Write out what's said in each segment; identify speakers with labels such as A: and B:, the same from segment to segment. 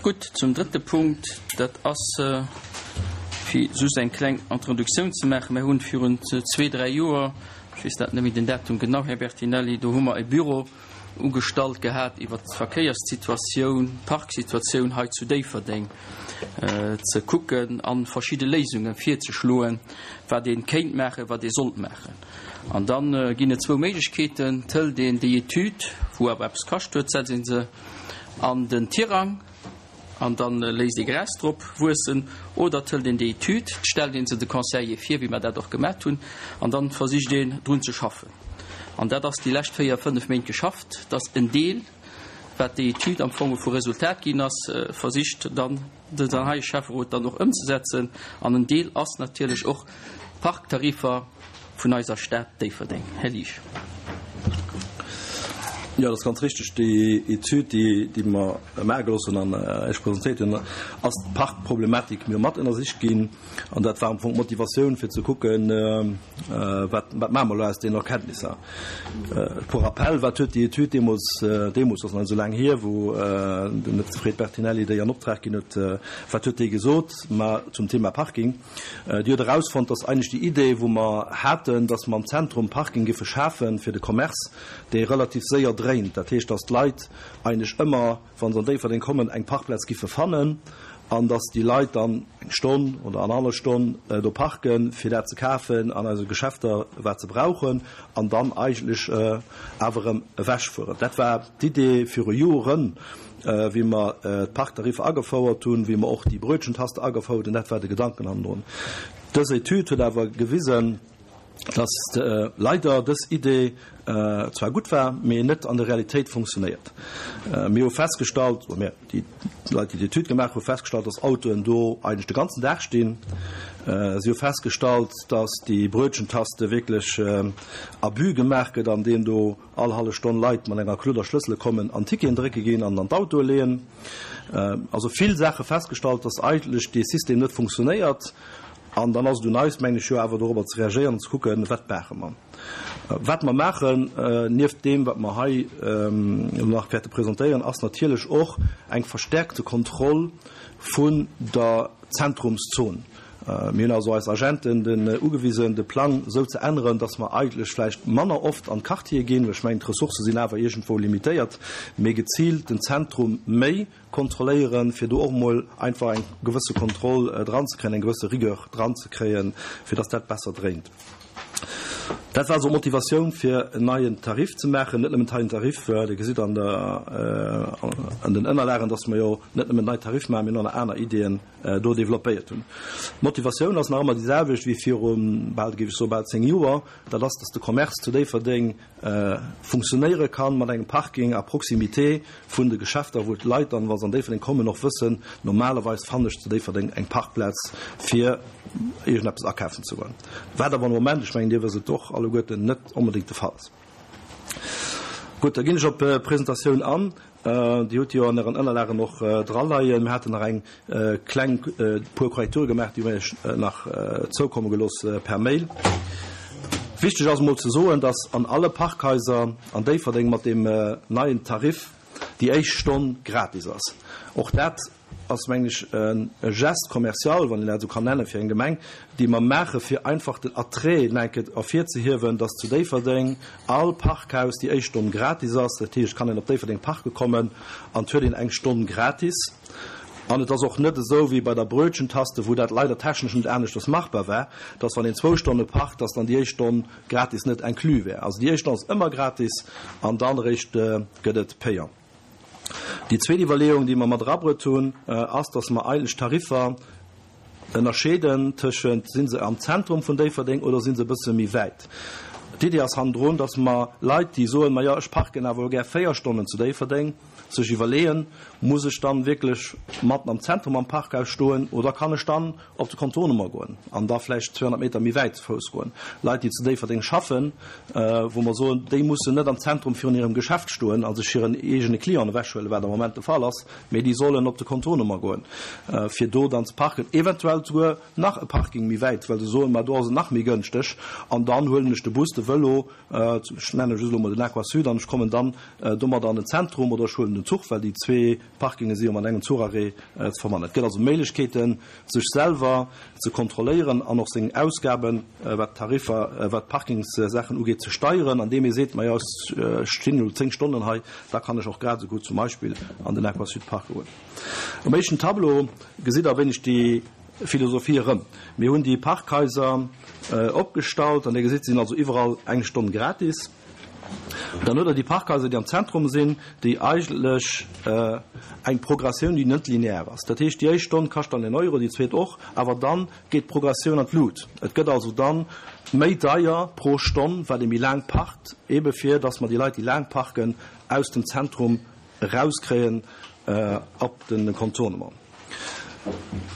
A: Gutt, zum drëtte Punkt, dat ass, fir just eng kleng Introduktioun ze maachen, Mir hunn virun zwee, dräi Joer, ech weess dat net méi den Datum genau, Här Bertinelli, do hu mer e Büro ugestallt gehat iwwert d'Verkéierssituatioun, d'Parksituatioun hei zu Déifferdeng ze kucken a verschidde Léisunge virzeschloen, wat ee kéint maachen, wat ee sollt maachen. An da ginn et zwou Méiglechkeeten, Et hëlt een déi Etüd, wou awer eppes kascht huet, setzt ee se an den Tirang an da léisst ee Gras drop wuessen, oder et hëlt een déi Etüd, et stellt ee se de Conseiller vir, wéi mer dat och gemat hunn, an da versicht een drun ze schaffen. An dat ass déi lescht véier, fënnef Méint geschafft, dass en Deel, wat déi Etüd am Fong vu Resultat ginn ass, versicht dann den heie Schäfferot dann och ëmzesetzen. An en Deel ass natierlech och d'Parktariffer vun eiser Stad Déifferdeng. Här Liesch.
B: Jo, dat ass ganz richtig. Déi Etüd, déi mer maache gelooss hunn an Iech presentéiert hunn, ass d'Parkproblematik mir mat ënnersicht ginn. An dat war am Fong d'Motivatioun, fir ze kucken, wat maache mer elo aus deenen Erkenntnisser. Pour rappel, wat huet déi Etüd deemools, deemools ass nach net esou laang hier, wou den Fred Bertinelli déi an Optrag ginn huet, wat huet déi gesot? Ma zum Thema Parking. Déi huet erausfonnt, dass eigentlech déi Idee, wou mer haten, dass mer am Zentrum Parking giffe schafe fir de Commerce, dee relativ séier dréint, dat heescht, dass d'Leit eigentlech ëmmer, wa se an Déifferdeng kommen, eng Parkplaz giffe fannen an dass déi Leit dann eng Stonn oder annerhallef Stonn do parken, fir dat ze kafen an eise Geschäfter, wat se brauchen, an dann eigentlech awer erëm ewechfueren. Dat war d'Idee viru Joren. Wéi mer d'Parktariffer agefouert hunn, wéi mer och déi Brötchentaste agefouert hunn, dat war de Gedanken hannendrun. Dës Etüd huet awer gewisen, dass leider dës Idee zwar gutt war, mee net an der Realitéit funktionéiert. Mir hu festgestallt, oder mir, déi Leit, déi d'Etüd gemaach hu festgestallt, dass Autoen do eigentlech de ganzen Dag stinn. Si hu festgestallt, dass déi Brötchentaste wierklech Abus gemaach gëtt, andeem do all hallef Stonn Leit mat enger Kludder Schlëssele kommen an Ticketen drécke ginn an an d'Autoe leeën. Also vill Saache festgestallt, dass eigentlech dee System net funktionéiert. An dann ass et un eis, mengen ech, jo awer dorobber ze reagéieren an ze kucken, wat maache mer. Wat mer maachen, nieft deem, wat mer hei elo nach wäerte presentéieren, ass natierlech och eng verstärkte Kontroll vun der Zentrumszon. Mir hunn also eis Agenten den ugewisen, de Plang esou ze änneren, dass mer eigentlech vläicht manner oft an d'Quartiere ginn, well ech mengen, d'Ressourcë sinn awer iergendwou limitéiert, mee geziilt den Zentrum méi kontrolléieren, fir do och emol einfach eng gewësse Kontroll dranzekréien, eng gewësse Rigueur dranzekréien, fir dass dat besser dréint. Dat war also d'Motivatioun, fir en neien Tarif ze maachen. Net nëmmen neien Tarif, Dir gesitt an der, an den Ënnerlagen, dass mer jo net nëmmen nei Tarif maachen, mee och nach aner Ideeën do développéiert hunn. D'Motivatioun ass nach ëmmer déi selwecht wéi viru bal, géif ech soen, bal 10 Joer. Dat ass, dass de Commerce zu Déifferdeng funktionéiere kann mat engem Parking à proximité vun de Geschäfter, wou d'Leit dann, wa se an Déifferdeng kommen, och wëssen, normalerweis fannen ech zu Déifferdeng eng Parkplaz fir iergendeppes akafen ze goen. Wat awer am Moment, ech mengen Dir wësst et och alleguerten, net onbedéngt de Fall ass. Gutt, da ginn ech op d'Presentatioun an. Dir hutt déi jo an Ären Ënnerlagen och draleien. Mir haten nach eng kleng puer Korrekture gemaach, déi hu mir Iech nach zoukomme gelooss per Mail. Wichteg ass emol ze soen, dass an alle Parkhaiser an Déifferdeng mat deem neien Tarif déi éischt Stonn gratis ass. Och dat ass, mengen ech, e Geste commercial, wann een dat esou kann nennen, fir eng Gemeng, dee mer maache fir einfach den Attrait nach eng Kéier ervirzehiewen, dass zu Déifferdeng all Parkhaus déi éischt Stonn gratis ass. Dat heescht, et kann een op Déifferdeng parke kommen an et huet een eng Stonn gratis. An et ass och net esou wéi bei der Brötchentaste, wou dat leider technesch net aneschters machbar war, dass wann een zwou Stonne parkt, dass dann déi éischt Stonn gratis net inclus wär. Also déi éischt Stonn ass ëmmer gratis an dann eréischt gëtt et payant. Déi zweet Iwwerleeung, déi mer mat erabruet hunn, ass, dass mer eigentlech d'Tariffer ënnerscheeden tëschent, Si se am Zentrum vun Déifferdeng oder si se e bësse méi wäit? D'Idee ass hannendrun, dass mer Leit, déi soen, Majo, ech parken awer elo gär véier Stonnen zu Déifferdeng, sech iwwerleeën, Muss ech dann wierklech matten am Zentrum am Parkhaus stoen oder kann ech dann op de Contournement goen an da vläicht 200 Meter méi wäit ze Fouss goen? Leit, déi zu Déifferdeng schaffen, wou mer soen, déi mussen net am Zentrum virun hirem Geschäft stoen a sech hiren eegene Clienten ewechhuelen, wat am Moment de Fall ass, mee déi sollen op de Contournement goen, fir do dann ze parken, eventuell souguer nach e Parking méi wäit, well se soen, ma do ass et nach méi gënschteg an dann huelen ech de Bus, de. Vëlo, ech nenne just elo mol den Aquasud, an ech kommen dann domadder an den Zentrum oder ech huelen den Zuch, well déi zwee Parkinge si jo mat engem Zucharrêt ze verbannen. Et gëtt also Méiglechkeeten, sech selwer ze kontrolléieren an och seng Ausgaben, wat d'Tariffer, wat d'Parkingssaachen ugeet, ze steieren, andeem ee seet, Majo, ech stinn elo 10 Stonnen hei, da kann ech och grad esou gutt zum Beispill an den Aquasud parke goen. Um éischten Tableau gesitt Der e wéineg déi Philosophie erëm. Mir hunn déi Parkhaiser opgestallt an Dir gesitt, se sinn also iwwerall eng Stonn gratis. Dann huet Der déi Parkhaiser, déi am Zentrum sinn, déi eigentlech eng Progressioun, déi net linear ass. Dat heescht, déi éischt Stonn kascht dann en Euro, déi zweet och, awer dann geet d'Progressioun an d'Lut. Et gëtt also dann méi deier pro Stonn, wat ee méi laang parkt, eebe fir dass mer déi Leit, déi laang parken, aus dem Zentrum erauskréien op de Contournement.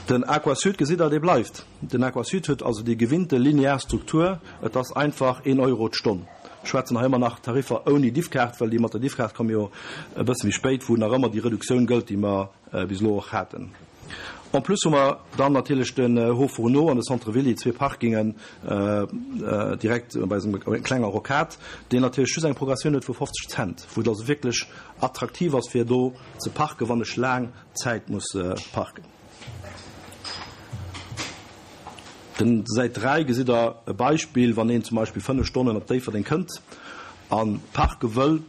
B: Den Aquasud, gesitt Der, dee bleift. Den Aquasud huet also déi gewinnte linear Struktur, et ass einfach een Euro d'Stonn. Ech schwätzen hei ëmmer nach Tariffer ouni Diffkaart, well déi mat der Diffkaart komme jo e bësse méi spéit, wou nach ëmmer déi Reduktioun gëllt, déi mer bis elo och haten. En plus hu mer dann natierlech den Haut Fourneau an de Centre Ville, déi zwee Parkingen direkt bei esou enger klenger Rocade, deen natierlech just eng Progressioun huet vu 50 Cent, wou et also wierklech attraktiv ass, fir do ze parken, wann ech laang Zäit muss parken. Den Säit 3 gesitt der e Beispill, wann een zum Beispill 5 Stonnen op Déifferdeng kënnt a parke wëll,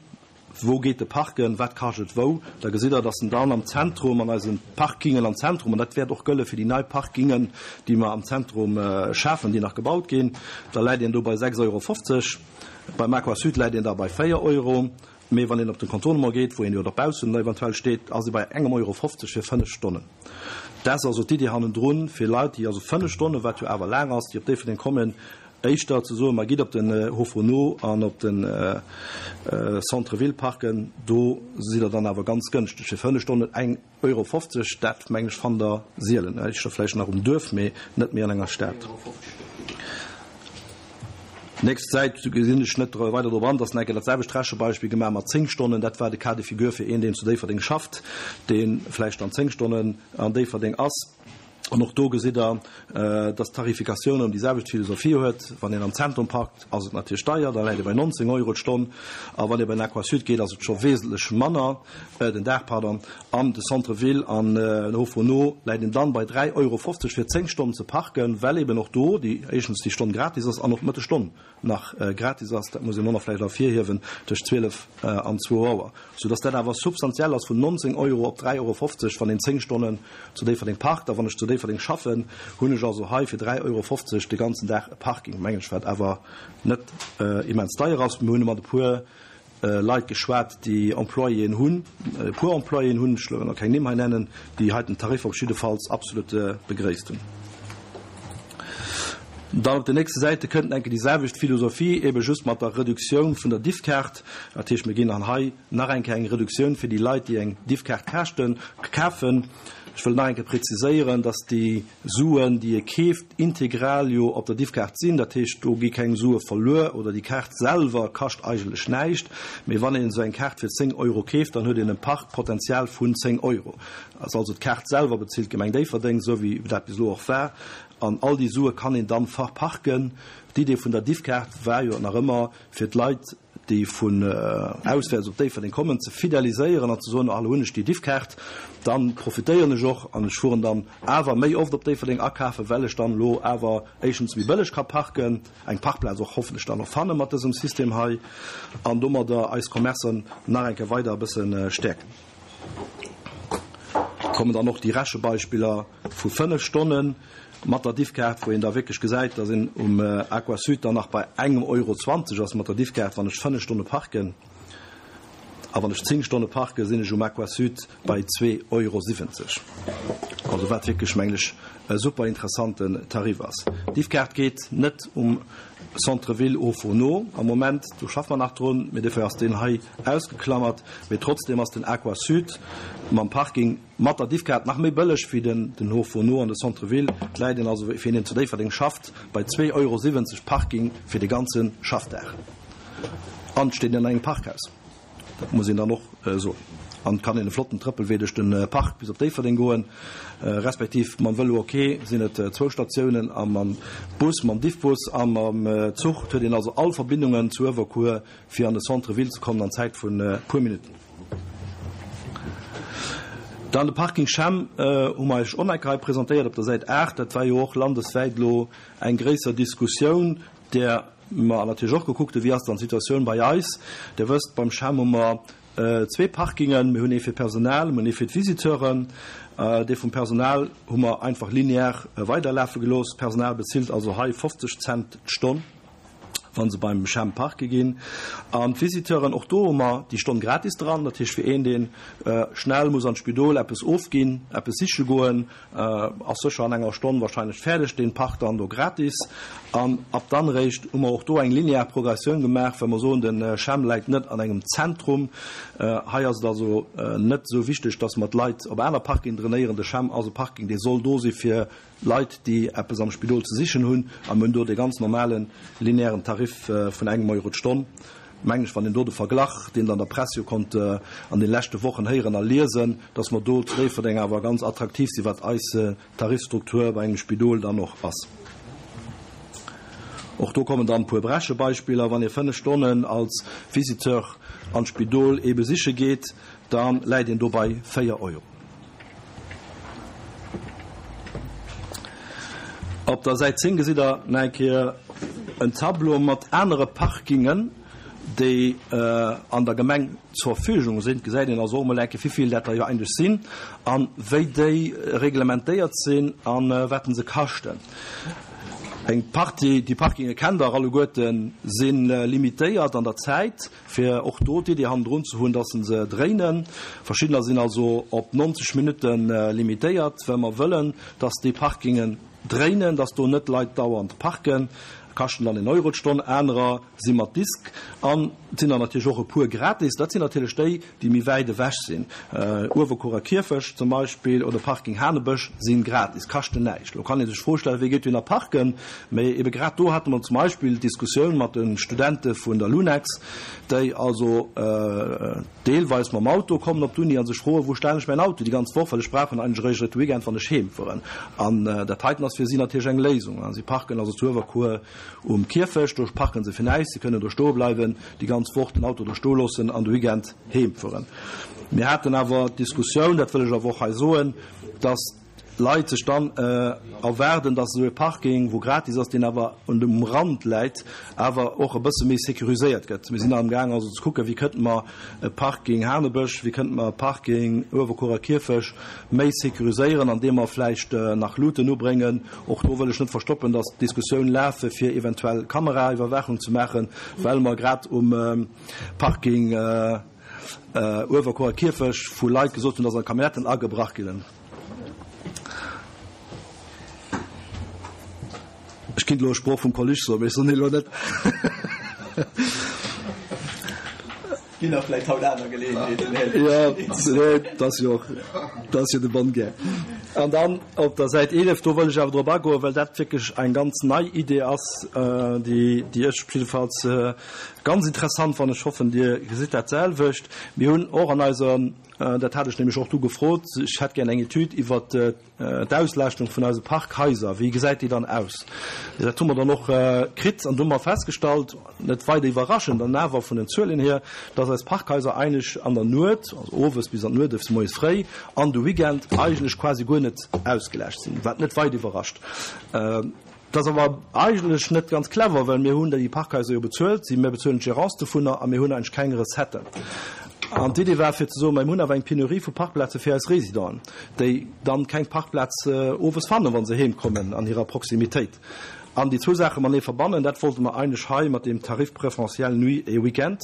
B: wou geet e parken, wat kascht et wou, da gesitt der, dass en dann am Zentrum, an eise Parkingen am Zentrum, an dat wäert och gëlle fir déi nei Parkingen, déi mer am Zentrum schafen, déi nach gebaut ginn, da läit een do bei 6,50 Euro. Beim Aquasud läit een da bei 4 Euro. Mee wann een op den Contournement geet, wou een jo dobaussen da eventuell steet, ass ee bei engem Euro 50 fir 5 Stonnen. Dat ass also d'Iddi hannendrun, fir Leit, déi also 5 Stonnen, wat jo awer laang ass, déi op Déifferdeng kommen, éischter ze soen, ma gitt op den Haut-Fourneau an op den Centre-ville parken, do sidd Der dann awer ganz gënschteg fir 5 Stonnen eng Euro 50, dat mengen ech fannt Der sielen, éischter vläicht nach um Duerf, mee net méi an enger Stad. Nächst Säit, do gesinn ech net weider drop an, dass nach eng Kéier dat selwecht Rechebeispill gemaach mat 10 Stonnen. Dat war de Cas de figure fir een, deen zu Déifferdeng schafft, dee vläicht dann 10 Stonnen an Déifferdeng ass. An och do gesitt Der, dass d'Tarifikatioun erëm déi selwecht Philosophie huet. Wann een am Zentrum parkt, ass et natierlech deier, da läit ee bei 19 Euro d'Stonn. A wann ee bei den Aquasud geet, ass et scho wesentlech manner, den Dag, pardon. An de Centre-ville an den Haut Fourneau läit een dann bei 3,50 Euro fir 10 Stonnen ze parken, well eben och do déi éischtens déi Stonn gratis ass an och d'Mëttesstonn nach gratis ass, dat muss een och nach vläicht ervirhiewen, tëscht 12 an zwou Auer, soudass dat awer substantiell ass vun 19 Euro op 3,50 Euro, wann een 10 Stonnen zu Déifferdeng parkt. A wann ech zu Déifferdeng schaffen, hunn ech also hei fir 3,50 Euro de ganzen Dag e Parking, mengen ech, wat awer net immens deier ass. Mir hunn mat e puer Leit geschwat, déi Employéen hunn, e puer Employéen hunn, ech wëll nach keng Nimm hei nennen, déi heiten Tariffer op jiddefalls absolut begréisst hunn. Dann op den nächste Säite kënnt enke déi selwecht Philosophie, ebe just mat der Reduktioun vun der Diffkaart. Dat heescht, mir ginn dann hei nach eng Kéier eng Reduktioun fir déi Leit, déi eng Diffkaart kaaschten, kafen. Ech wëll nach eng Kéier preziséieren, dass déi Suen, déi ee keeft, integral jo op der Diffkaart sinn. Dat heescht, do gi keng Sue verluer oder déi Kaart selwer kascht eigentlech näischt. Mee wann een esou eng Kaart fir 10 Euro keeft, dann huet een e Parkpotenzial vun 10 Euro. Also d'Kaart selwer bezilt d'Gemeng Déifferdeng, esou wéi dat bis elo och war. An all déi Sue kann een dann verparken. D'Idee vun der Diffkaart war jo nach ëmmer, fir d'Leit, déi vun auswäerts op Déifferdeng kommen, ze fideliséieren an ze soen, ah, elo hunn ech déi Diffkaart, da profitéieren ech och an ech fueren dann awer méi oft op Déifferdeng akafen, well ech dann elo awer éischtens méi bëlleg ka parken, eng Parkplaz och hoffentlech dann och fanne mat dësem System hei an domadder eis Commercen nach eng Kéier weider e bësse stäerken. Kommen dann och déi Rechebeispiller vu 5 Stonnen mat der Diffkaart, wou een da wierklech gesäit, dass een um Aquasud dann nach bei engem Euro 20 ass mat der Diffkaart, wann ech 5 Stonne parken. A wann ech 10 Stonne parken, sinn ech um Aquasud bei 2,70 Euro. Also wat wierklech, mengen ech, e super interessanten Tarif ass. D'Diffkaart geet net um Centre-ville au Fourneau am Moment, do schaffe mer nach drun, mee dofir ass deen hei ausgeklammert. Mee trotzdem ass den Aquasud mam Parking Mat der Diffkaart nach méi bëlleg wéi den den Haut Fourneau an de Centre Ville. Et läit een also, fir een deen zu Déifferdeng schafft, bei 2,70 Euro Parking fir de ganze Schaffdag. An et steet een an engem Parkhaus, dat muss een dann och soen. An et kann een e flotten Trëppelwee duerch de Park bis op Déifferdeng goen, respektiv mam Vëlo, ok, sinn et zwou Statiounen, a mam Bus, mam Diffbus a mam Zuch. Et huet een also all Verbindungen zu Uewerkuer fir an de Centre ville ze kommen an Zäit vun e puer Minutten. Dann de Parking Chem hu mer Iech och nach eng Kéier hei presentéiert op der Säit 8. Dat war jo och landeswäit elo eng gréisser Diskussioun, där mer natierlech och gekuckt hunn, wéi ass dann d'Situatioun bei eis. Dir wësst, beim Chem hu mer zwee Parkingen. Mir hunn ee fir d'Personal, mir hunn ee fir d'Visiteuren. Dee vum Personal hu mer einfach linear weiderlafe gelooss. D'Personal bezilt also hei 50 Cent d'Stonn, wa se beim Chem parke ginn. An d'Visiteuren, och do hu mer déi Stonn gratis dran. Dat heescht, fir een, dee schnell muss an d'Spidol eppes ofginn, eppes siche goen, Ass sécher an enger Stonn wahrscheinlech fäerdeg, deen parkt dann do gratis. An ab dann eréischt hu mer och do eng linear Progressioun gemaach, well mer soen, de CHEM läit net an engem Zentrum. Hei ass et also net esou wichteg, dass mer d'Leit op aner Parkingen drainéieren. De CHEM ass e Parking, dee soll do si fir Leit, déi eppes am Spidol ze sichen hunn. A mir hunn do dee ganz normale linearen Tarif vun engem Euro d'Stonn. Mengen ech, wann een do de Verglach, deen Der an der Press jo konnt an de leschte Wochen héieren a liesen, dass mer do zu Déifferdeng awer ganz attraktiv sinn, wat eis Tarifstruktur bei engem Spidol dann och ass. Och do kommen dann e puer Rechebeispiller. Wann ee 5 Stonnen als Visiteur an d'Spidol ee besiche geet, da läit een do bei 4 Euro. Op der Säit 10 gesitt Der nach eng Kéier en Tableau mat anere Parkingen, déi an der Gemeng zur Verfügung sinn. Et gesäit een also och emol eng Kéier, wéi vill dat der jo eigentlech sinn a wéi déi reglementéiert sinn a wat se kaschten. Eng Partie, déi Parkinge kennt Der alleguerten, si limitéiert an der Zäit. Fir och do d'Idee hannendrun ze hunn, dass se se dréinen. Verschiddener sinn also op 90 Minutte limitéiert, well mer wëllen, dass déi Parkingen dréinen, dass do net Leit dauernd parken, kaschten dann een Euro d'Stonn. Anerer si mat Disk an et sinn der natierlech och e puer gratis. Dat sinn natierlech déi, déi méi wäit ewech sinn. Uewerkuerer Kierfecht zum Beispill oder Parking Hanebësch si gratis, kaschten näischt. Elo kann ee sech d'Fro stellen, Wie geet dohinner parken? Mee ebe grad do hate mer zum Beispill d'Diskussioun mat de Studente vun der Lunex, déi also deelweis mam Auto kommen op d'Uni a sech froen, Wou stellen ech mäin Auto déi ganz Woch, well ech brauch en eigentlech eréischt de Weekend, wann ech heem fueren. An dat heiten ass fir si natierlech eng Léisung. Si parken also zu Uewerkuer um Kierfecht, do parken se fir näischt, si kënnen do stoe bleiwen déi ganz Woch, den Auto do stoe loossen an de Weekend heem fueren. Mir haten awer d'Diskussioun, dat wëll ech awer och hei soen, dass d'Leit sech dann erwaarden, dass esou e Parking, wou gratis ass, deen awer un dem Rand läit, awer och e bësse méi sécuriséiert gëtt. Mir sinn amgaang also ze kucken, wéi kënnte mer e Parking Hanebësch, wéi kënnte mer e Parking Uewerkuerer Kierfech méi sécuriséieren, andeem mer vläicht nach Luuten ubréngen. Och do wëll ech net verstoppen, dass d'Diskussioun lafe fir eventuell Kameraiwwerwaachung ze maachen, well mer grad um Parking Uewerkuerer Kierfech vu Leit gesot hunn, dass an Camionnetten agebrach ginn. Ech kinnt elo e Sproch vum Coluche soen, mee ech soen deen elo net.
C: Ginn der vläicht haut aner Geleeënheeten, Här
B: Jo, nee, dat ass jo och, dat ass jo de bonne guerre. An dann op der Säit 11, do wëll ech awer drop agoen, well dat wierklech eng ganz nei Idee ass, déi, déi ech jiddefalls ganz interessant fannen. Ech hoffen, Dir gesitt dat selwecht. Mir hunn och an eiser, dat hat ech nämlech och du gefrot, ech hätt gär eng Etüd iwwert D'Auslaaschtung vun eise Parkhaiser, wéi gesäit déi dann aus? Dat hu mer dann och kritt an do hu mer festgestallt, net weider iwwerraschend an awer vun den Zuelen hier, dass eis Parkhaiser eigentlech an der Nuet, also owes bis an d'Nuet, ëfs moies fréi an de Weekend eigentlech quasi guer net ausgelaascht sinn, wat net weider iwwerrascht. Dat ass awer eigentlech net ganz clever, well mir hunn déi Parkhaiser jo bezuelt, si mir bezuelen d'Gérance dovunner a mir hunn eigentlech keng Recetten. An d'Idee war fir ze soen, mir hunn awer eng Penurie vu Parkplaze fir eis Résidenten, déi dann keng Parkplaz owes fannen, wa se heem kommen an hirer Proximitéit. An déi zwou Saache matenee verbannen, dat wollte mer eigentlech hei mat deem Tarif préférentiel nuit et week-end,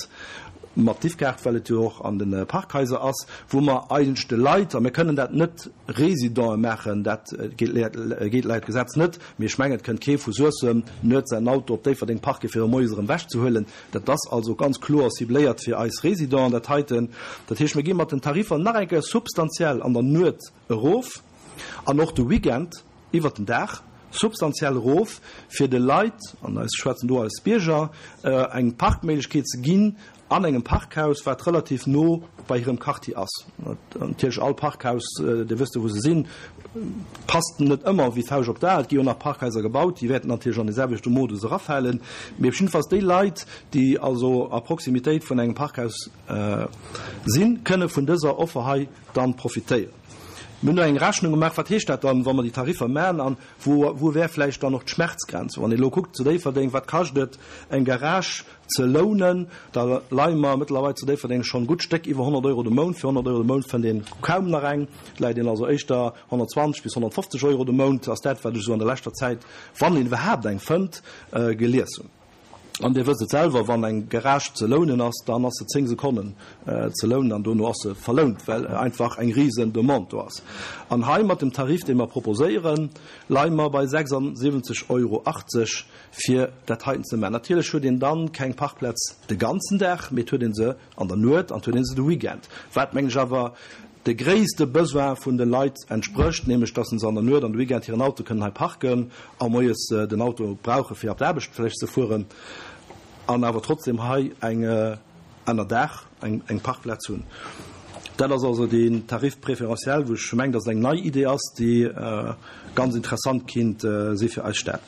B: mat Diffkaart, well et jo och an de Parkhaiser ass, wou mer eigentlech de Leit, a mir kënnen dat net Résidenten maachen, dat geet laut Gesetz net, mee ech mengen, et kënnt kee vu Suessem nuets säin Auto op Déifferdeng parken, fir e moies erëm ewechzehuelen. Dat ass also ganz kloer cibléiert fir eis Résidenten, dat heiten. Dat heescht, mir gi mat den Tariffer nach eng Kéier substantiell an der Nuet erof an och de Weekend iwwert den Dag substantiell erof, fir de Leit, an ech schwätzen do als Bierger, eng Parkméiglechkeet ze ginn. an engem Parkhaus, wat relativ no bei hirem Quartier ass. Natierlech all Parkhaus, Dir wësst jo wou se sinn, passt net ëmmer wéi d'Fauscht op d'A. Et gi jo nach Parkhaiser gebaut, déi wäerten natierlech an dee selwechte Modus erafalen. Mee op jiddefalls déi Leit, déi also a Proximitéit vun engem Parkhaus sinn, kënne vun dëser Offer hei dann profitéieren. Mir hunn do eng Rechnung gemaach, wat heescht dat dann, wa mer déi Tariffer maachen an wou wou wär vläicht dann och d'Schmerzgrenz. Wann ee elo kuckt zu Déifferdeng, wat kascht et eng Garage ze lounen, da leie mer mëttlerweil zu Déifferdeng schonn e gutt Stéck iwwer 100 Euro de Mount. Fir 100 Euro de Mount fënnt een kaum nach eng. Et läit een also éischter 120 bis 150 Euro de Mount, ass dat wat ech esou an der leschter Zäit, wann een iwwerhaapt eng fënnt, gelies hunn. An Dir wësst et selwer, wann eng Garage ze lounen ass, dann ass se 10 Sekonnen ze lounen an dono ass se verlount, well einfach eng risen Demande do ass. An hei mat dem Tarif, dee mer proposéieren, leie mer bei 76,80 Euro fir dat heiten ze maachen. Natierlech huet een dann keng Parkplaz de ganzen Dag, mee et huet ee se an der Nuet an et huet ee se de Weekend, wat mengen ech awer de gréisste Besoin vun de Leit entsprécht, nämlech dass se an der Nuet an de Weekend hiren Auto kënnen hei parken a moies den Auto brauche fir op d'Aarbecht vläicht ze fueren an awer trotzdem hei eng ënner Daach eng Parkplaz hunn. Dat ass also deen Tarif préférentiel, wou ech mengen, dass et eng nei Idee ass, déi ganz interessant kinnt si fir eis Stad.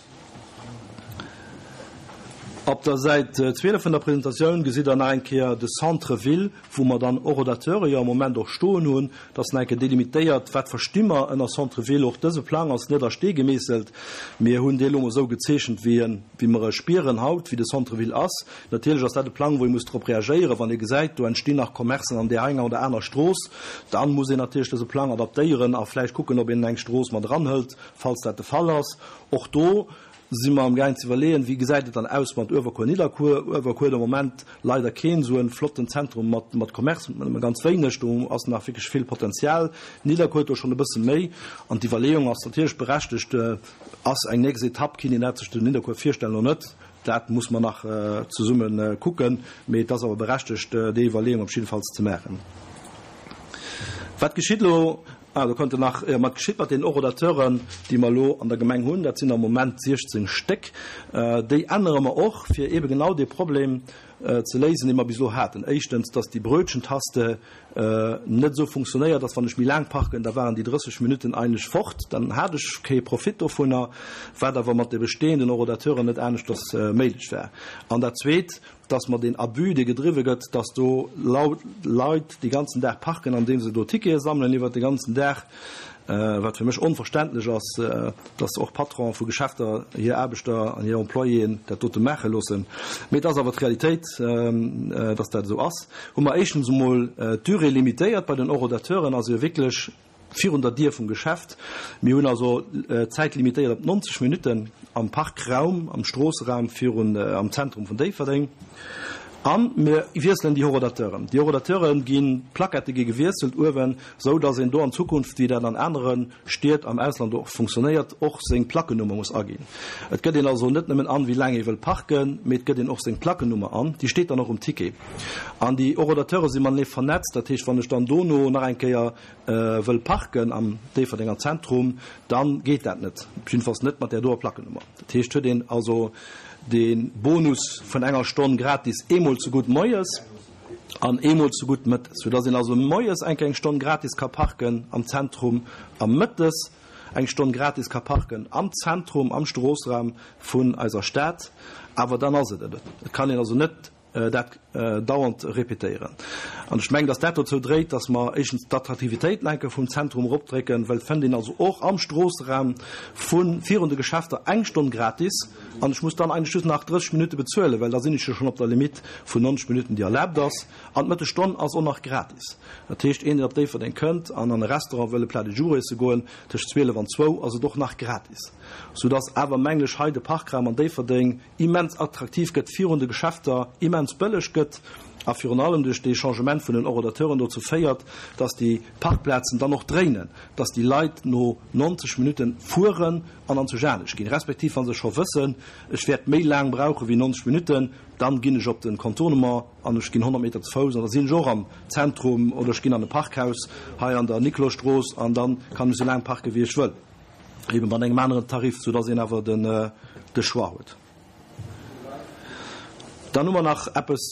B: Op der Säit 12 vun der Presentatioun gesitt Der nach eng Kéier de Centre-ville, wou mer dann Horodateure jo am Moment och stoen hunn. Et ass nach eng Kéier delimitéiert, wat versti mer ënner Centre-ville. Och dëse Plang ass net a Stee gemeesselt. Mir hunn dee elo mol esou gezeechent, wéi en, wéi mer e spieren haut, wéi de Centre-ville ass. Natierlech ass dat e Plang, wou ee muss drop reagéieren, wann ee gesäit, do entstinn nach Commercen an där enger oder aner Strooss. Dann muss een natierlech dëse Plang adaptéieren a vläicht kucken, ob een eng Strooss mat eranhëlt, falls dat de Fall ass. Och do si mer amgaang ze iwwerleeën, wéi gesäit et dann aus mat Uewerkuer, Nidderkuer. Uewerkuer huet am Moment leider keen esou e flotten Zentrum mat mat Commerce, nëmme ganz wéineg. Do ass nach wierklech vill Potenzial. Nidderkuer huet do schonn e bësse méi. An d'Iwwerleeung ass natierlech berechtegt, Ass eng nächst Etapp, kinnt een dat sech zu Nidderkuer virstellen oder net? Dat muss mer nach zesumme kucken. Mee et ass awer berechtegt, déi Iwwerleeung op jiddefalls ze maachen. Wat geschitt elo Ah, do kënnt nach, jo, wat geschitt mat deenen Horodateuren, déi mer elo an der Gemeng hunn? Dat sinn am Moment 16 Stéck. Déi ännere mer och, fir eebe genau dee Problem ze léisen, dee mer bis elo haten. Éischtens, dass déi Brötchentaste net esou funktionéiert, dass wann ech méi laang parken, da waren déi 30 Minutten eigentlech fort, dann hat ech kee Profit dovunner, wat awer mat de bestehenden Horodateuren net aneschters méiglech war. An dat Zweet, dass mer deen Abus, dee gedriwwe gëtt, dass do Leit dee ganzen Dag parken, andeem se do Tickete sammelen iwwert de ganzen Dag, wat fir mech onverständlech ass, dass och Patronen vu Geschäfter hir Aarbechter an hir Employéen dat dote maache loossen. Mee et ass awer d'Realitéit, dass dat esou ass. Hu mer éischtens emol d'Durée limitéiert bei den Horodateuren, also wierklech Virun der Dier vum Geschäft. Mir hunn also d'Zäit limitéiert op 90 Minutten am Parkraum, am Stroosseraum virun, am Zentrum vun Déifferdeng. A mir wiesselen déi Horodateuren. Déi Horodateure ginn, d'Plaquettë gi gewiesselt uewen, esou datt een do an Zukunft, wéi dat an anere Stied am Ausland och funktionéiert, och seng Plackenummer muss aginn. Et gëtt een also net nëmmen an, wéi laang ee wëll parken, mee et gëtt een och seng Plackenummer an. Déi steet dann och um Ticket. An déi Horodateure si matenee vernetzt. Dat heescht, wann ech dann dono nach eng Kéier wëll parken am Déifferdenger Zentrum, dann geet dat net, jiddefalls net mat där doer Plackenummer. Dat heescht, huet een also de Bonus vun enger Stonn gratis eemol ze gutt moies an eemol ze gutt mëttes, soudass een also moies eng Kéier eng Stonn gratis ka parken am Zentrum a mëttes eng Stonn gratis ka parken am Zentrum, am Stroossraum vun eiser Stad. Awer dann ass et et. Et kann een also net dat dauernd répétéieren. An ech mengen, dass dat dozou dréit, dass mer éischtens d'Attraktivitéit lenke vum Zentrum eropdrécken, well et fënnt een also och am Stroosseraum vu virun de Geschäfter eng Stonn gratis an ech muss dann eigentlech just nach 30 Minutte bezuelen, well da sinn ech jo schonn op der Limitt vun 90 Minutten, déi erlaabt ass. An d'Mëttesstonn ass och nach gratis. Dat heescht, een, deen op Déifferdeng kënnt an an e Restaurant wëll e Plat du jour iesse goen, tëscht 12 an zwou ass et och nach gratis. Soudass awer, mengen ech, hei de Parkraum an Déifferdeng immens attraktiv gëtt, virun de Geschäfter immens bëlleg gëtt a virun allem duerch dee Changement vun den Horodateuren dozou féiert, dass déi Parkplazen dann och dréinen, dass déi Leit no 90 Minutten fueren an an zu Janesch ginn, respektiv wa se scho wëssen, ech wäert méi laang brauche wéi 90 Minutten, dann ginn ech op de Contournement an ech ginn 100 Meter ze Fouss an da sinn ech och am Zentrum oder ech ginn an e Parkhaus hei an der Niklosstrooss an dann kann ech esou laang parke wéi ech wëll. Eben mat engem aneren Tarif, soudass een awer den de Choix huet. Dann hu mer nach eppes,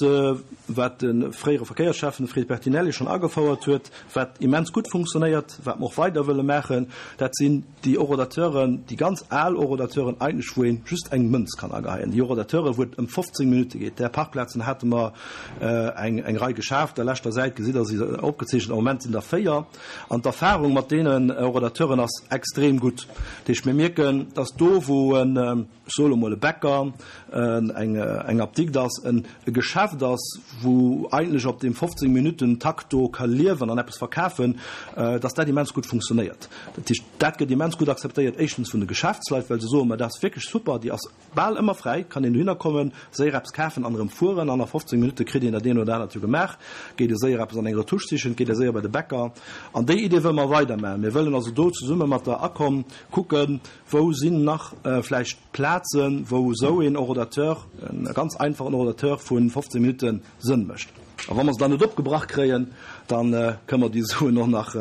B: wat de fréiere Verkéiersschäffen, de Fred Bertinelli, schonn agefouert huet, wat immens gutt funktionéiert, wat mer och weider wëlle maachen, dat sinn déi Horodateuren, déi ganz al Horodateuren eigentlech, wou ee just eng Mënz kann ageheien, déi Horodateuren, wou et ëm 15 Minutte geet. Där Parkplazen hate mer eng eng Rei geschaaft. Der leschter Säit gesitt Der se opgezeechent. Am Moment sinn der 4. An d'Erfahrung mat deenen Horodateuren ass extrem gutt. Dat heescht, mir mierken, dass do, wou en, ech soe lo mol e Bäcker, eng Apdikt ass, e Geschäft ass, wou eigentlech op deem 15 Minutten Takt do ka liewen an eppes verkafen, dass dat immens gutt funktionéiert. Dat heescht, dat gëtt immens gutt akzeptéiert, éischtens vun de Geschäftsleit, well se soen, ma dat ass wierklech super, déi ass bal ëmmer fräi, kann een dohinner kommen, séier eppes kafen an erëm fueren an a 15 Minutte kritt een dat eent oder anert jo gemaach, geet ee séier eppes an eng Retouche sichen, geet ee séier bei de Bäcker. An déi Idee wëlle mer weidermaachen. Mir wëllen also do zesumme mat der ACOM kucken, Wou sinn nach vläicht Plazen, wou esou een Horodateur, e ganz einfachen Horodateur vu 15 Minutten, Sënn mécht? A wa mer se dann net opgebrach kréien, da kënne mer déi Suen och nach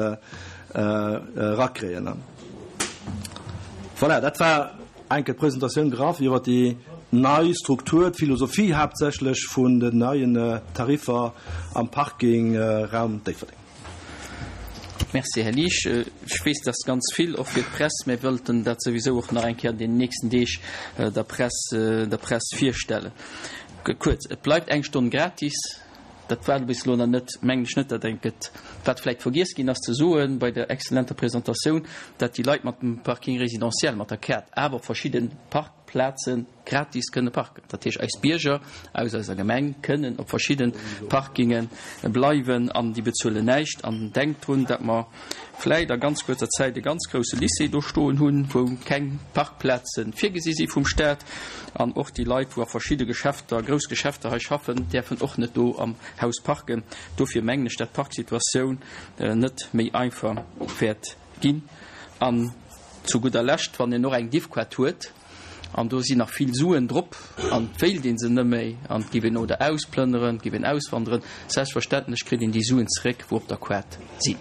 B: erakréien. Voilà, dat war enke d'Presentatioun graff iwwer déi nei Struktur, d'Philosophie haaptsächlech vun den neien Tariffer am Parking Raum Déifferdeng.
A: Merci, Här Liesch. Ech weess, dass ganz vill, och fir d'Press, mir wëllten dat souwisou och nach eng Kéier an deenen nächsten Deeg der Press, der Press virstellen. Kuerz, Et bleift eng Stonn gratis. Dat war bis elo nach net, mengen ech net, dat eng gëtt. Wat vläicht vergiess ginn ass ze soen bei der exzellenter Presentatioun, dat déi Leit mat dem Parking résidentiel, mat der Kaart awer op verschidde Parkplaze gratis kënne parken. Dat heescht, eis Bierger aus eiser Gemeng kënnen op verschidde Parkinge bleiwen an déi bezuelen näischt. An denkt drun, datt mer vläit a ganz kuerzer Zäit e ganz grousse Lycée do stoen hunn, wou keng Parkplaze virgesi si vum Staat. An och déi Leit, wou a verschidde Geschäfter, grouss Geschäfter hei schaffen, däerfen och net do am Haus parken. Dofir mengen ech, dat d'Parksituatioun net méi einfach wäert ginn. An zu gudder Lescht, wann een och eng Diffquart huet, An do sinn nach vill Suen drop an et wéilt ee se net méi an et giff een oder ausplënneren, et giff een auswanderen. Selbstverständlech kritt een déi Suen zeréck, wou op der Quart sinn.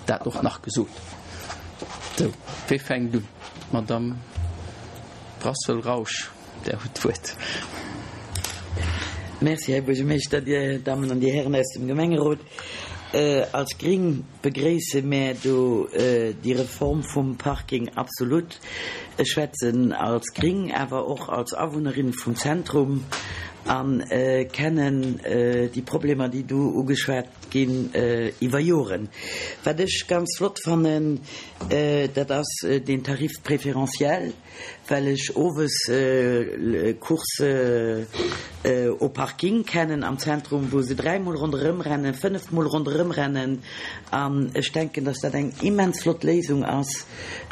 A: Dat och nach gesot. Sou, wee fänkt un? D'Madame Brassel-Rausch, Der hutt d'Wuert.
D: Merci, Här Buergermeeschter, Dir Dammen an Dir Hären aus dem Gemengerot. Als Gring begréisse mär do déi Reform vum Parking absolut. Ech schwätzen als Gring, awer och als Awunnerin vum Zentrum a kennen déi Problemer, déi do ugeschwat ginn, iwwer Joren. Wat ech ganz flott fannen, dat ass deen Tarif préférentiel. Well ech owes Course au parking kennen am Zentrum, wou se dräimol ronderëm rennen, fënnefmol ronderëm rennen. An ech denken, dass dat eng immens flott Léisung ass,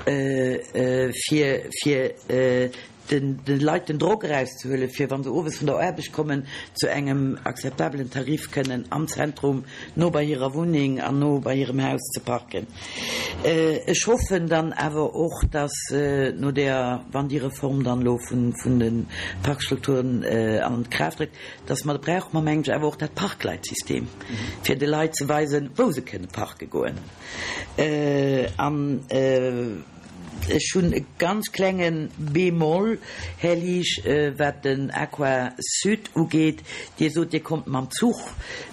D: fir fir de Leit den Drock erauszehuelen, fir, wa se owes vun der Aarbecht kommen, zu engem akzeptabelen Tarif kënnen am Zentrum no bei hirer Wunneng an no bei hirem Haus ze parken. Ech hoffen dann awer och, dass no där, wann déi Reform dann elo vun de Parkstrukturen an Kraaft trëtt, dass mer, da brauche mer, mengen ech, awer och dat Parkleitsystem, fir de Leit ze weisen, wou se kënne parke goen. An Ech hunn e ganz klenge Bémol, Här Liesch, wat den Aqua Sud ugeet. Dir sot, Dir kommt mam Zuch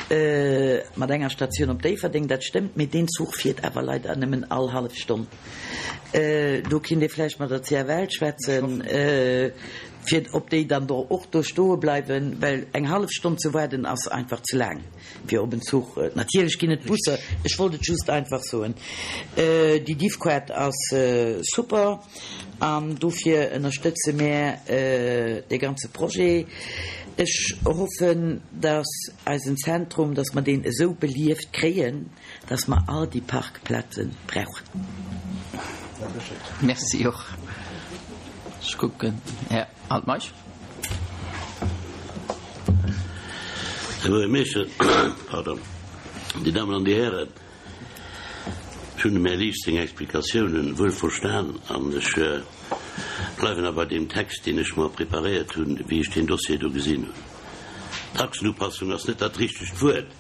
D: mat enger Statioun op Déifferdeng. Dat stëmmt, mee deen Zuch fiert awer leider nëmmen all hallef Stonn. Do kinnt Dir vläicht mat der CFL schwätzen, fir ob déi dann do och do stoe bleiwen, well eng hallef Stonn ze waarden ass einfach ze laang. Fir op en Zuch. Natierlech ginn et Busser, ech wollt et just einfach soen. Déi Diffquart ass super an dofir ënnerstëtze mär dee ganze Projet. Ech hoffen, dass eisen Zentrum, dass mer deen esou belieft kréien, dass mer all déi Parkplaze brauchen.
A: Merci och. Ech kucken, Här Altmeisch.
E: Här Buergermeeschter, pardon, Dir Dammen an Dir Hären, ech hunn dem Här Liesch seng Explikatiounen wuel verstan an ech bleiwen awer bei deem Text, deen ech mer preparéiert hunn, wéi ech deen Dossier do gesinn hunn. Taxenupassung ass net dat richtegt Wuert.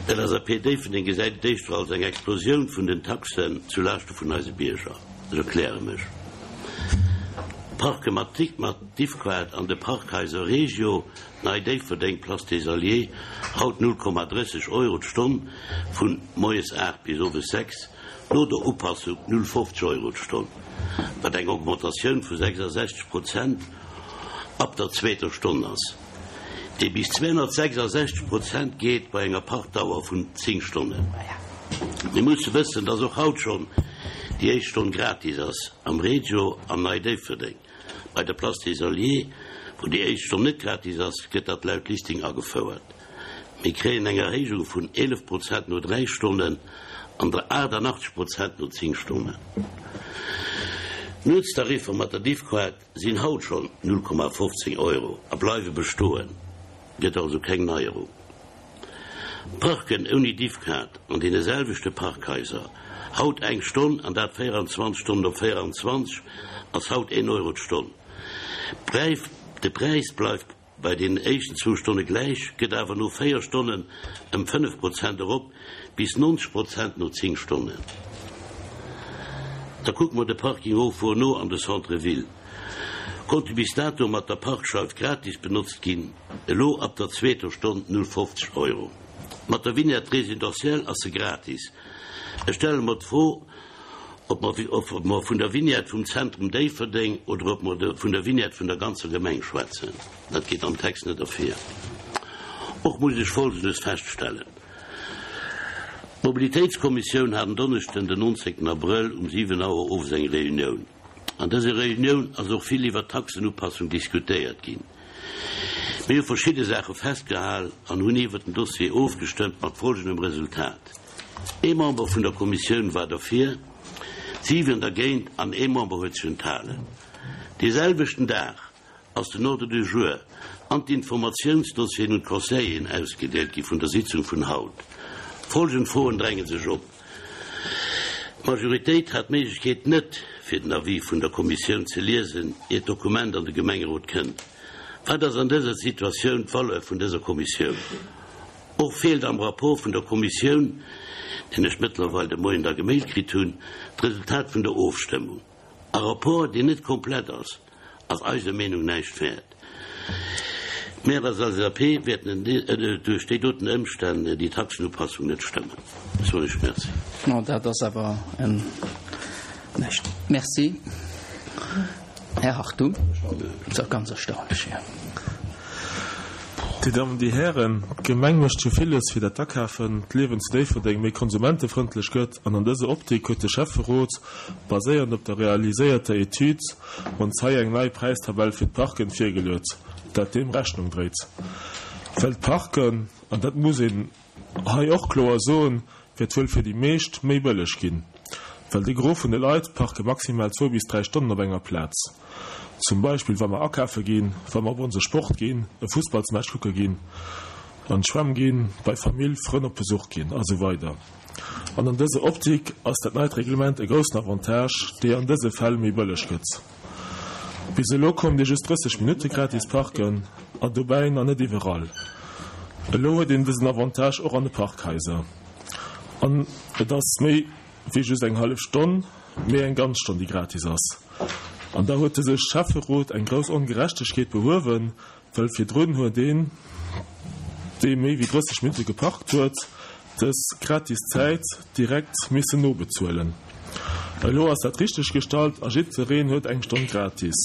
E: D'LSAP Déifferdeng gesäit et éischter als eng Explosioun vun den Taxen zu Laaschte vun eise Bierger. Ech erkläre mech. Parke mat mat Diffkaart an de Parkhaiser Regio, Nei Déifferdeng, Place des Alliés, haut 0,30 Euro d'Stonn vun moies 8 bis owes 6, no der Upassung 0,50 Euro d'Stonn, wat eng Augmentatioun vu 66 Prozent ab der zweeter Stonn ass, déi bis 266 Prozent geet bei enger Parkdauer vun 10 Stonnen. Mir musse wëssen, dass och haut schonn déi éischt Stonn gratis ass am Regio an Nei Déifferdeng. Bei der Place des Alliés, wou déi éischt Stonn net gratis ass, gëtt dat laut Listing agefouert. Mir kréien eng Erhéijung vun 11 Prozent no 3 Stonnen an der 88 Prozent no 10 Stonnen. D'Nuetstariffer mat der Diffkaart sinn haut schonn 0,15 Euro a bleiwe bestoen, gëtt also keng Neierung. Parken ouni Diffkaart an deene selwechte Parkhaiser, haut eng Stonn, an dat 24 Stonnen op 24, ass haut een Euro d'Stonn. De Präis bleift bei den éischten zwou Stonne gläich, gëtt awer no 4 Stonnen ëm 5 Prozent erop bis 90 Prozent no 10 Stonnen. Da kucke mer de Parking Haut no an de Centre Ville. Konnte bis dato mat der Parkscheif gratis benotzt ginn, elo ab der zweeter Stonn 0,50 Euro. Mat der Vignette résidentielle ass se gratis. Ech stelle mer d'Fro, ob mer ob mer vun der Vignette vum Zentrum Déifferdeng oder ob mer vun der Vignette vun der ganzer Gemeng schwätzen. Dat geet am Text net ervir. Och muss ech Folgendes feststellen, D'Mobilitéitskommissioun hat en Donneschden den 19 Abrëll um 7 Auer owes eng Reunioun. An dëser Reunioun ass och vill iwwert d'Taxenupassung diskutéiert ginn. Mir hu verschidde Saache festgehal an hunn iwwert den Dossier ofgestëmmt mat folgendem Resultat, Ee Member vun der Kommissioun war derfir, 7 dergéint an ee Member huet sech enthalen. Dee selwechten Dag ass den Ordre du jour an d'Informatiounsdossieren un d'Conseilleren ausgedeelt gi vun der Sitzung vun haut. Folgend Froen dränge sech op. D'Majoritéit hat d'Méiglechkeet net, fir den Avis vun der Kommissioun ze liesen, ier d'Dokument an de Gemengerot kënnt. Wat ass an dëser Situatioun d'Valeur vun dëser Kommissioun? Och feelt am Rapport vun der Kommissioun, deen ech mëttlerweil de Moien da gemailt kritt hunn, d'Resultat vun der Ofstëmmung. E Rapport, deen net komplett ass, ass eiser Meenung näischt wäert. Mir als LSAP wäerten duerch déi doten Ëmstänn déi Taxenupassung net stëmmen. Ech soen Iech Merci.
A: No, dat ass awer en näischt. Merci, Här Hartung. Dat ass ganz erstaunlech, jo.
F: Dir Dammen, Dir Hären, d'Gemeng mécht jo villes, fir dat d'Akafen, d'Liewen zu Déifferdeng méi konsumentefrëndlech gëtt an an dëser Optik huet de Schäfferot, baséiernd op der realiséierter Etüd, ons hei eng nei Präistabell fir d'Parken virgeluet, dat deem Rechnung dréit. Well d'Parken, an dat muss een hei och kloer soen, wäert wuel fir déi meescht méi bëlleg ginn, well de Gros vun de Leit parke maximal zwou bis dräi Stonnen op enger Plaz. Zum Beispill wa mer akafe ginn, wa mer op onse Sport ginn, e Fussballsmatch kucke ginn, an d'Schwämm ginn, bei Famill, Frënn op Besuch ginn a sou weider. An an dëser Optik ass dat neit Reglement e groussen Avantage, dee an dëse Fäll méi bëlleg gëtt. Bis elo konnt ee just 30 Minutte gratis parken, an dobäi nach net iwwerall. Elo huet een dësen Avantage och an de Parkhaiser. An et ass méi wéi just eng hallef Stonn, mee eng ganz Stonn, déi gratis ass. An da huet dëse Schäfferot eng grouss Ongerechtegkeet behuewen, Well virdrun huet een, dee méi wéi 30 Minutte geparkt huet, dës gratis Zäit direkt missen nobezuelen. Elo ass dat richteg gestallt a jiddwereen huet eng Stonn gratis,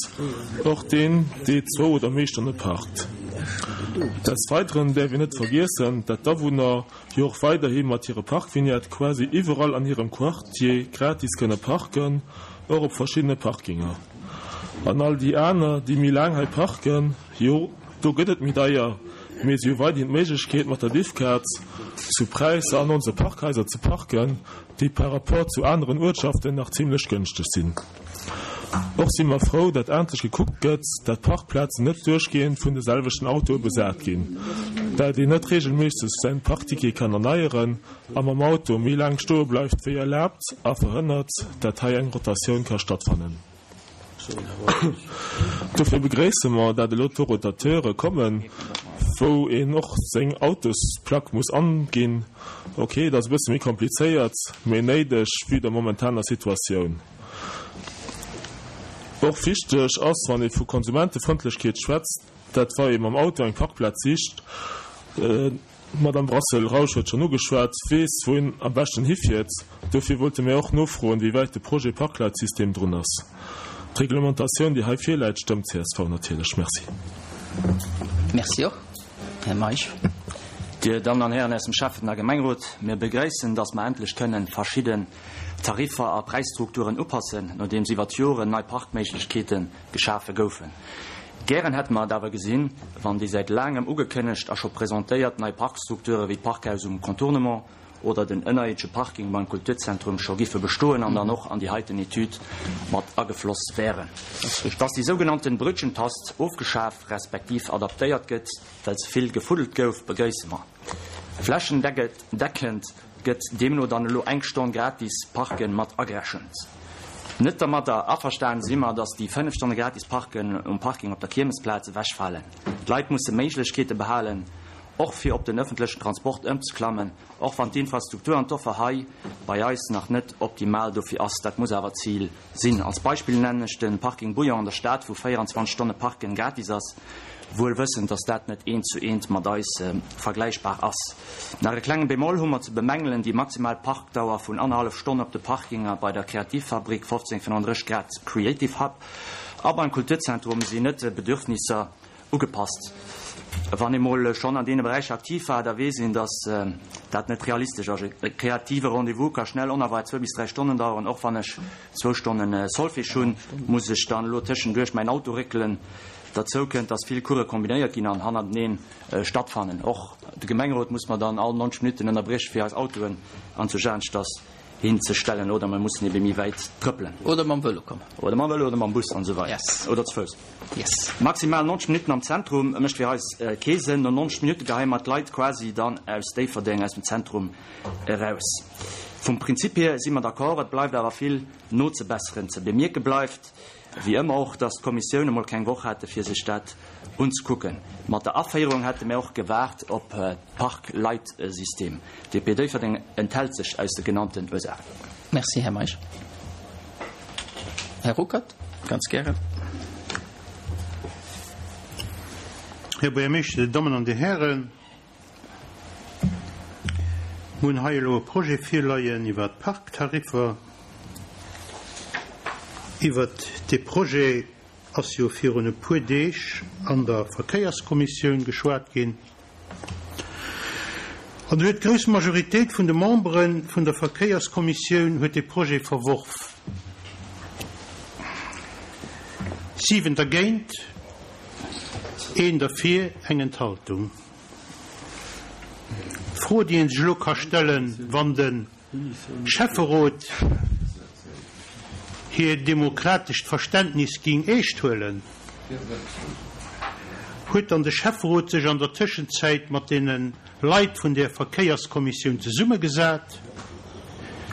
F: och deen, dee zwou oder méi Stonne parkt. Des Weideren däerf een net vergiessen, dat d'Awunner jo och weiderhi mat hire Parkvignette quasi iwwerall an hirem Quartier gratis kënne parken, och op verschiddene Parkinger. An all déi aner, déi méi laang hei parken, jo, do gëtt et méi deier, mee si hu weiderhin d'Méiglechkeet, mat der Diffkaart zu Präisser an onse Parkhaiser ze parken, déi par rapport zu aneren Uertschaften nach zimlech gënschteg sinn. Och si mer frou, datt endlech gekuckt gëtt, datt d'Parkplazen net duerchgehend vun de selwechten Autoe besat ginn, dat een net reegelméisseg säin Parkticket kann erneieren a mam Auto méi laang stoe bleift wéi erlaabt a verhënnert, dat hei eng Rotatioun ka stattfannen. Dofir begréisse mer, dat elo d'Rotateure kommen, wou een och seng Autosplack muss anginn. Ok, et ass e bësse méi komplizéiert, mee néideg vue der momentaner Situatioun. Och wichteg ass, wann ee vu Konsumentefrëndlechkeet schwätzt, dat wa ee mam Auto eng Parkplaz sicht, d'Madame Brassel-Rausch huet schonn ugeschwat, weess, wou een am beschten hifiert. Dofir wollte mir och nofroen, wéi wäit de Projet Parkleitsystem drun ass. D'Reglementatioun, déi hei virläit, stëmmt csv natierlech. Merci.
A: Merci och, Här Meisch.
G: Dir Dammen an Hären aus dem Schäffen a Gemengerot, mir begréissen, dass mer endlech kënnen verschidden Tariffer a Präisstrukturen upassen, nodeems iwwer d'Joren nei Parkméiglechkeete geschafe goufen. Gären hätte mer et awer gesinn, wann déi säit laangem ugekënnegt a scho presentéiert nei Parkstrukture wéi d'Parkhaus um Contournement oder den ënnerierdesche Parking beim Kulturzentrum scho giffe bestoen an dann och an déi heiten Etüd mat agefloss wären. Dass déi sougenannten Brötchentast ofgeschaf respektiv adaptéiert gëtt, well ze vill gefuddelt gouf, begréisse mer. Flächendeckend gëtt deemno dann elo eng Stonn gratis Parken mat agerechent. Net dermadder averstanen si mer, dass déi 5 Stonne gratis Parken um Parking op der Kiermesplaz ewechfalen. D'Leit musse Méiglechkeete behalen, och fir op den ëffentlechen Transport ëmzeklammen, och wann d'Infrastruktur an d'Offer hei bei eis nach net optimal dofir ass. Dat muss awer d'Zil sinn. Als Beispill nennen ech de Parking Bouillon an der Stad, wou 24 Stonne Parken gratis ass, wuel wëssend, dass dat net eent zu eent mat eis vergläichbar ass. Nach e klenge Bémol hu mer ze bemängelen, déi maximal Parkdauer vun annerhallef Stonn op de Parkinger bei der Kreativfabrik 1535 Grad Creative Hub a beim Kulturzentrum sinn net de Bedürfnisser Ugepasst. Wann ee mol schonn an deene Beräicher aktiv war, da weess een, datt dat net realistesch ass. E kreative Rendez-vous ka schnell onerwaart zwou bis dräi Stonnen daueren. Och wann ech zwou Stonne Solfège hunn, muss ech dann elo tëschenduerch mäin Auto réckelen. Derzou kënnt, datt vill Course kombinéiert ginn an hannerteneen stattfannen. Och de Gemengerot muss mer dann all 90 Minutten ënnerbrieche fir eis Autoen anzujaanstass hinzestellen oder mer mussen ebe méi wäit trëppelen.
A: Oder mam Vëlo kommen.
G: Oder mam Vëlo oder mam Bus an esou weider.
A: Yes.
G: Oder ze Fouss.
A: Yes.
G: Maximal 90 Minutten am Zentrum mécht fir eis kee Sënn. No 90 Minutte geheie mer d'Leit quasi dann aus Déifferdeng, aus dem Zentrum eraus. Vum Prinzip hier si mer d'accord, et bleift awer vill nozebesseren. Ze bemierke bleift wéi ëmmer och, dass d'Kommissioune mol keng Woch hate fir sech dat unzekucken. Mat der Aféierung hätte mär och gewaart op d'Parkleitsystem. DP Déifferdeng enthält sech aus de genannten Ursaachen.
A: Merci, Här Meisch. Här Ruckert, ganz gären.
H: Här Buergermeeschter, Dir Dammen an Dir Hären, mir hunn hei elo e Projet virleien iwwert d'Parktariffer. Iwwert dee Projet ass jo virun e puer Deeg an der Verkéierskommissioun geschwat ginn. An do huet d'grouss Majoritéit vun de Membere vun der Verkéierskommissioun huet dee Projet verworf. 7 dergéint, een derfir, eng Enthaltung. D'Fro, déi ee sech elo ka stellen, wann de Schäfferot hir demokratescht Verständnis ging eescht huelen, huet dann de Schäfferot sech an der Tëschenzäit mat deene Leit vun där Verkéierskommissioun zesummegesat,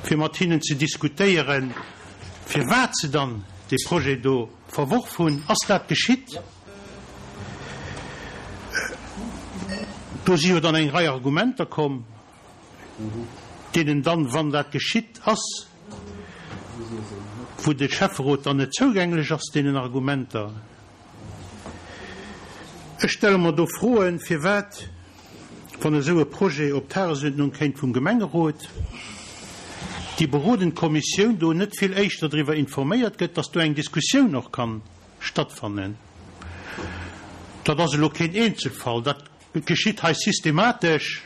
H: fir mat hinnen ze diskutéieren, firwat se dann dee Projet do verworf hunn? Ass dat geschitt? Do si jo dann eng Rei Argumenter komm. deenen dann, wann dat geschitt ass, wou de Schäfferot dann net zougänglech ass, deenen Argumenter. Ech stelle mer do Froen, firwat, wann esou e Projet op d'Tagesuerdnung kéint vum Gemengerot, déi berodend Kommissioun do net vill éischter driwwer informéiert gëtt, dass do eng Diskussioun och kann stattfannen. Dat ass elo keen Eenzelfall, dat Et geschitt hei systematesch,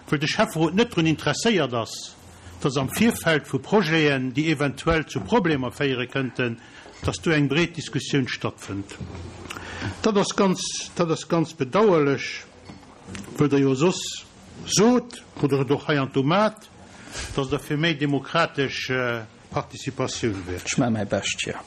H: wëll de Schäfferot net drun interesséiert ass, dass am Virfeld vu Projeten, déi eventuell zu Problemer féiere kënnten, dass do eng breet Diskussioun stattfënnt. Dat ass ganz, dat ass ganz bedauerlech, wëll Der jo soss sot, oder et och heiansdo mat, dass Der fir méi demokratesch Participatioun wär.
A: Ech maache mäi Bescht, jo.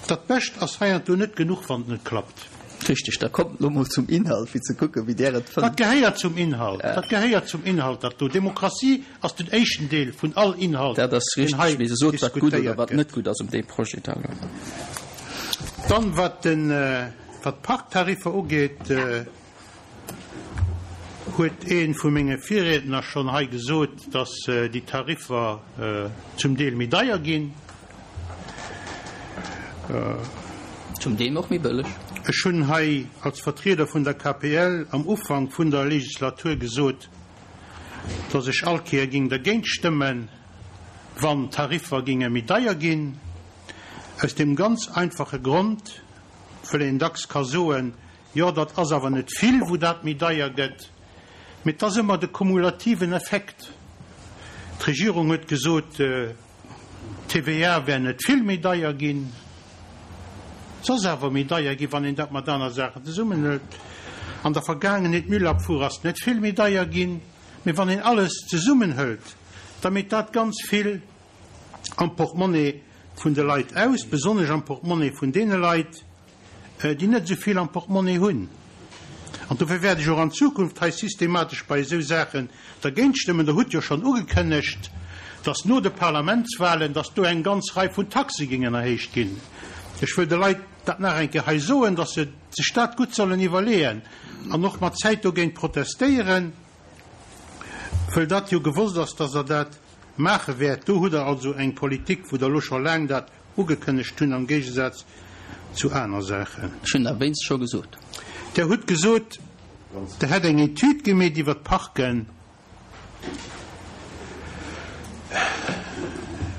H: Dat Bescht ass heiansdo net genuch, wann et net klappt.
A: Richteg. Da kommt elo mol zum Inhalt, fir ze kucken, wéi Der et fënnt.
H: Dat gehéiert zum Inhalt. Dat gehéiert zum Inhalt, dat do. Demokratie ass den éischten Deel vun all Inhalt,
A: Dat ass
H: deen hei
A: richteg. Mee se sot, wat gutt oder
H: diskutéiert
A: wat
H: gëtt.
A: net gutt ass um deem Projet da elo.
H: Dann, wat den, wat d'Parktariffer ugeet, Huet ee vu menge Virriedner schonn hei gesot, dass déi Tariffer zum Deel méi deier ginn.
A: Zum Deel och méi bëlleg.
H: Ech hunn hei als Vertrieder vun der KPL am Ufank vun der Legislatur gesot, dass ech all Kéier géing dergéint stëmmen, wann d'Tariffer géinge méi deier ginn, aus deem ganz einfache Grond, wëll een dacks ka soen, Jo, dat ass awer net vill, wou dat méi deier gëtt, mee et ass ëmmer de kumulativen Effekt. D'Regierung huet gesot, d'TVA wär net vill méi deier ginn. Se ass awer méi deier ginn, wann een dat mat aner Saachen zesummenhëlt. An der Vergaangenheet, d'Müllabfuhr ass net vill méi deier ginn, mee wann een alles zesummenhëlt, da meet dat ganz vill am Portmonnaie vun de Leit aus, besonnesch am Portmonnaie vun deene Leit, déi net esou vill am Portmonnaie hunn. An dofir wäert ech och an Zukunft hei systematesch bei esou Saachen dergéint stëmmen. Der hutt jo schonn ugekënnegt, dass no de Parlamentswahlen, dass do eng ganz Rei vun Taxe géingen erhéicht ginn. Ech wëll de Leit dat nach eng Kéier hei soen, dass se sech dat gutt sollen iwwerleeën an och mat Zäit dogéint protestéieren, wëll dat jo gewosst ass, dass Der dat maache wäert. Do hutt Der also eng Politik, wou Der elo scho laang dat ugekënnegt hunn, am Géigesaz zu aner Saachen.
A: Ech hunn dat wéinst scho gesot.
H: Der hutt gesot, Der hätt eng Etüd gemeet iwwer d'Parken.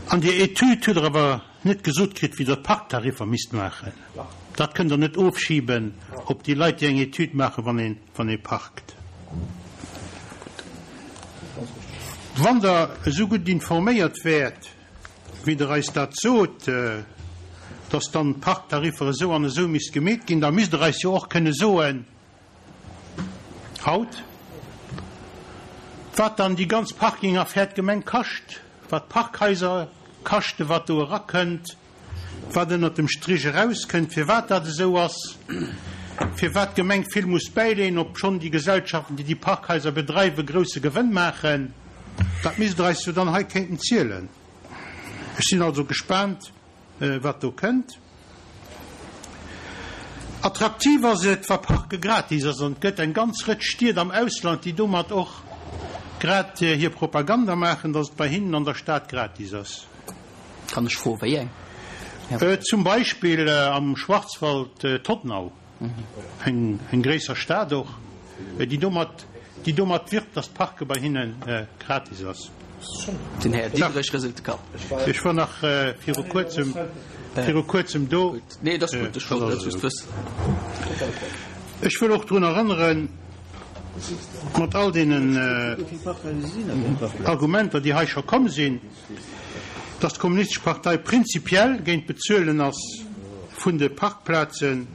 H: An där Etüd hutt Der awer net gesot kritt, wéi Der d'Parktariffer misst maachen. Dat kënnt Der net ofschiben op déi Leit, déi eng Etüd maachen, wann ee wann ee parkt. Wann Der esou gutt informéiert wäert, wéi Der eis dat sot, dass dann d'Parktariffer esou an esou misst gemeet ginn, da misst Der eis jo och kënne soen haut, wat dann déi ganz Parkingaffär d'Gemeng kascht, wat d'Parkhaiser kaschten, wat do erakënnt, wat ënnert dem Strich erauskënnt, firwat dat esou ass, firwat d'Gemeng vill muss bäileeën, obschonn déi Gesellschaften, déi déi Parkhaiser bedreiwen, grousse Gewënn maachen. Dat misst Der eis jo dann hei kéinten zielen. Ech sinn also gespaant, wat do kënnt. Attraktiv ass et, wa Parke gratis ass, an et gëtt eng ganz Rëtsch Stied am Ausland, déi domat och grad hir Propaganda maachen, datt et bei hinnen an der Stad gratis ass.
A: Kann ech froen, wéi eng?
H: Zum Beispill am Schwarzwald Todtnau, eng gréisser Stad och, déi domat, déi domat wirbt, dass d'Parke bei hinne gratis ass.
A: Den Här Diderich rëselt de Kapp.
H: Ech war nach viru kuerzem, viru kuerzem do.
A: Nee, et ass gutt, ech wollt dat just wëssen.
H: Ech wëll och drun erënneren, mat all deenen Argumenter, déi hei scho komm sinn, Datt d'Kommunistesch Partei prinzipiell géint d'Bezuelen ass vun de Parkplazen.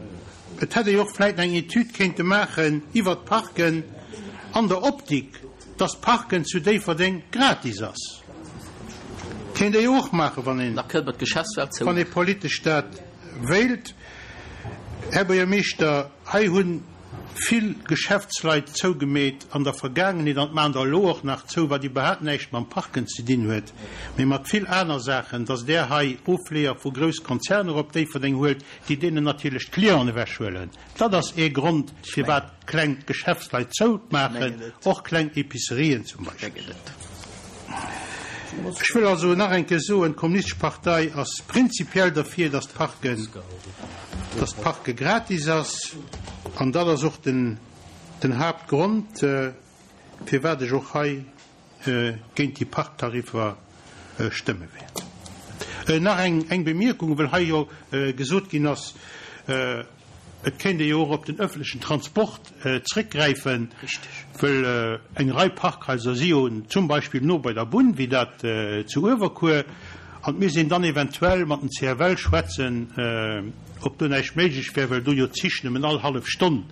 H: Et hätt ee jo och vläit eng Etüd kéinte maachen iwwert d'Parken an der Optik, datt d'Parken zu Déifferdeng gratis ass. Kéint ee jo och maachen, wann een, wann ee politesch dat wéilt. Här Buergermeeschter, hei hunn vill Geschäftsleit zougemeet an der Vergaangenheet, an maachen der elo och nach zou, wat iwwerhaapt näischt mam Parken ze dinn huet, mee mat vill aner Saachen, dass Der hei Ofleeër vu grouss Konzerner op Déifferdeng huelt, déi deenen natierlech d'Clienten ewechhuelen. Dat ass ee Grond, firwat kleng Geschäftsleit zoumaachen, och kleng Epicerien zum Beispill. Ech wëll also nach eng Kéier soen, D'Kommunistesch Partei ass prinzipiell derfir, dass d'Parken, dass d'Parke gratis ass. An dat ass och den, den Haaptgrond, firwat ech och hei géint déi Parktariffer stëmme wäert. Nach eng, eng Bemierkung, well hei jo gesot ginn ass, Et kéint ee jo och op den öffentlechen Transport zréckgräifen, wëll eng Rei Parkhaiser si jo zum Beispill no bei der Bunn, wéi dat zu Uewerkuer, an et misst een dann eventuell mat den CFL schwätzen, ob do näischt méiglech wär, well do jo d'Zich nëmmen all hallef Stonn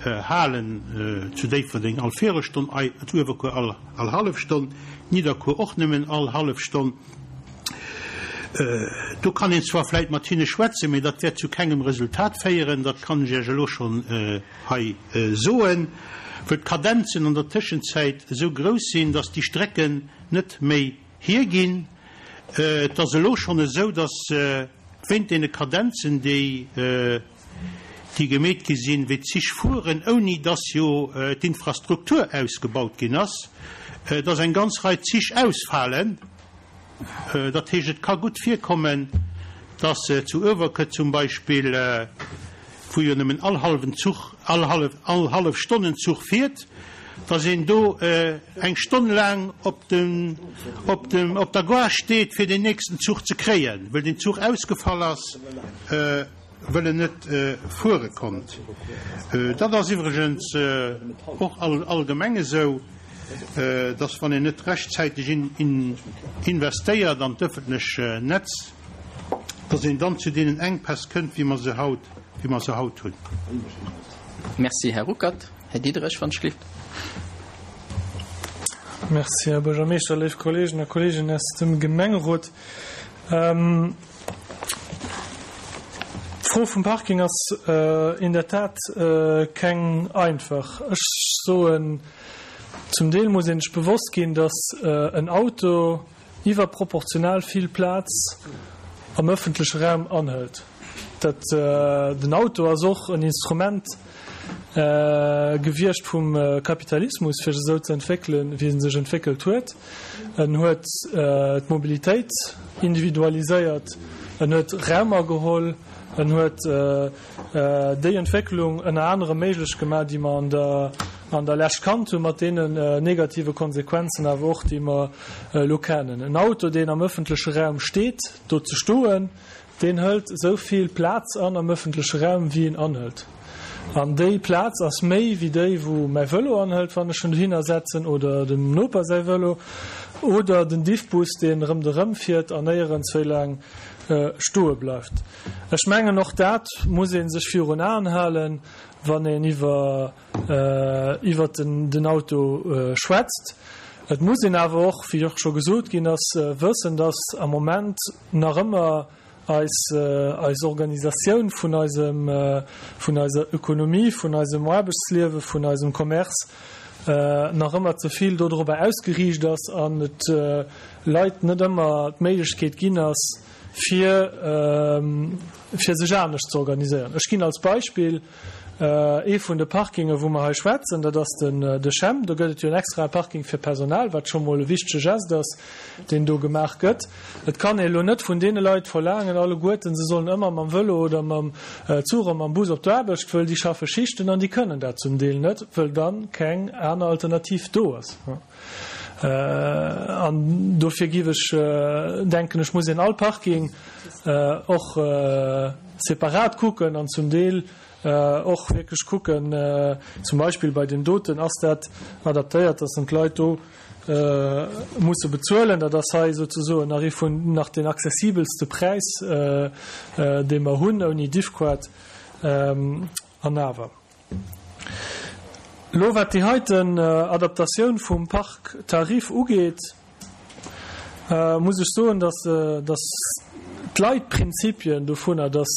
H: halen, zu Déifferdeng all Virelstonn, zu Uewerkuer all hallef Stonn, Nidderkuer och nëmmen all hallef Stonn. Do kann een zwar vläit mat hinne schwätzen, mee dat wäert zu kengem Resultat féieren, dat kann ech Iech elo schonn hei soen, wëll d'Kadenzen an der Tëschenzäit esou grouss sinn, dass déi Strecken net méi hierginn. Et ass elo schonn esou, dass wéint deene Kadenzen, déi déi gemeet gi sinn, wéi d'Zich fueren, ouni dass jo d'Infrastruktur ausgebaut ginn ass, dass eng ganz Rei Zich ausfalen. Dat heescht, et ka gutt virkommen, Dass zu Uewerkuer zum Beispill, wou jo nëmmen all hallwen Zuch, all hallef, all hallef Stonn en Zuch fiert, dass een do eng Stonn laang op dem, op dem, op der Gare steet, fir deen nächsten Zuch ze kréien, wëll den Zuch ausgefall ass, wëll en net fuere konnt. Dat ass iwwregens och allgemeng esou, dass wann een net rechtzäiteg investéiert an d'ëffentlech Netz, dass een dann zu deenen Enkpäss kënnt, wéi mer se haut, wéi mer se haut hunn.
A: Merci, Här Ruckert. Här Diderich, wann ech gelift.
I: Merci, Här Buergermeeschter, léif Kolleegen a Kolleeginnen aus dem Gemengerot. D'Fro vum Parking ass in der Tat keng einfach. Ech soen, zum Deel muss ee sech bewosst ginn, dass en Auto iwwerproportional vill Plaz am ëffentleche Raum anhëlt. Dat, den Auto ass och en Instrument gewiescht vum Kapitalismus, fir sech esou ze entwéckelen, wéi en sech entwéckelt huet. En huet d'Mobilitéit individualiséiert, en huet Raum ageholl, en huet déi Entwécklung ënner anerem méiglech gemaach, déi mer an der an der Lescht kannt hunn, mat deenen negative Konsequenzen awer och, déi mer elo kennen. En Auto, deen am ëffentleche Raum steet, do ze stoen, Deen hëlt esou vill Plaz an am ëffentleche Raum, wéi en anhëlt. An déi Plaz ass méi wéi déi, wou mäi Vëlo anhëlt, wann ech en dohinner setzen, oder dem Noper säi Vëlo, oder den Diffbus, deen rëmderëm fiert an néierens wéi laang stoe bleift. Ech mengen, och dat muss ee sech virun Aen halen, wann een iwwer iwwert den Auto schwätzt. Et muss een awer och, wéi och scho gesot ginn ass, wëssen, dass am Moment nach ëmmer eis eis Organisatioun vun eisem vun eiser Ökonomie, vun eisem Aarbechtsliewe, vun eisem Commerce nach ëmmer ze vill dodrobber ausgeriicht ass an et Leit net ëmmer d'Méiglechkeet ginn ass, fir fir sech anescht ze organiséieren. Ech ginn als Beispill ee vun de Parkinge wou mer hei schwätzen, dat ass den de CHEM. Do gëtt et jo en extrae Parking fir Personal, wat scho mol e wichtege Geste ass, deen do gemaach gëtt. Et kann ee elo net vun deene Leit verlaangen alleguerten, se sollen ëmmer mam Vëlo oder mam Zuch oder mam Bus op d'Aarbecht, wëll déi schaffe Schichten an déi kënnen dat zum Deel net, wëll dann keng aner Alternativ do ass. An dofir giff ech denken, ech muss een all Parking och separat kucken an zum Deel och wierklech kucken, zum Beispill bei deem doten, ass dat adaptéiert, dass en d'Leit do musse bezuelen. Dat ass hei souzesoen nach ee vun nach deen accessibelste Präis, dee mer hunn, ouni Diffquart an awer. Elo wat déi heiten Adaptatioun vum Parktarif ugeet, muss ech soen, dass dass d'Leitprinzipien dovunner, dass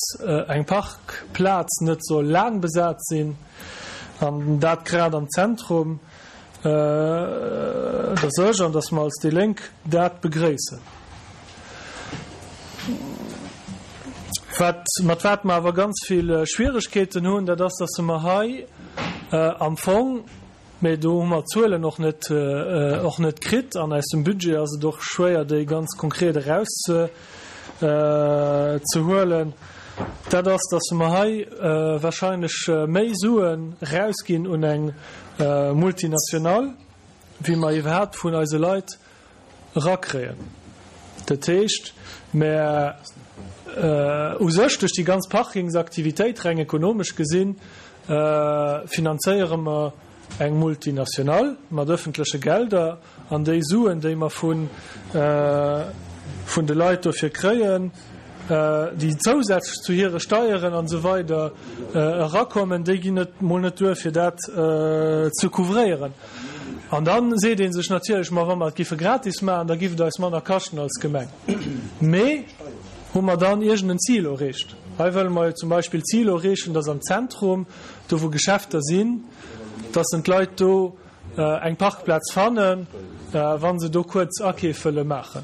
I: eng Parkplaz net soll laang besat sinn, an dat grad am Zentrum, dass ech an dass mer als déi Lénk dat begréissen. Wat, mat wat mer awer ganz vill Schwieregkeeten hunn, dat ass, dass mer hei am Fong, mä do hu mer d'Zuelen och net, och net kritt, an aus dem Budget ass et och schwéier, déi ganz konkret eraus ze huelen, dat ass, dass mer hei wahrscheinlech méi Suen erausginn un eng Multinationale, wéi mer iwwerhaapt vun eise Leit erakréien. Dat heescht, mer u sech duerch déi ganz Parkingsaktivitéit, reng ekonomesch gesinn, finanzéiere mer eng Multinationale mat öffentleche Gelder an déi Suen, déi mer vun de Leit dofir kréien, déi zousätzlech zu hire Steieren an esou weider erakommen, déi ginn net mol net duer, fir dat ze couvréieren. An da seet ee sech natierlech, ma wa mer et giffe gratis maachen, da giff et eis manner kaschten als Gemeng. Mee hu mer dann iergend en Zil erreecht? Hei wëlle mer jo zum Beispill d'Zil erreechen, dass am Zentrum, do wou Geschäfter sinn, dass en d'Leit do eng Parkplaz fannen, wa se do kuerz Akeef wëlle maachen.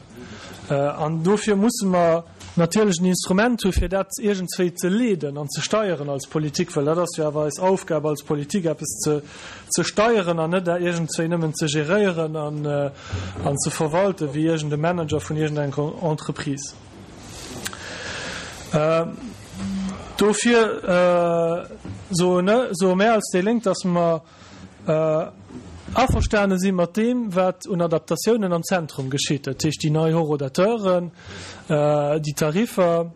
I: An dofir musse mer natierlech en Instrument hu fir dat iergendswéi ze leeden an ze steieren als Politik, well dat ass jo awer eis Aufgab als Politik, eppes ze ze steieren an net iergendswéi nëmmen ze geréieren an an ze verwalten wéi iergend e Manager vun iergendenger Entreprise. Dofir soe mär als déi Lénk, dass mer averstane si mat deem, wat un Adaptatiounen am Zentrum geschitt, dat heescht déi nei Horodateuren, déi Tariffer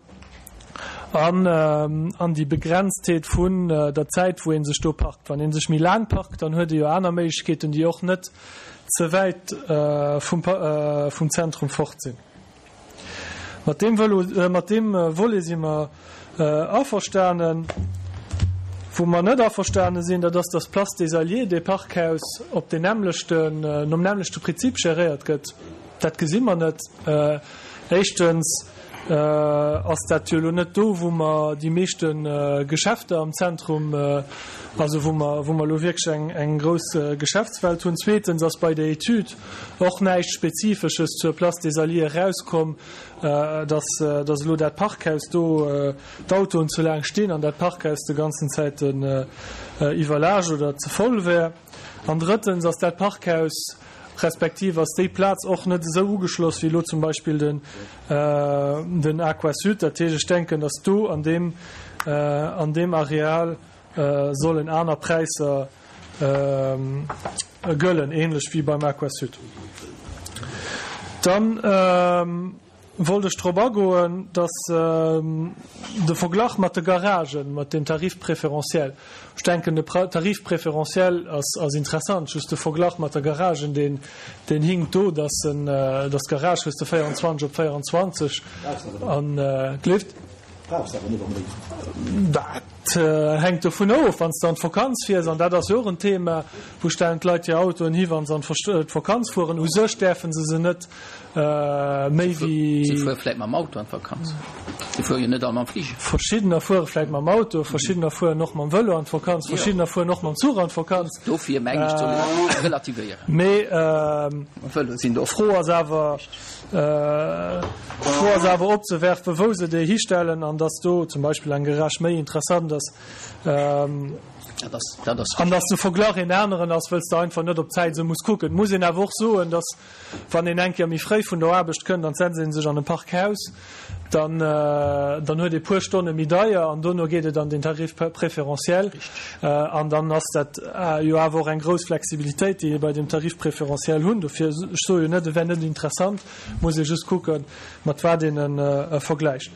I: an déi Begrenztheet vun der Zäit, wou ee sech do parkt. Wann ee sech méi laang parkt, dann huet ee jo aner Méiglechkeeten, déi och net ze wäit vum Zentrum fort sinn. Mat deem Vëlo, mat deem Volet si mer averstanen. Wou mer net averstane sinn, dat ass, dass d'Place des Alliés, dee Parkhaus, op deen nämmlechten, nom nämmlechte Prinzip geréiert gëtt. Dat gesi mer net. Éischtens ass dat jo elo net do, wou mer déi meeschte Geschäfter am Zentrum, also wou mer, wou mer elo wierklech eng, eng grouss Geschäftswelt hunn. Zweetens ass bei der Etüd och näischt Spezifesches zur Place des Alliés erauskomm, dass dass elo dat Parkhaus do, d'Autoen ze laang stinn an dat Parkhaus de ganzen Zäiten iwwerlaascht oder ze voll wär. An drëttens ass dat Parkhaus, respektiv ass déi Plaz och net esou ugeschloss wéi elo zum Beispill den den Aquasud. Dat heescht, ech denken, dass do an deem an deem Areal sollen aner Präisser gëllen, ähnlech wéi beim Aquasud. Dann wollt ech drop agoen, dass de Verglach mat de Garagen, mat dem Tarif préférentiel, ech denken de Tarif préférentiel ass interessant, just de Verglach mat der Garagen, deen hinkt do, dass d'Garage hues de 24 op 24 an, gleeft.
B: Brauchs awer net onbedéngt.
I: Dat hänkt dovun of, wann s de an d'Vakanz fiers, an dat ass jo och en Thema, wou stellen d'Leit hir Autoen hi, wa se an d'Vakanz fueren. U sech däerfe se se net méi wéi.
A: Si fuere vläit mam Auto an d'Vakanz. Si fuere jo net all mam Fliger.
I: Verschiddener fuere vläit mam Auto, verschiddener fueren och mam Vëlo an d'Vakanz, verschiddener fueren och mam Zuch an d'Vakanz.
A: Dofir mengen ech, soll een relativéieren.
I: Mee d'Fro ass awer. D'Fro ass awer opzewerfen, wou se déi histellen an dass do zum Beispill eng Garage méi interessant ass an dass de Verglach een aneren ass, wëll s de einfach net op d'Zäit esou muss kucken. Et muss een awer och soen, dass wann een eng Kéier méi fréi vun der Aarbecht kënnt an setzt ee sech an e Parkhaus, dann dann huet ee puer Stonne méi deier an dono geet et an den Tarif préférentiel an dann ass dat jo awer och eng grouss Flexibilitéit, déi ee bei dem Tarif préférentiel hunn. Dofir, ech soe jo net, e wär net interessant, muss ee just kucken, mat wat een e vergläicht.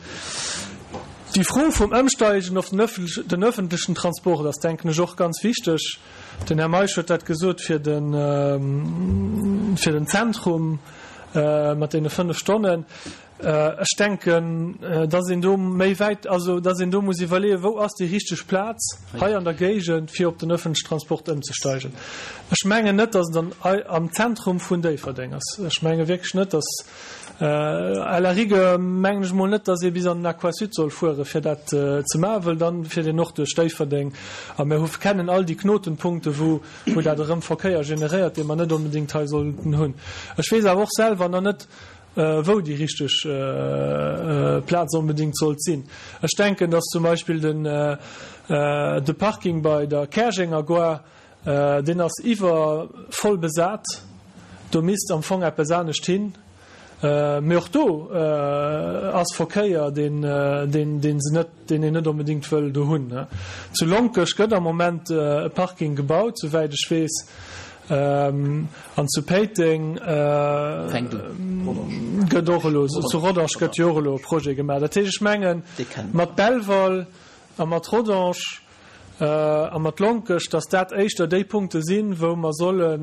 I: Déi Fro vum Ëmsteigen op den öffentlechen Transport ass, denken ech, och ganz wichteg. Den Här Meisch huet dat gesot fir den fir den Zentrum mat deene 5 Stonnen. Ech denken, dass een do méi wäit, also dass een do muss iwwerleeën, wou ass déi richteg Plaz hei an der Géigend, fir op den öffentlichen Transport ëmzesteigen. Ech mengen net, dass et an, am Zentrum vun Déifferdeng ass. Ech menge wierklech net, dass, à la rigueur mengen ech emol net, dass ee bis an den Aquasud soll fueren, fir dat ze maachen, well dann fiert een och duerch Déifferdeng a mir hu kennen all déi Knotenpunkte, wou, wou dat erëm Verkéier generéiert, dee mer net onbedéngt hei sollten hunn. Ech weess awer och selwer nach net, wou déi richteg Plaz onbedéngt sollt sinn. Ech denken, dass zum Beispill den de Parking bei der Käerjenger Gare, deen ass iwwer voll besat, do misst am Fong eppes anescht hin. Mee och do ass Verkéier, deen deen deen se net, deen een net onbedéngt wëll do hunn. Zu Lonkech gëtt am Moment e Parking gebaut, souwäit ech weess. An zu Péiteng gëtt och elo, zu Rodange gëtt jo och elo e Projet gemaach. Dat heescht, ech mengen, mat Belval a mat Rodange a mat Lonkech, datt dat éischter déi Punkte sinn, wou mer solle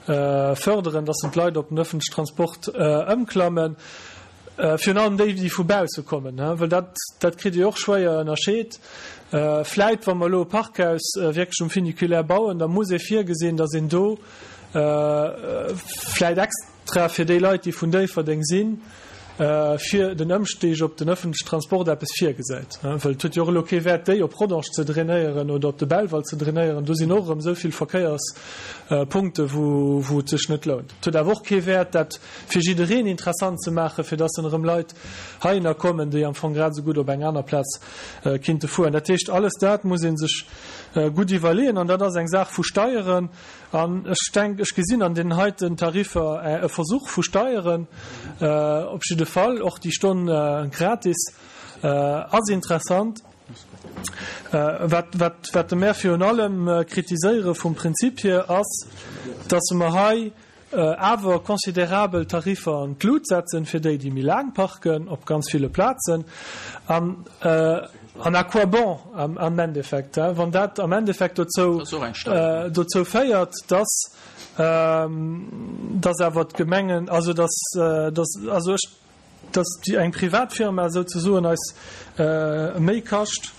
I: förderen, datt d'Leit op den öffentlichen Transport ëmklammen. Virun allem déi, déi vu bausse kommen, well dat, dat kritt Dir och schwéier ënnerscheet. Vläit, wa mer elo e Parkhaus wierklech um Funiculaire bauen, da muss ee virgesinn, datt een do vläit extra fir déi Leit, déi vun Déifferdeng sinn, fir den Ëmstig op den ëffentlechen Transport eppes virgesäit. Well et huet jo och elo kee Wäert, déi op Rodange ze drainéieren oder op de Belval ze drainéieren. Do sinn och erëm esou vill Verkéierspunkte, wou et sech net lount. Et huet awer och kee Wäert, dat fir jiddereen interessant ze maachen, fir dass dann erëm Leit heihinner kommen, déi am Fong grad esou gutt op eng aner Plaz kinnte fueren. Dat heescht, alles dat muss ee sech gutt iwwerleeën an dat ass eng Saach vu Steieren. An ech denk, ech gesinn an deenen heiten Tariffer e Versuch vu Steieren, op jidde Fall och déi Stonn gratis. ass interessant. Wat, wat, wat de mär virun allem kritiséiere vum Prinzip hier ass, dass mer hei awer considerabel Tariffer an d'Lut setzen fir déi, déi méi laang parken op ganz ville Plazen. An, an à quoi bon am, am Endeffekt, wann dat am Endeffekt dozou, dozou féiert, dass, dass awer d'Gemengen, also dass, dass, also ech, dass déi eng privat Firma souzesoen eis méi kascht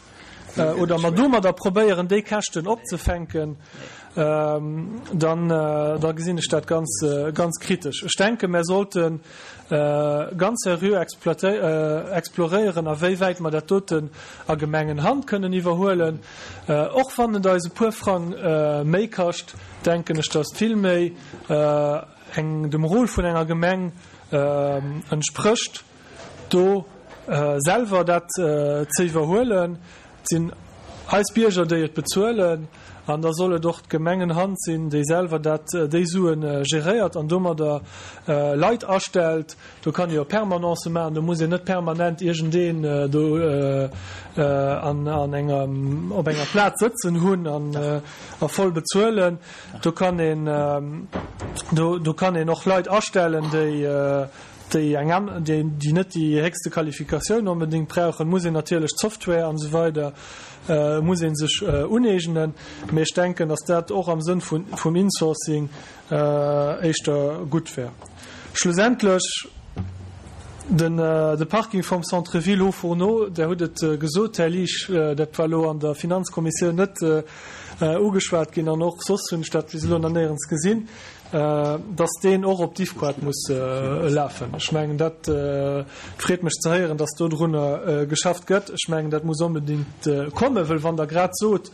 I: oder mer domadder probéieren déi Käschten opzefänken, dann da gesinn ech dat ganz ganz kritesch. Ech denke mer sollte ganz seriö exploréieren a wéi wäit mer dat doten a Gemengenhand kënnen iwwerhuelen. Och wann et eis e puer Frang méi kascht, denken ech, dass vill méi eng dem Rôle vun enger Gemeng entsprécht, do selwer dat ze iwwerhuelen. Et sinn eis Bierger, déi et bezuelen, an da soll et och d'Gemengenhand sinn, déi selwer dat, déi Sue geréiert an domadder Leit astellt. Do kann ee jo Permanencë maachen, do muss een net permanent iergendeen do an enger, op enger Plaz sëtzen hunn a voll bezuelen. Do kann een, do, do kann een och Leit astellen, déi, déi eng an, déi, déi net déi héchste Qualifikatioun onbedéngt brauchen. Muss een natierlech d'Software an esou weider muss ee sech uneegnen. Mee ech denken, datt dat och am Sënn vun, vum Insourcing éischter gutt wär. Schlussendlech den, de Parking vum Centre-ville Hauts-Fourneaux, Der hutt et gesot, Här Liesch, dat war elo an der Finanzkommissioun net ugeschwat ginn, an och soss hunn ech dat bis elo nach néierens gesinn, dass deen och op d'Ifquat muss lafen. Ech mengen, dat freet mech ze héieren, dass dodrunner geschafft gëtt. Ech mengen, dat muss onbedéngt kommen, wëll wann Der grad sot,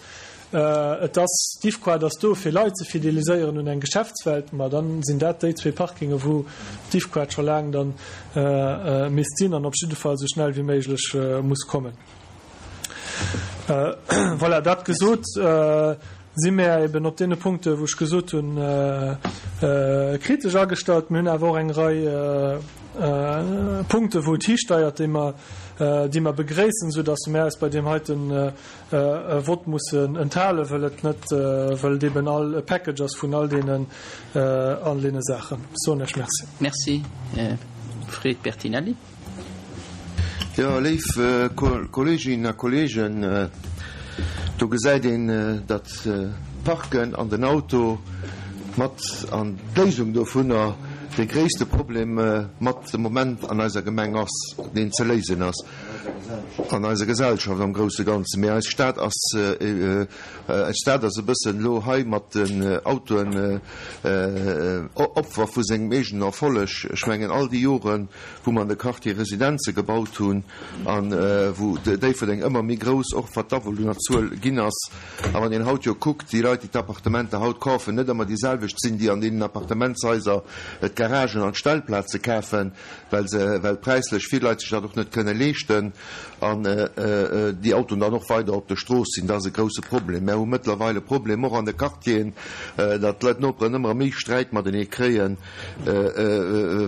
I: et ass, d'Ifquat ass do, fir Leit ze fideliséieren un eng Geschäftswelt, ma dann sinn dat déi zwee Parkinge wou d'Ifquat scho laang dann misst sinn an op jidde Fall esou schnell wéi méiglech muss kommen. Voilà, dat gesot, si mär eben op deene Punkte wou ech gesot hunn, kritesch agestallt. Mir hunn awer och eng Rei Punkte wou et histeiert, déi mer, déi mer begréissen, soudass mär eis bei deem heiten Vott mussen enthalen, wëll et net, wëll et eben all e Package ass vun all deenen, all deene Saachen. Ech soen Iech Merci.
A: Merci, Här Fred Bertinelli.
J: Jo, léif Kolleeginnen a Kolleegen, do gesäit een, datt d'Parken an den Auto mat an d'Léisung dovunner dee gréisste Problem mat de Moment an eiser Gemeng ass, deen ze léisen ass an eiser Gesellschaft am grousse Ganzen. Mee eis Stad ass, eis Stad ass e bëssen elo hei mat den Autoen Opfer vu sengem eegenen Erfolleg. Ech mengen, all déi Joren, wou mer an de Quartier Residenze gebaut hunn a wou Déifferdeng ëmmer méi grouss, och wat d'Awunnerzuel ginn ass. A wann een haut jo kuckt, déi Leit, déi d'Appartementer haut kafen, net ëmmer déi selwecht sinn, déi an deenen Appartementshaiser d'Garagen an d'Stellplaze kafen, well se, well präislech vill Leit sech dat och net kënne leeschten an déi Autoen dann och weider op der Strooss sinn. Dat ass e grouse Problem. Mär hu mëttlerweil e Problem och an de Quartieren, datt d'Leit, d'Noperen ëmmer méi Sträit matenee kréien,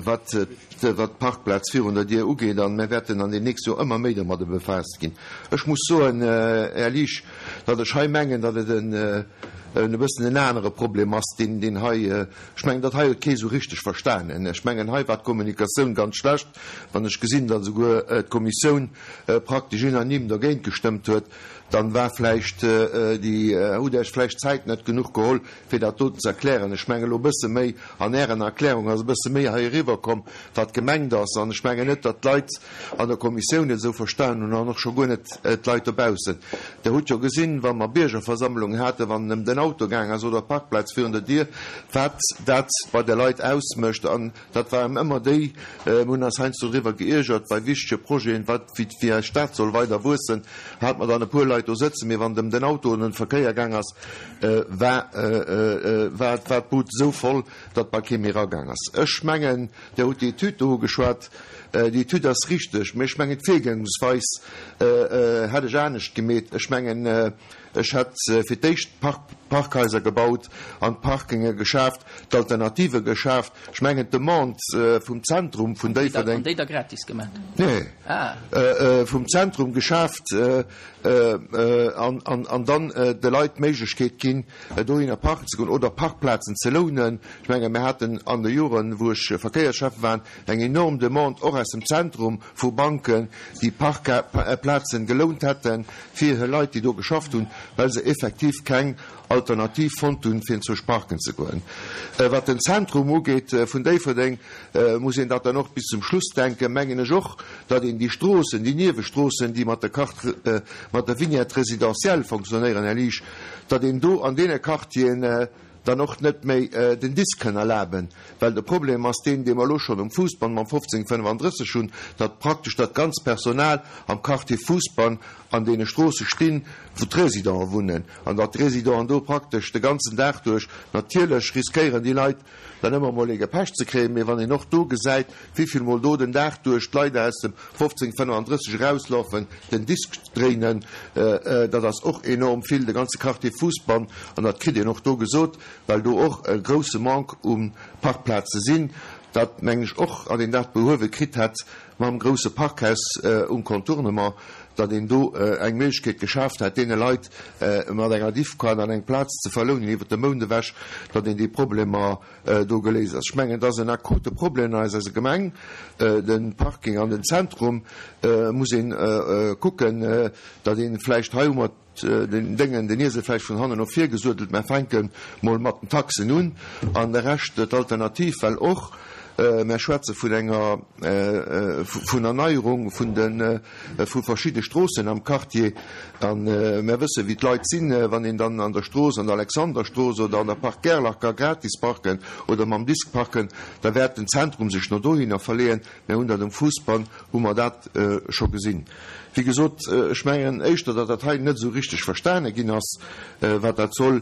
J: wat d'Parkplaz virun der Dier ugeet, an mär wäerten an den nächste Joer ëmmer méi domadde befaasst ginn. Ech muss soen, Här Liesch, datt ech hei mengen, datt et e bëssen en anere Problem ass, deen, deen hei, ech mengen, dat hei huet kee sou richteg verstanen. Ech mengen, hei war d'Kommunikatioun ganz schlecht, wann ech gesinn, datt esouguer d'Kommissioun praktesch unanime dergéint gestëmmt huet, dann war vläicht déi, hutt Iech vläicht d'Zäit net genuch geholl, fir dat doten ze erklären. Ech mengen, elo e bësse méi an Ären Erklärung ass e bësse méi hei eriwwerkomm, wat gemengt ass. An ech mengen net, datt d'Leit an der Kommissioun et esou verstanen hunn an och scho guer net d'Leit dobaussen. Der hutt jo gesinn, wa mer Biergerversammlungen haten, wann et ëm den Auto gaang ass oder d'Parkplaz virun der Dier, wat dat bei de Leit ausmécht. An dat waren ëmmer déi, mir hunn eis heiansdo driwwer geiergert bei wichtege Projeten, wat, wéi eis Stad soll weider wuessen, hate mer dann e puer Leit do sëtzen. Mee wann et ëm den Auto an den Verkéier gaang ass, war war d'Bud esou voll, datt bal kee méi eragaang ass. Ech mengen, Dir hutt déi Etüd do ugeschwat. Déi Etüd ass richteg, mä ech mengen d'Virgangsweis hätt ech anescht gemeet. Ech mengen, ech hätt fir d'éischt d'Parkhaiser gebaut an d'Parkinge geschaaft, d'Alternative geschaaft. Ech mengen d'Demande vum Zentrum vun Déifferdeng.
A: An déi da gratis gemaat?
J: Nee. Vum Zentrum geschaaft an dann de Leit d'Méiglechkeet ginn, dohinner parken ze goen oder Parkplazen ze lounen. Ech mengen, mir haten an de Joren, wou ech Verkéierschäffe war, eng enorm Demande och aus dem Zentrum vu Banken, déi Parkplazen gelount hätten fir hir Leit, déi do geschafft hunn, well se effektiv keng Alternativ fonnt hunn, fir enzwousch parken ze goen. Wat den Zentrum ugeet vun Déifferdeng, muss een dat dann och bis zum Schluss denken, mengen ech och, datt een déi Stroossen, déi Niewestroossen, déi mat der Carte, mat der Vignette résidentielle fonctionnéieren, Här Liesch, datt een do an deene Quartieren dann och net méi den Disk kënn erlaben, well de Problem ass deen, dee mer elo schonn um Fousbann mam 1535 hunn, datt praktesch dat ganz Personal am Quartier Fousbann an deene Stroosse stinn, wou d'Résidenten wunnen, an datt d'Résidenten do praktesch de ganzen Dag duerch, natierlech riskéieren déi Leit dann ëmmer emol ee gepecht ze kréien, mee wann een och do gesäit, wéivill mol do den Dag duerch d'Leit aus dem 1535 erauslafen, den Disk dréinen, dat ass och enorm vill, de ganze Quartier Fousbann, an dat kritt een och do gesot, well do och e grousse Manque u Parkplaze sinn, dat mengen ech och, an een dat behuewe kritt hätt mam grousse Parkhaus um Contournement, datt een do eng Méiglechkeet geschaaft hätt, deene Leit mat enger Diffcard an eng Plaz ze verlounen iwwert de Mount ewech, datt een déi Problemer do geléist ass. Ech mengen, et ass en akute Problem an eiser Gemeng, de Parking an den Zentrum muss een kucken, datt een vläicht, hei hu mer den Déngen, den Iesel vläicht vun hannen no vir gesuedelt, mä fänke mol mat den Taxen un an de Rescht, d'Alternativ, well och mär schwätze vun enger, vun Erneierung vun de, vu verschidde Stroossen am Quartier a mär wësse wéi d'Leit sinn, wann een dann an der Strooss, an der Alexanderstrooss oder an der Park Gerlach ka gratis parken oder mam Disk parken, da wäert den Zentrum sech no dohinner verleeën. Mär hunn dat um Fousbann, hu mer dat scho gesinn. Wéi gesot, ech mengen éischter, datt dat hei net esou richteg verstane ginn ass, wat dat soll.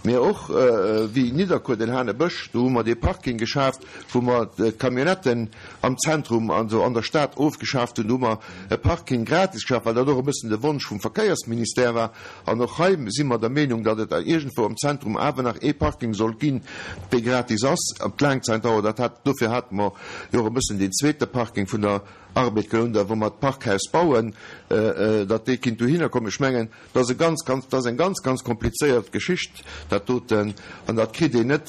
J: Mä och wéi Nidderkuer, den Hanebësch, do hu mer dee Parking geschaaft, wou mer d'Camionnetten am Zentrum, also an der Stad ofgeschaaft hunn. Do hu mer e Parking gratis geschaaft, well dat och e bëssen de Wonsch vum Verkéiersministère war. An och hei si mer der Meenung, datt et iergendwou am Zentrum awer nach ee Parking soll ginn, dee gratis ass op d'Laangzäitdauer. Dat hat, dofir hate mer jo och e bëssen deen zweete Parking vun der Arbed gelount a wou mer d'Parkhaus bauen, datt dee kinnt dohinner kommen. Ech mengen, dat ass e ganz, ganz, dat ass eng ganz, ganz komplizéiert Geschicht, dat doten, an dat kritt een net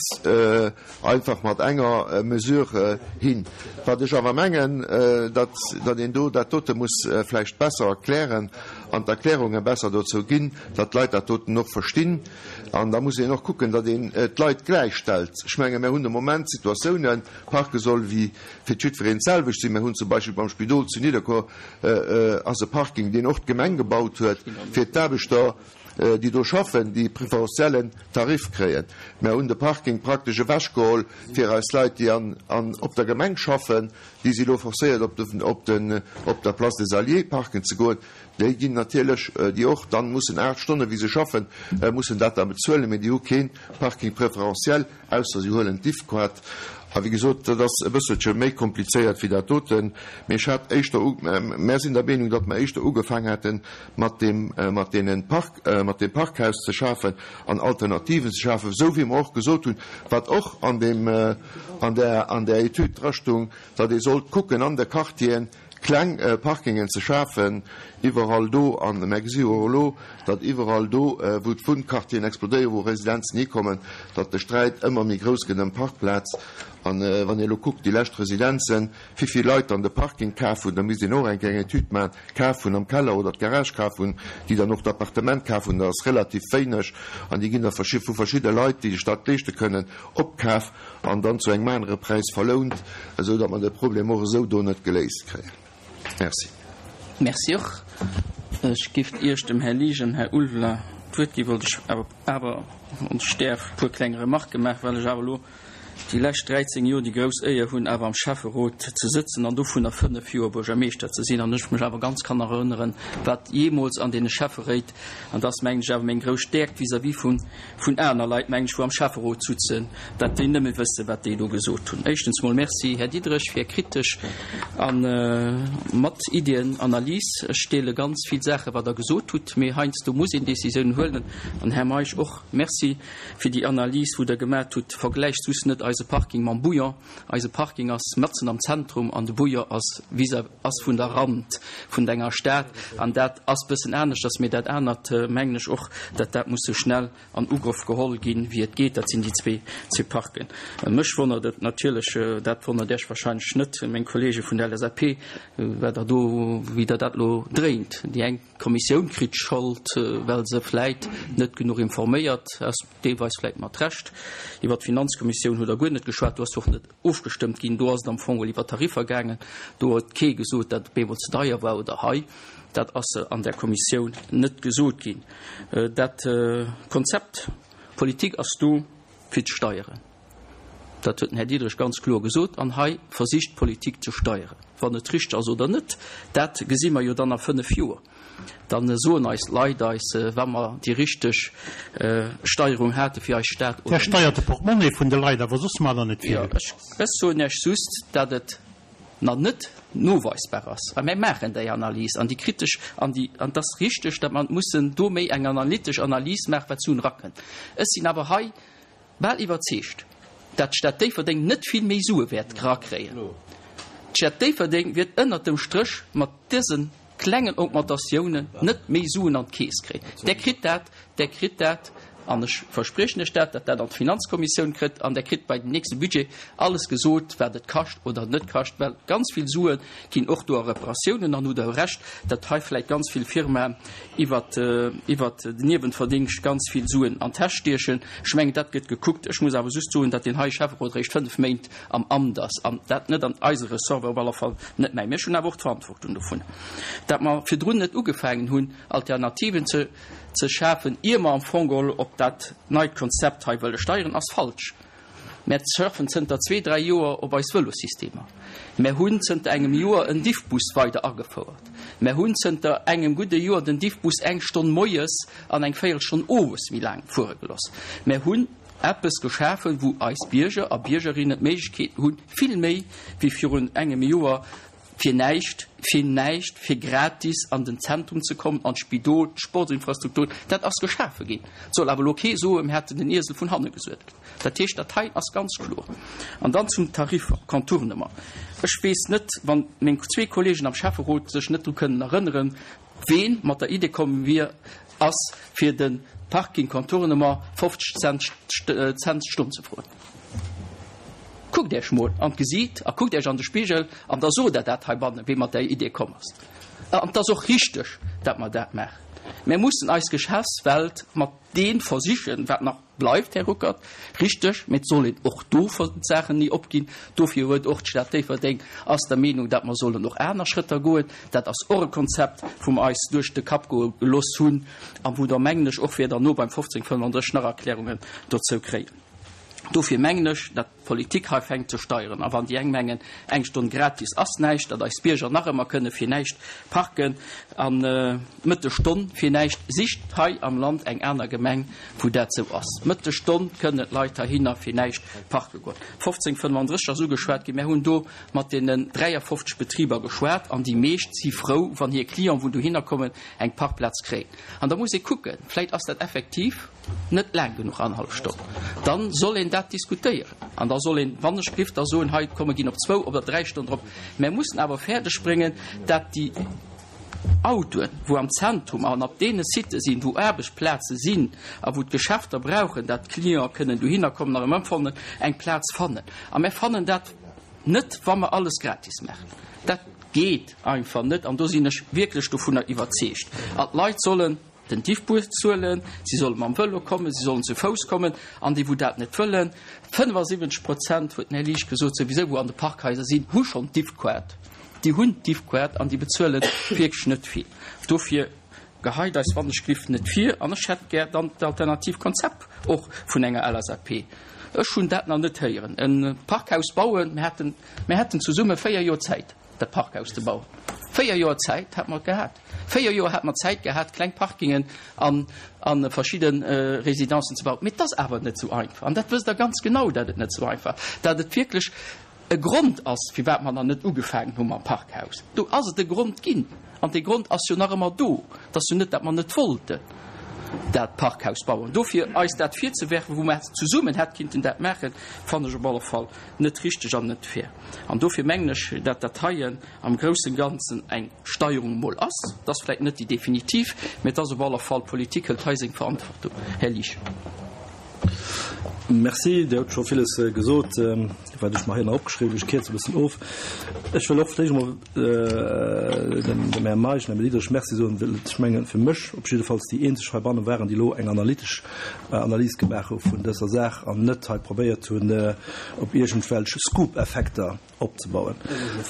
J: einfach mat enger Mesure hin. Wat ech awer mengen, datt, datt een do dat dote muss vläicht besser erklären an d'Erklärunge besser dozou ginn, datt d'Leit dat doten och verstinn. An da muss een och kucken, datt een d'Leit gläichstellt. Ech menge mir hunn de Moment Situatiounen, parke soll wéi fir jiddwereen d'selwecht sinn. Mir hunn zum Beispill beim Spidol zu Nidderkuer ass e Parking, deen och d'Gemeng gebaut huet, fir d'Aarbechter, déi do schaffen, déi preferentiellen Tarif kréien. Mir hunn de Parking praktesch ewechgeholl fir eis Leit, déi an op der Gemeng schaffen. Déi si elo forcéiert, op de op den op der Place des Alliés parken ze goen. Déi ginn natierlech, déi och dann mussen 8 Stonnen, wéi se schaffen, mussen dat da bezuelen, mee déi hu kee Parking préférentiel. Ausser si huelen d'Diffquart. A wéi gesot, dat ass e bësselche méi komplizéiert wéi dat doten. Mee ech hat éischter, mär sinn der Meenung, datt mer éischter ugefaang hätte mat deem, mat deene Park, mat deem Parkhaus ze schafen an Alternativen ze schafen, esou wéi mer och gesot hunn, wat och an deem, an där, an där Etüd drastung, datt ee sollt kucken an de Quartieren, Kleng Parkingen ze schafen, iwwerall do, an mär gesi jo och elo, datt iwwerall do, wou d'Wunnquartieren explodéieren, wou Residenzen hikommen, datt de Sträit ëmmer méi grouss gëtt ëm Parkplaz. An wann ee elo kuckt, déi lescht Residenzen, wivill Leit dann de Parking kaf hunn, da misst een och eng kleng Etüd maachen, kaf hunn am Keller oder d'Garage kaf hunn, déi dann och d'Appartement kaf hunn, dat ass relativ wéineg an déi ginn da vu verschidde Leit, déi sech dat leeschte kënnen, opkaf. An dann zu engem anere Präis verlount, esou datt mer de Problem och esou do net geléist kréien. Merci.
A: Merci och. Ech giff Iech dem Här Liesch an Här Ulveler d'Wuert ginn, wollt ech awer, awer, wann ech däerf, e puer kleng Remarquë maachen, well ech awer elo. Déi lescht 13 Joer déi grouss Éier hunn, awer am Schäfferot ze sëtzen an dovunner 5 Joer Buergermeeschter ze sinn. An ech mech awer ganz kann erënneren, wat jeemools an deene Schäfferéit, an dat ass, mengen ech, awer meng grouss Stäerkt vis-à-vis vun, vun aner Leit, mengen ech, wou am Schäfferot sutzen, dat déi nëmme wëssen, wat déi do gesot hunn. Éischtens mol Merci, Här Diderich, fir Är kritesch a mat Iddien Analys. Ech deele ganz vill Saache wat Der gesot hutt, mee heiansdo muss een Décisiounen huelen. An Här Meisch och Merci. Fir déi Analys, wou Der gemat hutt. Vergläicht just net eise Parking mam Bouillon. Eise Parking ass matzen am Zentrum an de Bouillon ass vis-à ass vun der Rand vun enger Stad. An dat ass bëssen aneschters. Mee dat anert mengen ech och, datt dat muss sou schnell an Ugrëff geholl ginn, wéi et geet. Dat sinn déi zwee zwee Parken. Mech wonnert et natierlech, dat wonnert Iech wahrscheinlech net, meng Kollege vun der LSAP, wat Der do, wéi Der dat elo dréint. Déi eng. D'Kommissioun kritt d'Schold, well se vläit net genuch informéiert ass, deelweis vläit mat Recht. Iwwer d'Finanzkommissioun hutt Der guer net geschwat, do ass jo och net ofgestëmmt ginn. Do ass et am Fong geholl iwwer Tariffer gaangen. Do huet kee gesot, datt et op eemol ze deier war oder hei. Dat ass an där Kommissioun net gesot ginn. Dat Konzept Politik ass do fir ze steieren. Dat huet den Här Diderich ganz kloer gesot. An hei versicht d'Politik ze steieren. Wann et richteg ass oder net, dat gesi mer jo dann a fënnf Joer. Da soen eis d'Leit eis, wa mer déi richteg Steierung hate fir eis Stad
H: oder net. Der steiert de Portemonnaie vun de Leit, awer soss maacht Der net vill.
A: Jo, ech soen Iech just, datt et nach net noweisbar ass. A mir maachen déi Analys an déi kritesch an déi, an et ass richteg, datt mer mussen do méi eng analytesch Analys maachen, wat Suen erakënnt. Ech sinn awer hei Bal iwwerzeegt, dat d'Stad Déifferdeng net vill méi Sue wäert erakréien. D'Stad Déifferdeng wiert ënnert dem Stréch mat dëse klengen Augmentatiounen net méi Suen an d'Keess kréien. Der kritt dat, Der kritt dat, an ech verspriechen lech dat, datt dat an d'Finanzkommissioun kritt, an Der kritt bei dem nächste Budget alles gesot, wat et kascht oder net kascht, well ganz vill Sue ginn och do a Reparatiounen. An hutt Der Recht, datt hei vläicht ganz vill Firmaen iwwert iwwert den Niewenverdingscht ganz vill Suen an d'Täsch stiechen. Ech mengen, dat gëtt gekuckt. Ech muss awer just soen, datt deen hei Schäfferot eréischt fënnf Méint am Amt ass an dat net an eise Ressort war, op alle Fall net mäin. Mee ech hunn awer och d'Verantwortung dovun, datt mer virdrun net ugefaangen hunn, Alternativen ze ze schafen, ier mer am Fong geholl op dat neit Konzept hei wëlle steieren, ass falsch. Mär surfen zënter zwee, dräi Joer op eis Vëlossystemer. Mär hunn zënter engem Joer en Diffbus weider agefouert. Mär hunn zënter engem gudde Joer den Diffbus eng Stonn moies an eng Véierelstonn owes méi laang fuere geloss. Mär hunn eppes geschafen, wou eis Bierger a Biergerinnen d'Méiglechkeet hunn, vill méi wéi virun engem Joer fir näischt, fir näischt, fir gratis an den Zentrum ze kommen, an d'Spidol, d'Sportsinfrastrukturen, dat ass geschafe ginn. Et soll awer elo kee soen, mir hätten den Iesel vun hanne gesuedelt. Dat heescht, dat hei ass ganz kloer. An dann zum Tarif Contournement. Ech weess net, wann meng zwee Kollegen am Schäfferot sech net dru kënnen erënneren, Ween mat der Idee komm wier, ass fir de Parking Contournement 50 Cent Cent d'Stonn ze froen. Kuckt Iech mol an d'Gesiit a kuckt Iech an de Spigel an da sot Der dat heibannen, wee mat där Idee komm ass. An et ass och richteg, dat mer dat maachen. Mir mussen eis Geschäftswelt mat deem versichen, wat nach Bleift, Här Ruckert, richteg, mee et soll een och do d'Saachen ni opginn. Dofir huet och d'Stad Déifferdeng ass der Meenung, datt mer sollen och aner Schrëtter goen. Dat ass och e Konzept, wou mer eis duerch de Kapp goe gelooss hunn a wou Der, mengen ech, och wäert derno beim 1535 nach Erklärungen dozou kréien. Dofir mengen ech, datt. D'Politik hei fänkt ze steieren. A wann déi eng mengen, eng Stonn gratis ass näischt, datt eis Bierger nach ëmmer kënne fir näischt parken an d'Mëttesstonn fir näischt, sicht hei am Land eng aner Gemeng, wou dat sou ass. D'Mëttesstonn kënnen d'Leit heihinner fir näischt parke goen. 1535 ass ugeschwat ginn. Mär hunn do mat deenen 53 Betriber geschwat an déi meescht si frou, wann hir Clienten, wou dohinner kommen, eng Parkplaz kréien. An da muss ee kucken, vläit ass dat effektiv, net laang genuch, annerhallef Stonn, da soll een dat diskutéieren an da soll een, wann ech giff da soen, hei komm mer ginn op zwou oder dräi Stonnen drop. Mer mussen awer fäerdeg bréngen, dat déi Autoen, wou am Zentrum an op deene Sitë sinn, wou Aarbechtsplaze sinn a wou d'Geschäfter brauchen, dat d'Clienten kënnen dohinner kommen a erëm ëmfannen, eng Plaz fannen. A mer fannen dat net, wa mer alles gratis maachen. Dat geet einfach net an do sinn ech wierklech dovunner iwwerzeegt. A d'Leit sollen. Den Diffbus zuelen, si solle mam Vëlo kommen, si sollen zu Fouss kommen an déi wou dat net wëllen, 75 Prozent, huet den Här Liesch gesot, souwisou wou an de Parkhaiser sinn, hu schonn d'Diffkaart, déi hunn d'Diffkaart an déi bezuele wierklech net vill. Dofir geheit eis wann ech giff net vir an ech hätt gär dann d'alternativ Konzept och vun enger LSAP. Ech hunn dat nach net héieren. E Parkhaus bauen, mir haten, mir haten zesumme 4 Joer Zäit, dat Parkhaus ze bauen. 4 Joer Zäit hat mer gehat. 4 Joer hat mer Zäit gehat, kleng Parkingen an a verschidde Residencen ze bauen. Mee et ass awer net esou einfach. An dat wësst Der ganz genau, dat et net esou einfach, dat et wierklech e Grond ass, firwat mer nach net ugefaangen hu mam Parkhaus. Do ass et e Grond ginn. An dee Grond ass jo nach ëmmer do. Et ass jo net, dat mer net wollten dat Parkhaus bauen. Dofir eis dat virzewerfen, wou mer zesummen hätt kinnten dat maachen, fannen ech op alle Fall net richteg an net fair. An dofir mengen ech, dat dat heien am groussen Ganzen eng Steierung emol ass. Et ass vläicht net déi definitiv, mä et ass op alle Fall, d'Politik hëlt hei seng Verantwortung. Här Liesch.
B: Merci, Dir hutt scho villes gesot, wat ech mer hei nach opgeschriwwen hunn. Ech kierze e bëssen of. Ech wëll och vläicht emol dem Här Meisch an dem Här Diderich Merci soen, well ech mengen, fir mech op jiddefalls déi eenzeg heibanne waren, déi elo eng analytesch Analys gemaach hu vun dëser Saach an net hei probéiert hunn, op iergendwelch Scoop-Effekter opzebauen.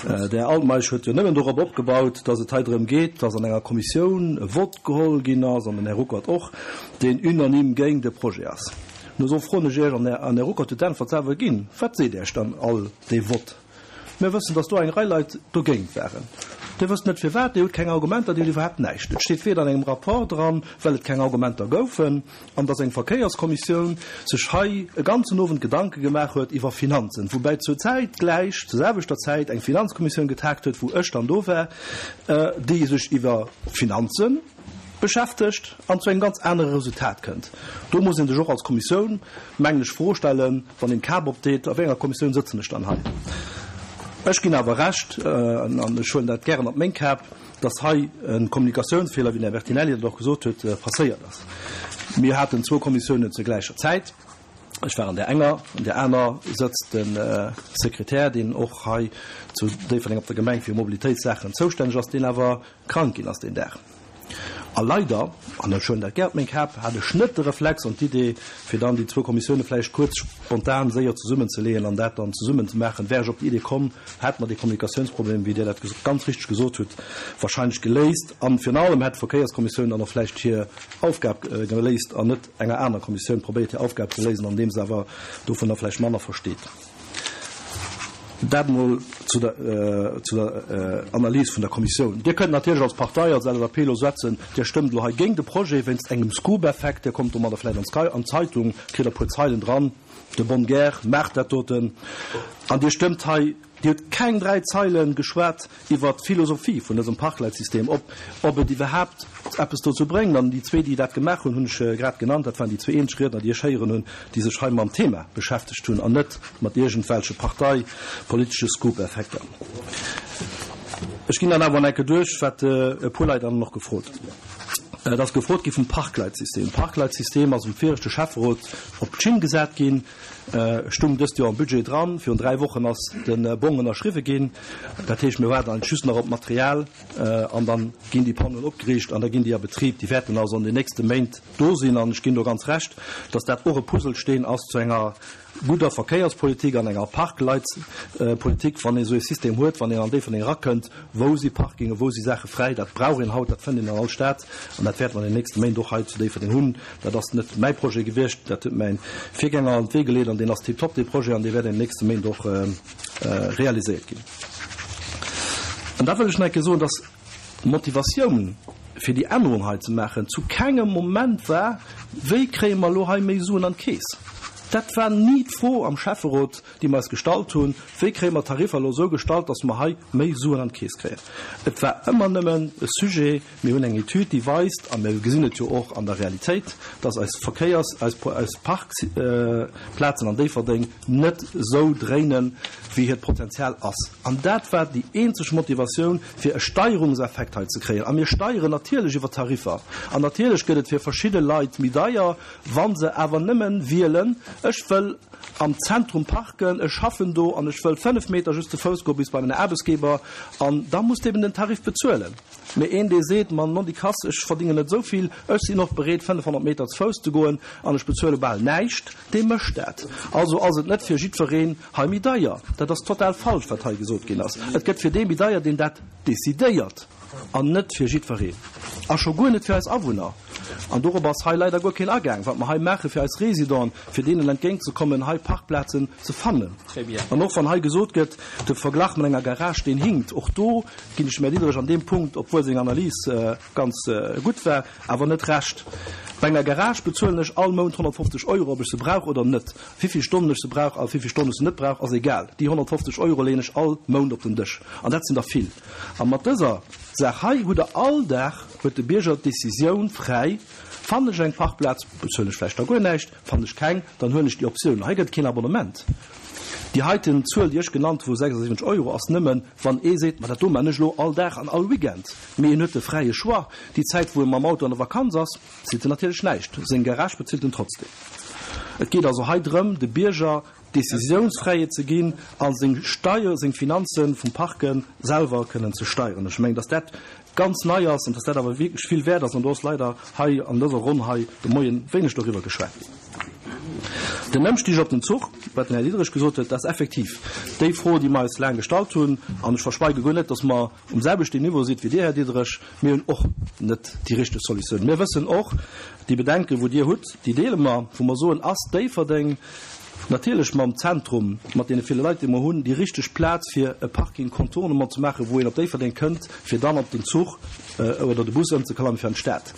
B: De Här Altmeisch huet jo nëmmen dorop opgebaut, datt et hei drëm geet, datt an enger Kommissioun e Vott geholl ginn ass, an den Här Ruckert och, deen unanime géint de Projet ass. No esou froen ech Iech, an den Här Ruckert huet d'Äntwert selwer ginn, Wat seet Iech dann all dee Vott? Mir wëssen, datt do eng Rei Leit dogéint waren. Dir wësst net firwat, Dir hutt keng Argumenter, Dir hutt iwwerhaapt näischt. Et steet weder an engem Rapport dran, well et keng Argumenter goufen, an dass eng Verkéierskommissioun sech hei e ganzen Owend Gedanke gemaach huet iwwer Finanzen, woubäi zur Zäit gläich, zur selwechter Zäit eng Finanzkommissioun getagt huet, wou ech dann do war, déi sech iwwer Finanze beschäftegt an zu engem ganz anere Resultat kënnt. Do muss ee sech och als Kommissioun, mengen ech, d'Fro stellen, wann een d'Kap opdeet, A wéi enger Kommissioun sëtzen ech dann hei? Ech ginn awer Recht, an ech huelen dat gären op meng Kap, dass hei e Kommunikatiounsfeeler, wéi den Här Bertinelli dat och gesot huet, passéiert ass. Mir haten zwou Kommissiounen zur gläicher Zäit. Ech war an där enger, an där aner sëtzt de Sekretär, deen och hei zu Déifferdeng op der Gemeng fir Mobilitéitssaachen zoustänneg ass, deen awer krank ginn ass deen Dag. A leider, an ech huelen dat gär op meng Kap, hat ech net de Reflex an d'Idee, fir dann déi zwou Kommissioune vläicht kuerz spontan séier zesummenzeleeën an dat dann zesummen ze maachen. Wär ech op déi Idee komm, hätt mer dee Kommunikatiounsproblem, wéi Dir dat ganz richteg gesot hutt, wahrscheinlech geléist. A virun allem hätt d'Verkéierskommissioun dann och vläicht hir Aufgab geléist an net enger aner Kommissioun probéiert hir Aufgab ze léisen, andeem se awer dovunner vläicht manner versteet. Dat emol zu der, zu der Analys vun der Kommissioun. Dir kënnt natierlech als Partei, als LSAP elo setzen, Dir stëmmt elo hei géint de Projet wéinst engem Scoop-Effekt. Dir kommt domadder vläicht an d'Zeitung, kritt e puer Zeilen dran, de bonne guerre maacht dat doten. An Dir stëmmt hei, Dir hutt keng 3 Zeile geschwat iwwert d'Philosophie vun dësem Parkleitsystem, ob, ob et iwwerhaapt eppes dozou bréngt. An déi zwee, déi dat gemaach hunn, hunn ech grad genannt, dat waren déi zwee eenzeg Riedner, déi ech héieren hunn, déi sech hei mam Thema beschäftegt hunn an net mat iergendwelche parteipolitesche Scoop-Effekter. Ech ginn dann awer an enke duerch, wat e puer Leit dann och gefrot hunn. Et ass gefrot gi vum Parkleitsystem. D'Parkleitsystem ass um viregte Schäfferot op d'Schinn gesat ginn, stung dëst Joer am Budget dran. Virun 3 Wochen ass de Bong ënnerschriwwe ginn. Dat heescht, mir waarden eigentlech just nach op d'Material an dann ginn déi Panneauen opgeriicht an da ginn déi a Betrib. Déi wäerten also an den nächste Méint do sinn. An ech ginn do ganz Recht, dass dat och e Puzzlesteen ass zu enger gudder Verkéierspolitik an enger Parkleitspolitik, wann ee sou ee System huet, wann een an Déifferdeng erakënnt, wou si Parkingen, wou si Saache fräi, dat brauch een haut, dat fënnt een an all Stad an dat wäerte mer an den nächste Méint och hei zu Déifferdeng hunn. Dat ass net mäi Projet gewiescht, dat huet mäi Virgänger an d'Wee geleet an deen ass tiptop, dee Projet, an dee wäert an den nächste Méint och realiséiert ginn. An da wëll ech nach eng Kéier soen, dass D'Motivatioun, fir déi Ännerung hei ze maachen, zu kengem Moment war, Wéi kréie mer elo hei méi Suen an d'Keess? Dat war ni d'Fro am Schäfferot, déi mer eis gestallt hunn, Wéi kréie mer d'Tariffer elo esou gestallt, datt mer hei méi Suen an d'Keess kréien? Et war ëmmer nëmmen e Sujet, Mir hunn eng Etüd, déi weist, a mir gesinn et jo och an der Realitéit, datt eis Verkéiers-, eis Parkplazen an Déifferdeng net esou dréinen, wéi hiert Potenzial ass. An dat war déi eenzeg Motivatioun, fir e Steierungseffekt hei ze kréien. A mir steieren natierlech iwwer Tariffer. An natierlech gëtt et fir verschidde Leit méi deier, wa se awer nëmmen wielen, ech wëll am Zentrum parken, ech schaffen do an ech wëll 5 Meter just ze Fouss goe bis bei mäin Aarbechtsgeber, an da muss de eben den Tarif bezuelen. Mee een, dee seet, Ma nondikass, ech verdingen net esou vill, ech sinn och bereet, 500 Meter ze Fouss ze goen an ech bezuele bal näischt, dee mécht dat. Also ass et net fir jiddwereen hei méi deier. Dat ass total falsch, wat hei gesot ginn ass. Et gëtt fir dee méi deier, deen dat decidéiert, an net fir jiddwereen. A scho guer net fir eis Awunner. An dorop ass hei leider guer keen agaang, wat mer hei maache fir eis Résidenten, fir deenen entgéintzekommen, hei Parkplazen ze fannen. An och wann hei gesot gëtt, de Verglach mat enger Garage, deen hinkt, och do ginn ech dem Här Diderich an deem Punkt, obwuel seng Analys ganz gutt war, awer net Recht. Bei enger Garage bezuelen ech all Mount 150 Euro, ob ech se brauch oder net. Wivill Stonnen ech se brauch a wivill Stonnen ech se net brauch, ass egal. Déi 150 Euro leeën ech all Mount op den Dësch. An dat sinn der vill. A mat dëser Saach hei hutt Der all Dag, huet de Bierger d'Decisioun fräi, Fannen ech eng Parkplaz, bezuelen ech vläicht da guer näischt, fannen ech keng, dann huelen ech déi Optioun. Hei gëtt et keen Abonnement. Déi heiten Zuel, déi ech genannt hu vu 76 Euro, ass nëmmen, wann ee seet, Ma dat do man ech elo all Dag an all Weekend. Mee en huet de fräie Choix. Déi Zäit, wou e mam Auto an der Vakanz ass, zilt en natierlech näischt. Seng Garage bezilt en trotzdem. Et geet also hei drëm, de Bierger d'Décisiounsfräiheet ze ginn a seng Steier, seng Finanze vum Parke selwer kënnen ze steieren. Ech mengen, dass dat ganz nei ass an dass dat awer wierklech vill wäert ass. An do ass leider hei an dëser Ronn hei de Moie wéineg doriwwer geschwat ginn. Den Ëmstig op den Zuch, wat den Här Diderich gesot huet, dat ass effektiv déi Fro, déi mer eis laang gestallt hunn. An ech verschweige guer net, dass mer um selwechten Niveau sidd wéi Dir, Här Diderich. Mir hunn och net déi richteg Solutioun. Mir wëssen och, déi Bedenken, wou Dir hutt, déi deele mer, wou mer soen, Ass Déifferdeng natierlech mam Zentrum, mat deene ville Leit, déi mer hunn, déi richteg Plaz, fir e Parking Contournement ze maachen, wou een op Déifferdeng kënnt, fir dann op den Zuch oder de Bus ëmzeklammen fir an d'Stad.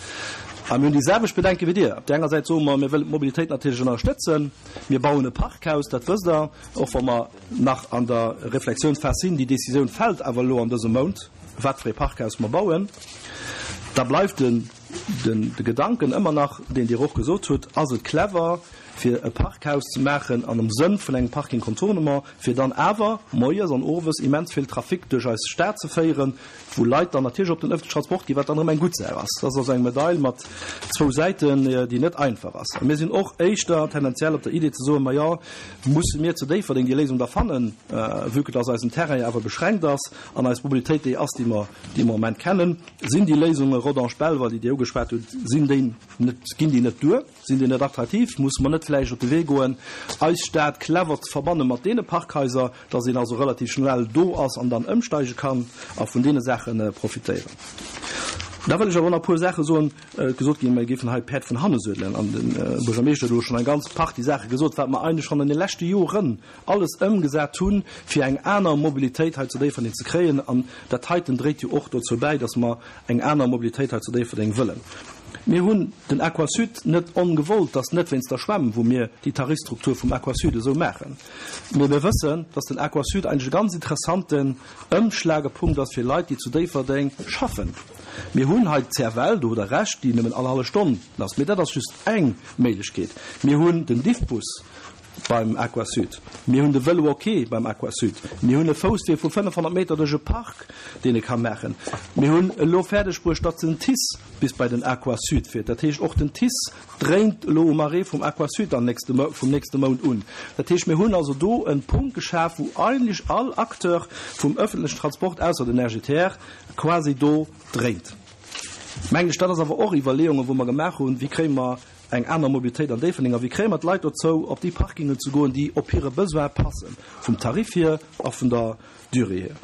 B: A mir hunn déi selwecht Bedenke wéi Dir. Op där enger Säit soe mer, mir wëllen d'Mobilitéit natierlech ënnerstëtzen. Mir bauen e Parkhaus, dat wësst Der, och wa mer nach an der Reflexiounsphas sinn. Déi Décisioun fält awer elo an dësem Mount, wat fir ee Parkhaus mer bauen. Da bleift de Gedanken ëmmer nach, deen Dir och gesot hutt, Ass et clever, fir e Parkhaus ze maachen an am Sënn vun engem Parking contournement, fir dann awer moies an owes immens vill Trafic duerch eis Stad ze féieren, wou Leit dann natierlech op den ëffentlechen Transport ginn, wat dann erëm eng gutt Saach ass. Dat ass also eng Medail mat zwou Säiten, déi net einfach ass. A mir sinn och éischter tendenziell op der Idee ze soen, Majo, musse mir zu Déifferdeng déi Léisung da fannen, vue que dass eisen Terrain jo awer beschränkt ass an eis Mobilitéit déi ass, déi mer déi mer am Moment kennen. Sinn déi Léisunge Rodange-Belval, déi Dir ugeschwat hutt, sinn déi net, ginn déi net duer? Sinn déi net attraktiv? Musse mer net vläicht op de Wee goen, eis Stad clever ze verbanne mat deene Parkhaiser, dass een also relativ schnell do ass an dann ëmsteige kann a vun deene Saache profitéieren? Da wëll ech awer och nach e puer Saache soen. Et gesot ginn, mer géifen hei d'Päerd vun hanne suedelen. An de Buergermeeschter huet elo schonn eng ganz Partie Saache gesot, wat mer eigentlech schonn an de leschte Joren alles ëmgesat hunn, fir eng aner Mobilitéit hei zu Déifferdeng ze kréien. An dat heiten dréit jo och dozou bäi, dass mer eng aner Mobilitéit hei zu Déifferdeng wëllen. Mir hunn den Aquasud net ongewollt, dass net wéinst der Schwämm, wou mir déi Tarifstruktur vum Aquasud esou maachen, mee mir wëssen, dass den Aquasud eigentlech e ganz interessanten Ëmschlagepunkt ass fir Leit, déi zu Déifferdeng schaffen. Mir hunn hei d'CFL, do hutt Der Recht, déi nëmmen all hallef Stonn ass, mee dat ass just eng Méiglechkeet. Mir hunn den Diffbus beim Aquasud, mir hunn de Vélo ok beim Aquasud, mir hunn e Fousswee vu 500 Meter duerch e Park, deen e ka maachen, mir hunn elo fäerdeg bruecht, datt den TICE bis bei den Aquasud fiert. Dat heescht, och den TICE dréint elo um Arrêt vum Aquasud am nächste, vum nächste Mount un. Dat heescht, mir hunn also do e Punkt geschaf, wou eigentlech all Acteur vum öffentlechen Transport, ausser den RGTR, quasi do dréint. Mengen ech, dat ass awer och Iwwerleeungen, wou mer gemaach hunn, wéi kréie mer eng aner Mobilitéit an Déifferdeng a wéi kréie mer d'Leit dozou, op déi Parkingen ze goen, déi op hire Besoin passen, vum Tarif hier a vun der Durée hier.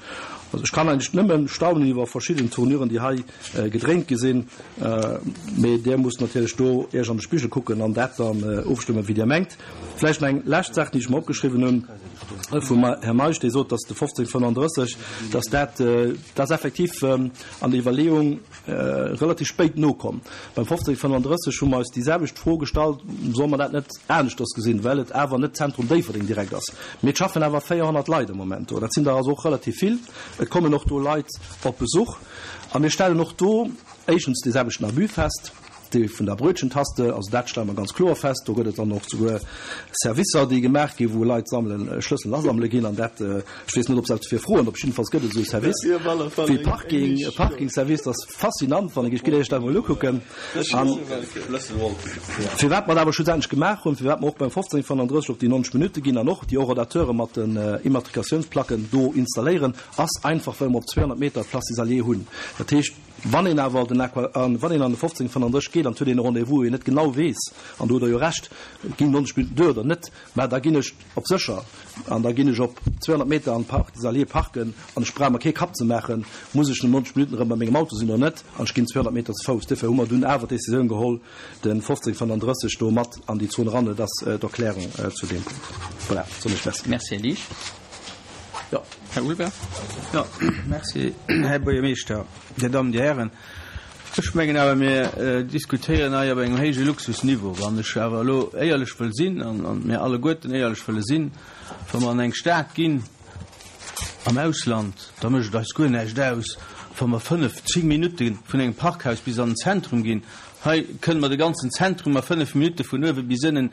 B: Also ech kann eigentlech nëmme staunen iwwer verschidden Tournuren, déi hei gedréint gi sinn, mee Dir musst natierlech do Iech an de Spigel kucken an dat dann ofstëmmen, wéi Dir mengt. Vläicht nach eng lescht Saach, déi ech mer opgeschriwwen hunn vum Här Meisch, dee sot, dass de 1535, dass dat, dat ass effektiv an der Iwwerleeung, relativ spéit nokomm. Beim 1535 hu mer eis déi selwecht Fro gestallt, Solle mer dat net aneschters gesinn, well et awer net Zentrum Déifferdeng direkt ass. Mee et schaffen awer 400 Leit am Moment do. Dat sinn der also och relativ vill. Et kommen och do Leit op Besuch. A mir stellen och do éischtens dee selwechten Abus fest, dee vun der Brötchentaste. Also dat stelle mer ganz kloer fest. Do gëtt et dann och souguer Servicer, déi gemaach ginn, wou Leit sammelen, Schlësselen asammele ginn. An dat, ech weess net, ob se dofir froen, op jiddefalls gëtt et esou e Service wéi Parking, e Parkingservice. Dat ass faszinant, wann ech gitt Iech dat emol ukucken. An firwat mer dat awer schlussendlech gemaach hunn, firwat mer och beim 1535 op déi 90 Minutte ginn an och déi Horodateure mat den Immatrikatiounsplacken do installéieren, ass einfach, well mer op 200 Meter d'Place des Alliés hunn. Dat heescht, wann een awer den Aqua, wann een an de 1535 geet. geet an et huet een e Rendez-vous, wou een net genau weess, an do hutt Der jo Recht, ginn 90 Minutten duer oder net, mä da ginn ech op sécher an da ginn ech op 200 Meter an de Parc des Alliés parken an ech brauch mer kee Kapp ze maachen, muss ech no 90 Minutten erëm bei mengem Auto sinn oder net, an ech ginn 200 Meter ze Fouss. Duerfir hu mer dunn awer d'Décisioun geholl, de 1535 do mat an déi Zon eran. Et ass d'Erklärung zu deem Punkt. Voilà, soen ech Merci.
A: Merci, Här Liesch. Jo, Här Ulber.
K: Jo, merci, Här Buergermeeschter, Dir Dammen, Dir Hären. Ech mengen awer, mir diskutéieren hei op engem héije Luxusniveau. Wann ech awer elo éierlech wëll sinn, an mir alleguerten éierlech wëlle sinn, wa mer an eng Stad ginn am Ausland, da mécht et eis guer näischt aus, wa mer fënnf, zéng Minutte vun engem Parkhaus bis an den Zentrum ginn. Hei kënne mer de ganzen Zentrum a fënnf Minutte vun uewe bis ënnen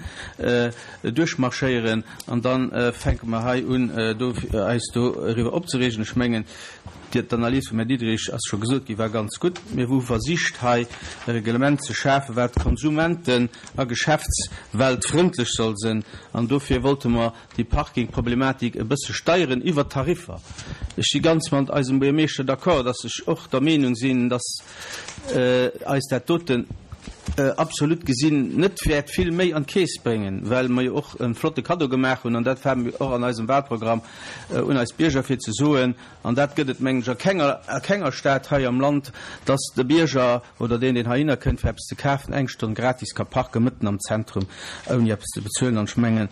K: duerchmarschéieren an da fänke mer hei un, do eis doriwwer opzereegen. Ech mengen, D'Analys vum Här Diderich, ass scho gesot ginn, war ganz gutt. Mir hu versicht, hei e Reglement ze schafen, wat konsumenten a geschäftsweltfrëndlech soll sinn. An dofir wollte mer déi Parkingproblematik e bësse steieren iwwert d'Tariffer. Ech si ganz mat eisem Buergermeeschter d'accord, dass ech och der Meenung sinn, dass eis dat doten absolut gesinn net wäert vill méi an d'Keess bréngen, well mer jo och e flotte Kaddo gemaach hunn, an dat war och an eisem Wahlprogramm, un eis Bierger, fir ze soen, An dat gëtt et, mengen ech, a kenger, a kenger Stad hei am Land, dass de Bierger oder deen, deen heihinner kënnt, fir eppes ze kafen, eng Stonn gratis ka parken, mëtten am Zentrum, ouni eppes ze bezuelen. An ech mengen,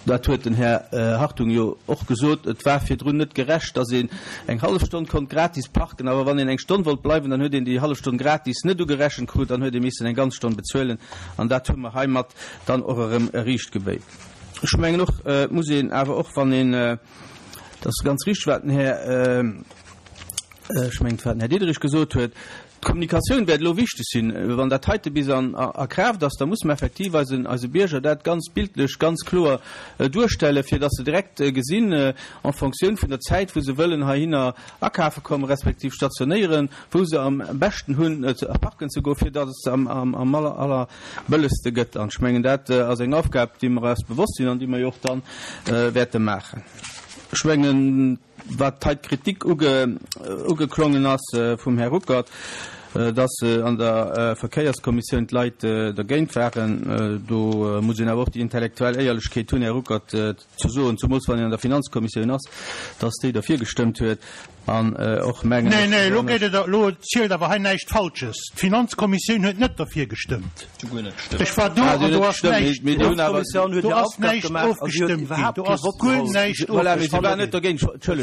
K: dat huet den Här Hartung jo och gesot, et war virdrun net gerecht, dass een eng hallef Stonn konnt gratis parken, awer wann een eng Stonn wollt bleiwen, dann huet een déi hallef Stonn gratis net ugerechent krut, dann huet ee missen eng ganz Stonn bezuelen. An dat hu mer heimat dann och erëm riichtgebéit. Ech mengen och, et muss een awer och, wann een, Et ass ganz richteg, wat den Här, ech mengen, et war den Här Diderich gesot huet, D'Kommunikatioun wäert elo wichteg sinn. Wann dat heite bis an a Kraaft ass, da muss mer effektiv eisen, eise Bierger dat ganz bildlech, ganz kloer duerstellen, fir dass se direkt gesinn, en Fonctioun vun der Zäit, wou se wëllen heihinner akafe kommen, respektiv stationéieren, wou se am beschten hunn, parken ze goen, fir dass et am, am, am aller, allerbëllegste gëtt. An ech mengen, dat ass eng Aufgab, déi mer eis bewosst sinn an déi mer jo och dann wäerte maachen. Ech mengen, wat hei d'Kritik ugeklongen ass vum Här Ruckert, dass an der Verkéierskommissioun d'Leit dergéint waren, do muss een awer och déi intellektuell Éierlechkeet hunn, Här Ruckert, ze soen, zemools wann een an der Finanzkommissioun ass, dass déi derfir gestëmmt huet. An och mengen
H: ech. Nee, nee, elo geet et, elo zielt awer hei näischt Falsches. D'Finanzkommissioun huet net derfir gestëmmt. Ech war do an do ass näischt, do ass näischt ofgestëmmt ginn. Do ass guer näischt ofgestëmmt ginn.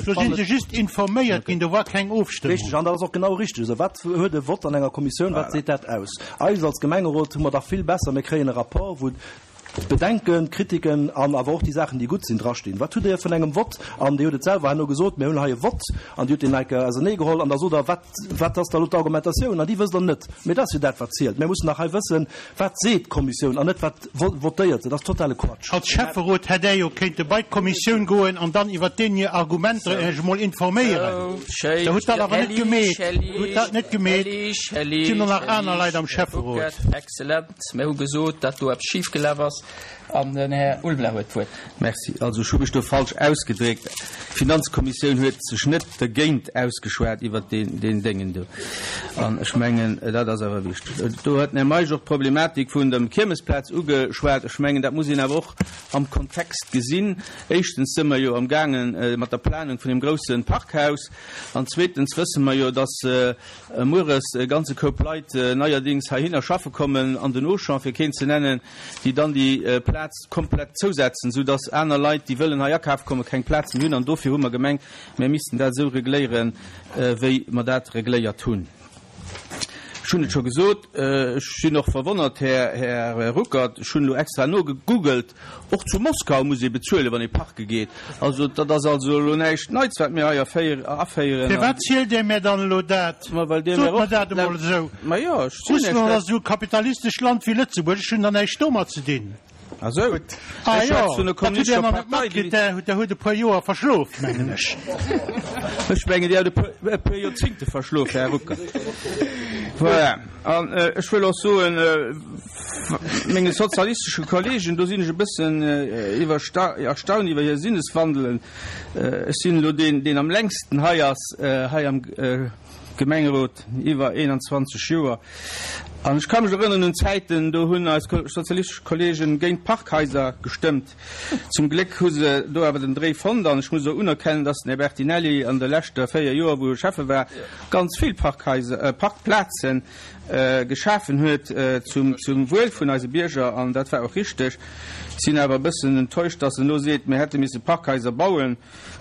H: Do si se just informéiert ginn, do war keng Ofstëmmung.
B: Richteg, an dat ass och genau richteg esou. Wat huet e Vott an enger Kommissioun, wat seet dat aus? Eis als Gemengerot hu mer dach vill besser, mir kréien e Rapport, wou D'Bedenken, d'Kritiken an awer och déi Saachen, déi gutt sinn, drastinn. Wat hutt Dir vun engem Vott? An Dir hutt et selwer herno gesot, Mir hunn hei e Vott an Dir hutt deen enke auserneegeholl. An da sot Der, Wat, wat ass da elo d'Argumentatioun? An déi wësst Der net. Mee dat ass jo dat, wat zielt. Mir mussen dach hei wëssen, Wat seet d'Kommissioun an net, wat votéiert se? Dat ass totale Quatsch.
H: Als Schäfferot hätt Där jo kéinte bei d'Kommissioun goen an dann iwwert deenen hir Argumenter Iech emol informéieren. Der hutt dat awer net gemeet. Der hutt dat net gemeet. Et sinn och nach aner Leit am Schäfferot.
A: Excellent. Mir hu gesot, datt do eppes schifgelaf ass. An den Här Ulveler huet d'Wuert.
K: Merci. Also, ech hu mech do falsch ausgedréckt. D'Finanzkommissioun huet sech net dergéint ausgeschwat iwwert deen Déngen do. An ech mengen, dat ass awer wichteg. Do huet den Här Meisch och d'Problematik vun der Kiermesplaz ugeschwat. Ech mengen, dat muss een awer och am Kontext gesinn. Éischtens si mer jo amgaange mat der Planung vun deem grousse Parkhaus. An zweetens wësse mer jo, datt mueres e ganze Koup Leit neierdings heihinner schaffe kommen, an den Auchan, fir keen ze nennen, déi dann déi Plaz komplett zousetzen, soudass aner Leit, déi wëllen hei akafe kommen, keng Plaz méi hunn. An dofir hu mer gemengt, mir missten dat esou regléieren, wéi mer dat regléiert hunn. Ech hunn et scho gesot, ech sinn och verwonnert, Här Ruckert, ech hunn elo extra nogegoogelt, Och zu Moskau muss ee bezuelen, wann ee parke geet. Also, dat ass also elo näischt Neits, wat mir hei aféieren.
H: Firwat zielt Dir mär dann elo dat?
K: Ma well Dir
H: mär och. Sot mer dat emol esou.
K: Ma jo, ech zielen Iech dat.
H: Russland ass esou e kapitalistescht Land wéi Lëtzebuerg. Ech hunn da näischt domat ze dinn.
K: Ah sou.
H: Ah jo, dat hutt Dir nach net matkritt. Der hutt e puer Joer verschlof, mengen ech.
K: Ech mengen, Dir hutt e puer Joerzingte verschlof, Här Ruckert. Voilà. An ech wëll och soen, menge sozialistesche Kollegen, do sinn ech e bëssen erstaunt iwwer hir Sinneswandelen. Ech sinn elo deen, deen am längsten hei ass, hei am. Gemengerot iwwer 21 Joer an ech ka mech erënneren un Zäiten, do hunn eis sozialistesch Kollegen géint d'Parkhaiser gestëmmt. Zum Gléck hu se do awer den Dréi fonnt an ech muss och unerkennen, dass den Här Bertinelli an de leschte 4 Joer, wou e Schäffe war, ganz vill Parkhaiser, Parkplazen geschafen huet zum Wuel vun eise Bierger an dat war och richteg. Sinn awer e bëssen enttäuscht, dass en elo seet, mir hätte misse Parkhaiser bauen.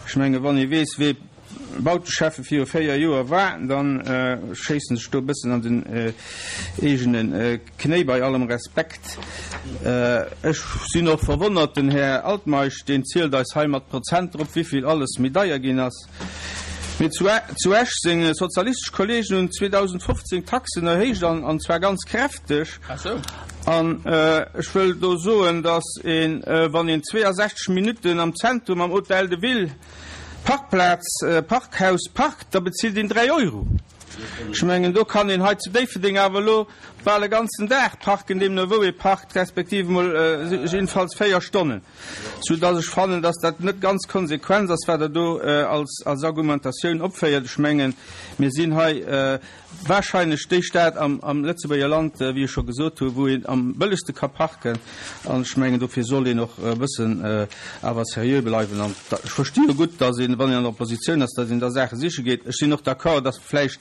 K: Ech menge wann ee weess, wee Bauteschäffe viru 4 Joer war, da schéissen sech do e bëssen an den eegene Knéi, bei allem Respekt. Ech sinn och verwonnert, den Här Altmeisch, deen zielt eis hei mat Prozenter op, wéivill alles méi deier ginn ass. Mee zu Esch seng sozialistesch Kollegen hunn 2015 d'Taxen erhéicht, an zwar ganz kräfteg. An ech wëll do soen, datt een, wann een 62 Minutten am Zentrum am Hôtel de Ville Parkplaz, Parkhaus parkt, da bezilt een 3 Euro. Ech mengen, do kann een hei zu Déifferdeng awer elo bal e ganzen Dag parken, deemno wou ee parkt, respektiv emol jiddefalls 4 Stonnen. Soudass ech fannen, dass dat net ganz konsequent ass, wat Der do als Argumentatioun opféiert. Ech mengen, mir sinn hei wahrscheinlech déi Stad am Lëtzebuerger Land, wéi ech scho gesot hu, wou een am bëllegste ka parken. An ech mengen, dofir soll een och e bëssen awer seriö bleiwen. An ech versti jo gutt, dass een, wann een an der Oppositioun ass, dass een da Saache siche geet. Ech sinn och d'accord, dass vläicht,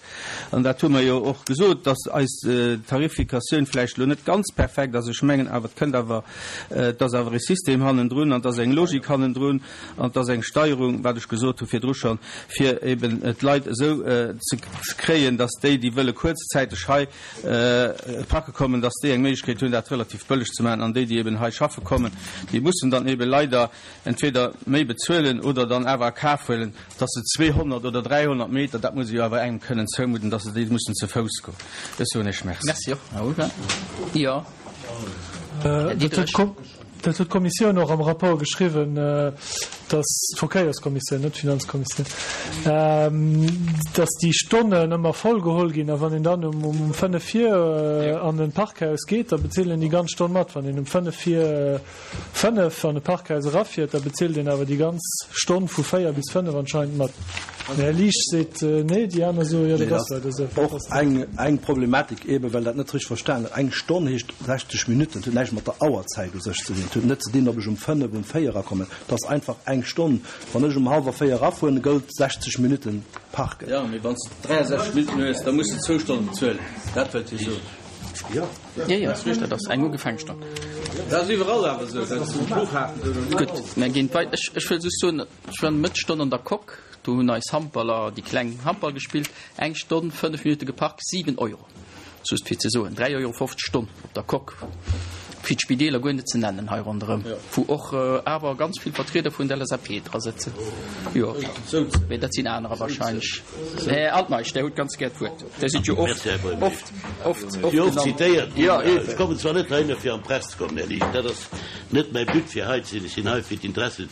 K: an dat hu mer jo och gesot, dass eis Tarifikatioun vläicht elo net ganz perfekt ass. Ech mengen awer, et kënnt awer, et ass awer e System hannendrun an et ass eng Logik hannendrun an et ass eng Steierung, wat ech gesot hu virdru schonn, fir eben d'Leit esou ze kréien, dass déi, déi wëlle kuerzzäiteg hei parke kommen, dass déi eng Méiglechkeet hunn, dat relativ bëlleg ze maachen an déi, déi eben hei schaffe kommen, déi mussen dann eben leider entweder méi bezuelen oder dann awer a Kaf huelen, dass se 200 oder 300 Meter, dat muss ee jo awer engem kënnen zoumudden, dass se déi mussen ze Fouss goen. Ech soen Iech Merci.
A: Merci och, Här Oliver. Jo,
I: Här Diderich. Dat huet d'Kommissioun och am Rapport geschriwwen, dass, d'Verkéierskommissioun, net d'Finanzkommissioun, dass déi Stonnen ëmmer voll geholl ginn. A wann een dann um fënnef vir an e Parkhaus geet, da bezilt een déi ganz Stonn mat. Wann een um fënnef vir fënnef an e Parkhaus erafiert, da bezilt een awer déi ganz Stonn vu 4 bis 5 anscheinend mat. Den Här Liesch seet nee, déi aner soe jo, dat ass leider esou.
B: Och eng Problematik, eebe well dat net richteg verstan gëtt, Eng Stonn heescht 60 Minutten, et huet näischt mat der Auerzäit u sech ze dinn. Et huet net ze dinn, ob ech um 5, um 4 erakommen. Et ass einfach eng Stonn. Wann ech um hallwer 4 erafueren, gëllt 60 Minutten parken.
K: Jo, mee wann s de 63 Minutten hues, da muss de zwou Stonnen bezuelen. Dat wëllt hie soen.
A: Jo, jo, dat ass eng ugefaangen Stonn.
K: Dat ass iwwerall awer esou, dat ass um Flughafen esou oder
A: Gutt, mir ginn wei ech ech wëll just soen, ech war Mëttesstonn an der Coque, do hunn eis Handballer, déi kleng Handball gespillt, eng Stonn, 5 Minutte geparkt, 7 Euro. Just fir ze soen, 3,50 Euro d'Stonn op der Coque, fir d'Spideeler guer net ze nennen hei ronderëm, wou och awer ganz vill Vertrieder vun der LSAP dra sëtzen. Jo, mee dat sinn anerer wahrscheinlech. Här Altmeisch, Der hutt ganz gär d'Wuert. Der sidd jo oft, oft, oft, oft
E: genannt. Oft zitéiert ginn. Ech kommen zwar net heihinner, fir an d'Press ze kommen, Här Liesch, dat ass net mäi But, fir hei ze sinn. Ech sinn hei, fir d'Interesse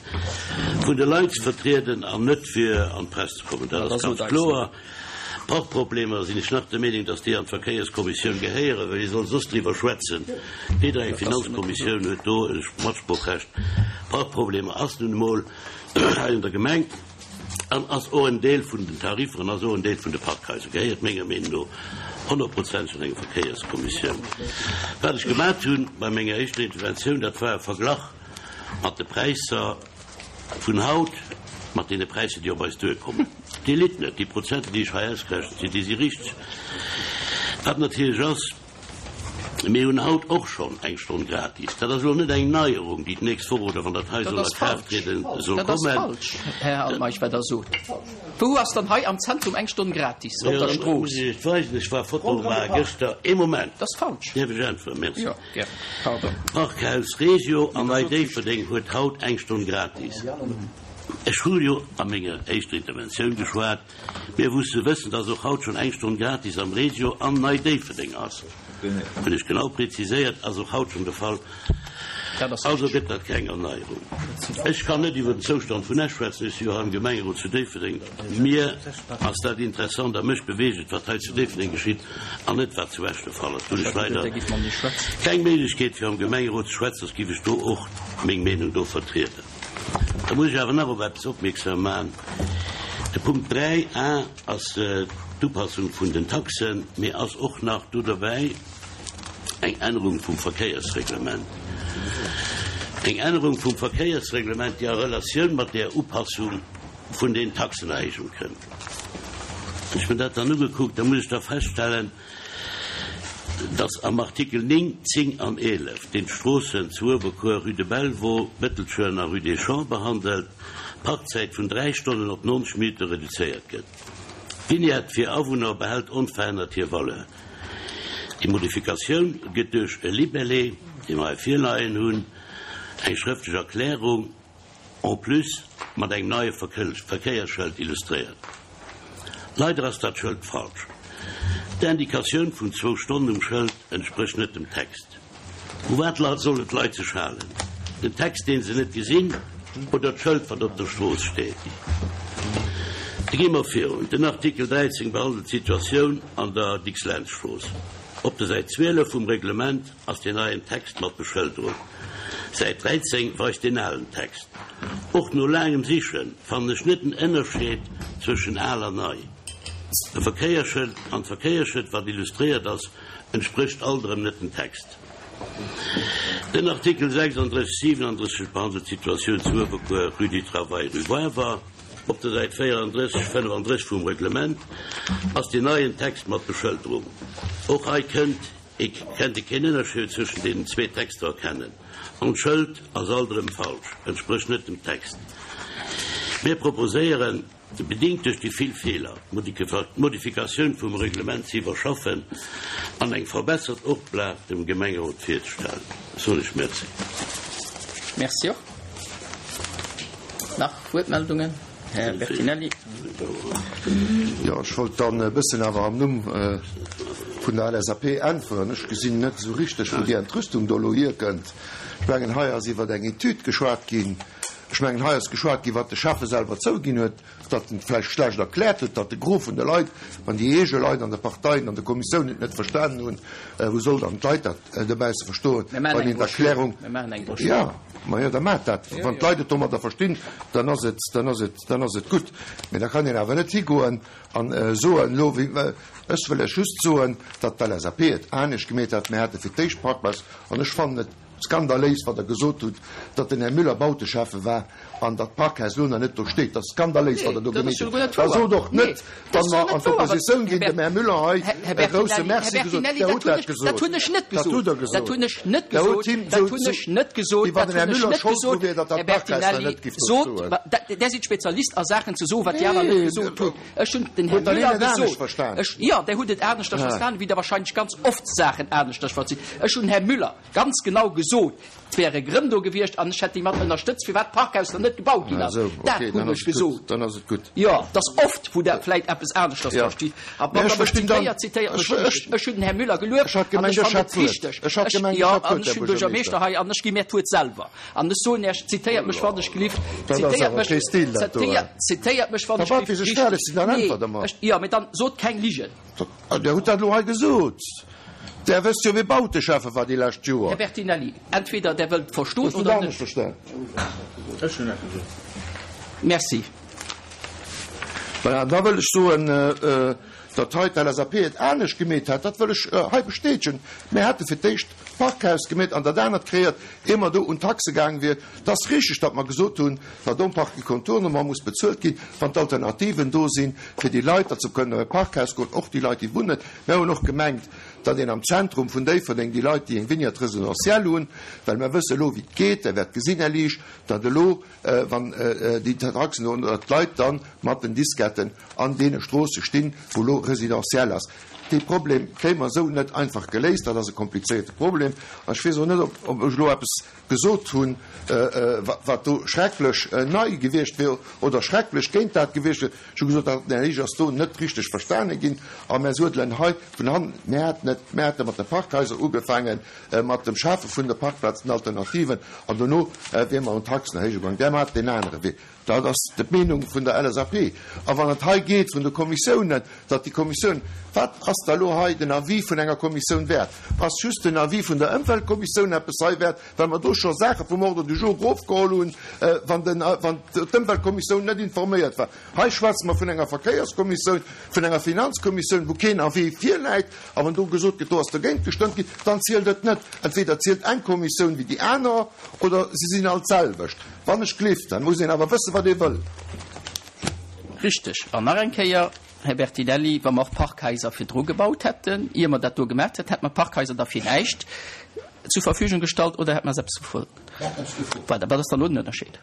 E: vun de Leit ze vertrieden an net fir an d'Press ze kommen. Dat ass ganz kloer. Parkproblemer sinn ech nach der Meenung, dass déi an d'Verkéierskommissioun gehéieren, well wie soll soss driwwer schwätzen? Weder eng Finanzkommissioun huet do e Matsproochrecht. Parkproblemer ass nun emol hei an der Gemeng an ass och en Deel vun den Tariffer an ass och en Deel vun de Parkhaiser, gehéiert menger Meenung no honnertprozenteg an eng Verkéierskommissioun. Wat ech gemat hunn bei menger éischter Interventioun, dat war e Verglach mat de Präisser vun haut mat deene Präisser, déi op eis duerkommen. Dir litt net, déi Prozenter, déi ech hei ausgerechent hunn, déi si richteg. Wat natierlech ass, Mir hunn haut och schonn eng Stonn gratis. Dat ass elo net eng Neierung, déi d'nächst Woch oder wann dat hei soll a Kraaft trieden, soll
A: Dat ass
E: kommen.
A: falsch, Här Altmeisch, wat Der sot. Wou ass dann hei am Zentrum eng Stonn gratis op der Strooss?
E: Muss ech et weisen? Ech war Foto maache gëschter. Ee Moment.
A: Dat ass falsch.
E: Däerf ech äntweren? Merci.
A: Jo, gär. Pardon.
E: Parkhaus Regio an Nei Déifferdeng huet haut eng Stonn gratis. Ech hu jo a menger éischter Interventioun geschwat. Mir musse wëssen, dass och haut schonn eng Stonn gratis am Regio an Nei Déifferdeng ass. Hunn ech genau preziséiert, ass och haut schonn de Fall. Also gëtt dat keng Erneierung. Ech kann net iwwer den Zoustand vun Esch schwätzen, ech si jo hei am Gemengerot zu Déifferdeng. Mir ass dat interessant a mech beweegt et, wat hei zu Déifferdeng geschitt an net wat zu Esch de Fall ass. Do hunn ech leider keng Méiglechkeet fir am Gemengerot ze schwätzen, soss giff ech do och meng Meenung do vertrieden. Da muss ech awer nach op eppes opmierksam maachen. De Punkt 3 a ass. d'Upassung vun den Taxen, mee ass och nach do derbäi eng Ännerung vum Verkéiersreglement. Eng Ännerung vum Verkéiersreglement, déi a Relatioun mat där Upassung vun den Taxenerhéijung kënnt. Wann ech mir dat dann ugekuckt, da muss ech da feststellen, dass am Artikel 9, 10 an 11, deen d'Stroossen zu Uewerkuer, Rue de Bellevaux, Bëttelscheuer a Rue des Champs behandelt, d'Parkzäit vun 3 Stonnen op 90 Minutte reduzéiert gëtt. D'Vignette fir Awunner behält onverännert hir Valeur. Déi Modifikatioun gëtt duerch e Libellé, dee mer hei virleien hunn, eng schrëftlech Erklärung en plus mat engem neie Verkéiersschëld illustréiert. Leider ass dat Schëld falsch. D'Indikatioun vun zwou Stonnen um Schëld entsprécht net dem Text. U wat sollen d'Leit sech halen? Den Text, deen se net gesinn, oder d'Schëld, wat op der Strooss steet? Da gi mer virun. Den Artikel 13 behandelt d'Situatioun an der Dicks-Lentz-Strooss. Op der Säit 12 vum Reglement ass deen neien Text mat Beschëlderung. Säit 13 weist deen alen Text. Och no laangem Siche fannen ech net den Ënnerscheed zwëschen al an nei. E Verkéierschëld an d'Verkéierschëld, wat illustréiert ass, Entsprécht alt erëm net dem Text. Den Artikel 36, 37 behandelt d'Situatioun zu Uewerkuer, rue du Travail, rue Wawer. Op der Säit 34, 35 vum Reglement ass deen neien Text mat Beschëlderung. Och hei kënnt ee kennt ee keen Ënnerscheed zwëschen deenen zwee Texter erkennen. An d'Schëld ass alt erëm falsch, entsprécht net dem Text. Mir proposéieren. Bedingt duerch déi vill Feeler, d'Modifikatioun vum Reglement ze iwwerschaffen an eng verbessert Oplag dem Gemengerot virzestellen. Soen ech Merci.
A: Merci och. Nach Wuertmeldungen? Här Bertinelli.
J: Jo, ech wollt dann e bëssen awer am Numm vun der LSAP äntweren. Ech gesinn net esou richteg, wou déi Entrüstung do elo hierkënnt. Ech mengen, hei ass iwwer eng Etüd geschwat ginn. Ech mengen, hei ass geschwat ginn, wat de Schäffe selwer zouginn huet, datt en et vläicht schlecht erkläert huet, datt de Gros vun de Leit, wann déi eege Leit an de Parteien, an de Kommissiounen et net verstanen hunn, wou soll dann d'Leit dat dobausse verstoen, wann een d'Erklärung. Jo, majo, da maacht dat. Wann d'Leit et domadder verstinn, dann ass et, dann ass et, dann ass et gutt. Mee da kann een awer net higoen an soen, elo, wéi, ech wëll lech just soen, datt d'LSAP et anescht gemeet hat, mir hate fir d'éischt Parkplazen, an ech fannen et, Skandaléis, wat Der gesot hutt, datt den Här Müller Bauteschäffe war an datt d'Parkhaus elo nach net do steet. Dat ass skandaléis, wat Der do gemeet hutt. Da sot och net, wa mer an d'Oppositioun ginn, dem Här Müller hei e grousse Merci gesot. Der hutt dat gesot.
A: Dat hunn ech net gesot. Dat hutt Der gesot. Dat hunn ech net gesot. Dat hunn ech net gesot. Wéi wann den Här Müller schold dru wier, datt dat Parkhaus nach net giff do stoen. Der sidd Spezialist a Saachen ze soen, wat déi aner net gesot hunn. Ech hunn den Här Müller gesot. Jo, Der hutt et aneschters verstanen, wéi Der wahrscheinlech ganz oft Saachen aneschters verstitt. Ech hunn den Här Müller ganz genau gesot, et wäre Grënn do gewiescht an ech hätt déi mat ënnerstëtzt, firwat d'Parkhaus dann net gebaut ginn ass. Dat hunn ech gesot. Jo, et ass oft, wou Der vläit eppes aneschters verstitt. A wann Der mech zitéiert, zitéiert mech richteg. Ech hunn den Här Müller gelueft an ech fannen et richteg. Jo, an ech hunn Buergermeeschter hei an ech gi mir d'Wuert selwer. An ech soen Iech, zitéiert mech wann ech gelift, zitéiert mech, zitéiert mech wann ech gelift richteg. Nee, ech, jo, mee dann sot keng Ligen.
J: Der hutt dat elo hei gesot. Der wësst jo, wie Bauteschäffe war déi lescht Joer.
A: Här Bertinelli, entweder Der wëllt verstoen oder net.
J: Ech hunn dat gesot.
A: Merci.
J: Voilà, an da wëll ech soen, datt hei d'LSAP et anescht gemeet hat, dat wëll ech hei bestätegen. Mir hate fir d'éischt d'Parkhaus gemeet an dat anert kreéiert, ier mer do un d'Taxe gaang wier. Et ass richtig, datt mer gesot hunn, datt um Parking Contournement muss bezuelt ginn, wann d'Alternativen do sinn, fir déi Leit, datt se kënnen op e Parkhaus goen, och déi Leit, déi wunnen. Mir hunn och gemengt, datt een am Zentrum vun Déifferdeng déi Leit, déi eng Vignette résidentielle hunn, well mer wësse elo, wéi et geet, Der wäert gesinn, Här Liesch, datt elo, wann déi Taxen do, datt d'Leit da mat den Disketten an deene Stroosse stinn, wou elo résidentiel ass. Dee Problem kréie mer esou net einfach geléist. Dat ass e komplizéierte Problem. An ech weess och net, ob ech elo eppes gesot hunn, wat do schrecklech nei gewiescht wier oder schrecklech géint dat gewiescht wier. Ech hu gesot, dat, Här Liesch, ass do net richteg verstane ginn. A mär suedelen hei vun hannen. Mär haten et, mär hate mat de Parkhaiser ugefaangen, mat dem Schafe vun de Parkplazen, Alternativen, an dono wier mer un d'Taxen erhéije gaangen. Där hat deen anere Wee. Dat ass d'Meenung vun der LSAP. A wann et hei geet vun de Kommissiounen, datt déi Kommissioun, wat ass da elo hei den Avis vun enger Kommissioun wäert? Ass just den Avis vun der Ëmweltkommissioun eppes hei wäert, well mer do scho Saache vum Ordre du jour erofgeholl hunn, wann den, wann d'Ëmweltkommissioun net informéiert war? Hei schwätze mer vun enger Verkéierskommissioun, vun enger Finanzkommissioun, wou keen Avis virläit. A wann do gesot gëtt, do ass dergéint gestëmmt ginn, dann zielt et net. Entweder zielt eng Kommissioun wéi déi aner oder si sinn all d'selwecht. Wann ech gleeft, dann muss een awer wëssen, wat ee wëll.
A: Richteg. An nach eng Kéier, Här Bertinelli, wa mer och Parkhaiser virdru gebaut hätten, ier mer dat do gemaach hätten, hätte mer d'Parkhaiser da fir näischt zur Verfügung gestallt oder hätte mer se eppes gefrot? Voilà, wat ass dann elo den Ënnerscheed?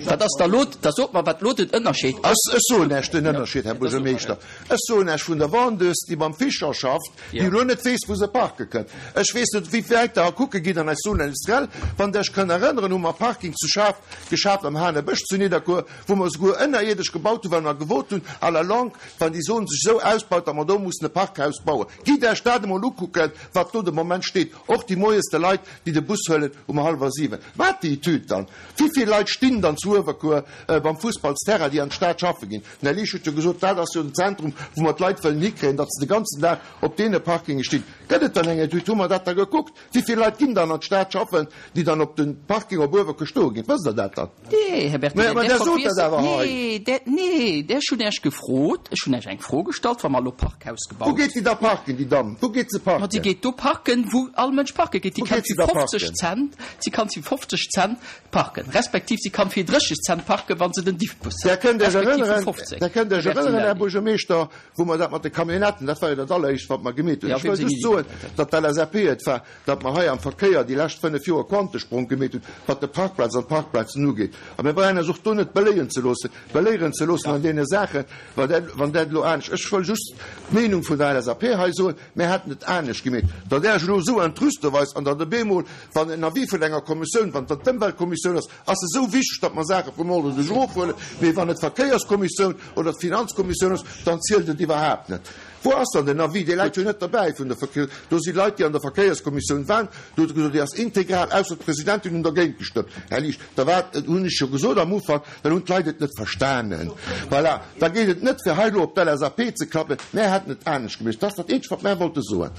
A: Wat ass da lo, da sot mer, wat lo den Ënnerscheed ass.
J: Ech soen Iech den Ënnerscheed, Här Buergermeeschter. Ech soen Iech vun der Vendeuse, déi beim Fischer schafft, déi elo net weess, wou se parke kënnt. Ech weess net, wéi wäit Der kucke gitt an eis Zone industrielle. Wann Der Iech kënnt erënneren, hu mer Parking zu Schaf geschaaft am Hanebësch zu Nidderkuer, wou mer esouguer ënnerierdesch gebaut hunn, well mer gewot hunn, à la longue, wann déi Zone sech esou ausbaut, datt mer do mussen e Parkhaus bauen. Gitt Iech dat emol ukucken, wat do de Moment steet. Och déi moies de Leit, déi de Bus huelen um hallwer 7. Wat déi Etüd dann? Wivill Leit stinn dann zu Uewerkuer beim Fussballsterrain, déi an d'Stad schaffe ginn? Den Här Liesch huet jo gesot, dat ass jo den Zentrum, wou mer d'Leit wëllen hikréien, datt se de ganzen Dag op deene Parkinge stinn. Gëtt et dann eng Etüd? Hu mer dat da gekuckt? Wivill Leit ginn dann an d'Stad schaffen, déi dann op de Parking op Uewerkuer stoe ginn? Wësst Der dat dann?
A: Nee, Här Bertinelli, Mä Der sot dat awer hei. Nee, där, nee, där, ech hunn Iech gefrot, ech hunn Iech eng Fro gestallt, wa mer elo Parkhaus gebaut.
J: Wou geet déi da parken, déi Damm? Wou geet se parken?
A: Ma déi geet do parken, wou all Mënsch parke geet. Déi kann fir 50 Cent, si kann fir 50 Cent parken, respektiv si kann fir 30 Cent parken, wa se den Diffbus
J: huet. Der kënnt Iech erënneren, Der kënnt Iech erënneren, Här Buergermeeschter, wou mer dat mat de Camionnetten, dat war jo dat alleréischt, wat mer gemeet hunn. Ech wëll just soen, datt d'LSAP et war, datt mer hei am Verkéier déi lescht 5 Joer Quantesprong gemeet hunn, wat de Parkplaz an d'Parkplazen ugeet. A mir brauchen eis och do net beléien ze loossen, beléieren ze loossen an deene Saachen, wa dat, wann dat elo anescht, ech wëll just d'Meenung vun der LSAP hei soen, mir hätten et anescht gemeet. Datt Der Iech elo esou entrüste weist an datt op eemol, wann en Avis vun enger Kommissioun, wann dat d'Ëmweltkommissioun ass, ass esou wichteg, datt mer Saache vum Ordre du jour ofhuelen, mee wann et d'Verkéierskommissioun oder d'Finanzkommissioun ass, dann zielt et iwwerhaapt net. Wou ass dann den Avis? Dee läit jo net derbäi vun der Verkéiers. Do si Leit, déi an der Verkéierskommissioun waren, do huet e gesot, déi ass integral, ausser d'Presidentin hunn dergéint gestëmmt. Här Liesch, da war, hunn ech jo gesot am Ufank, dann hunn d'Leit et net verstanen. Voilà, da geet et net, fir hei elo op d'LSAP ze klappen, mär hätten et anescht gemeet. Dat ass dat Eenzegt, wat mär wollte soen.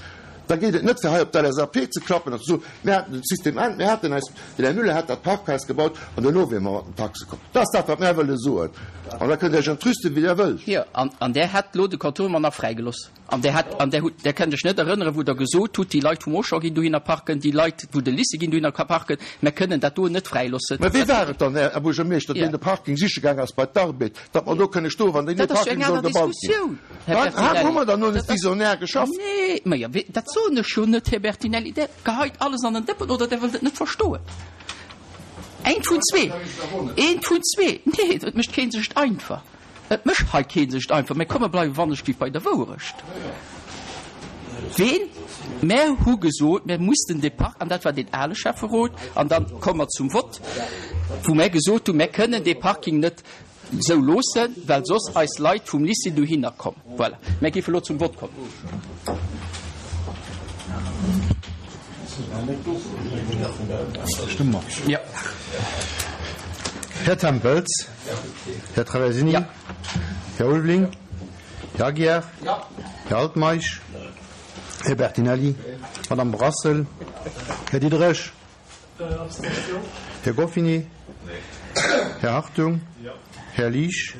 J: Da geet et net, fir hei op d'LSAP ze klappen an ze soen, mir hätten den System an, mir hätten eis, den Här Müller hätt dat Parkhaus gebaut an duerno wiere mer mat den Taxe komm. Dat ass dat, wat mär wëlle soen. An da kënnt Dir Iech entrüsten, wéi Dir wëllt.
A: Jo, an, an där hätt elo de Contournement nach fräigeloss. An där hätt, an där hutt, där kënnt Iech net erënneren, wou Der gesot hutt, déi Leit vum Auchan ginn dohinner parken, déi Leit wou de Lycée ginn dohinner parken, mär kënnen dat do net fräiloossen.
J: Mä wee war et dann, Här Buergermeeschter, deen de Parking siche gaang ass bei d'Arbed? Datt mer do kënne stoen, wann deen
A: neie Parking soll gebaut ginn.
J: Wat, hu mer dann elo net visionär geschafft?
A: Nee, ma jo, dat soen ech jo net, Här Bertinelli. Der geheit alles an den Dëppen oder Der wëllt et net verstoen. Eent vun zwee. Eent vun zwee. Nee, et mécht kee sech et einfach. Et mécht hei kee sech et einfach. Mä komm, mer bleiwe wannechgelift bei der Wouerecht. Ween? Mär hu gesot, mär mussten dee Park, an dat war deen ale Schäfferot, an dann komme mer zum Vott, wou mär gesot hunn, mär kënnen dee Parking net esou loossen, well soss eis Leit vum Lycée dohinner kommen. Voilà. Mär géife elo zum Vott kommen.
B: Stëmme mer. Jo. Här Tempels. Här Traversini. Här Ulveling. Här Aguiar. Här Altmeisch. Här Bertinelli. Madame Brassel. Här Diderich. Här Goffini. Här Hartung. Här Liesch.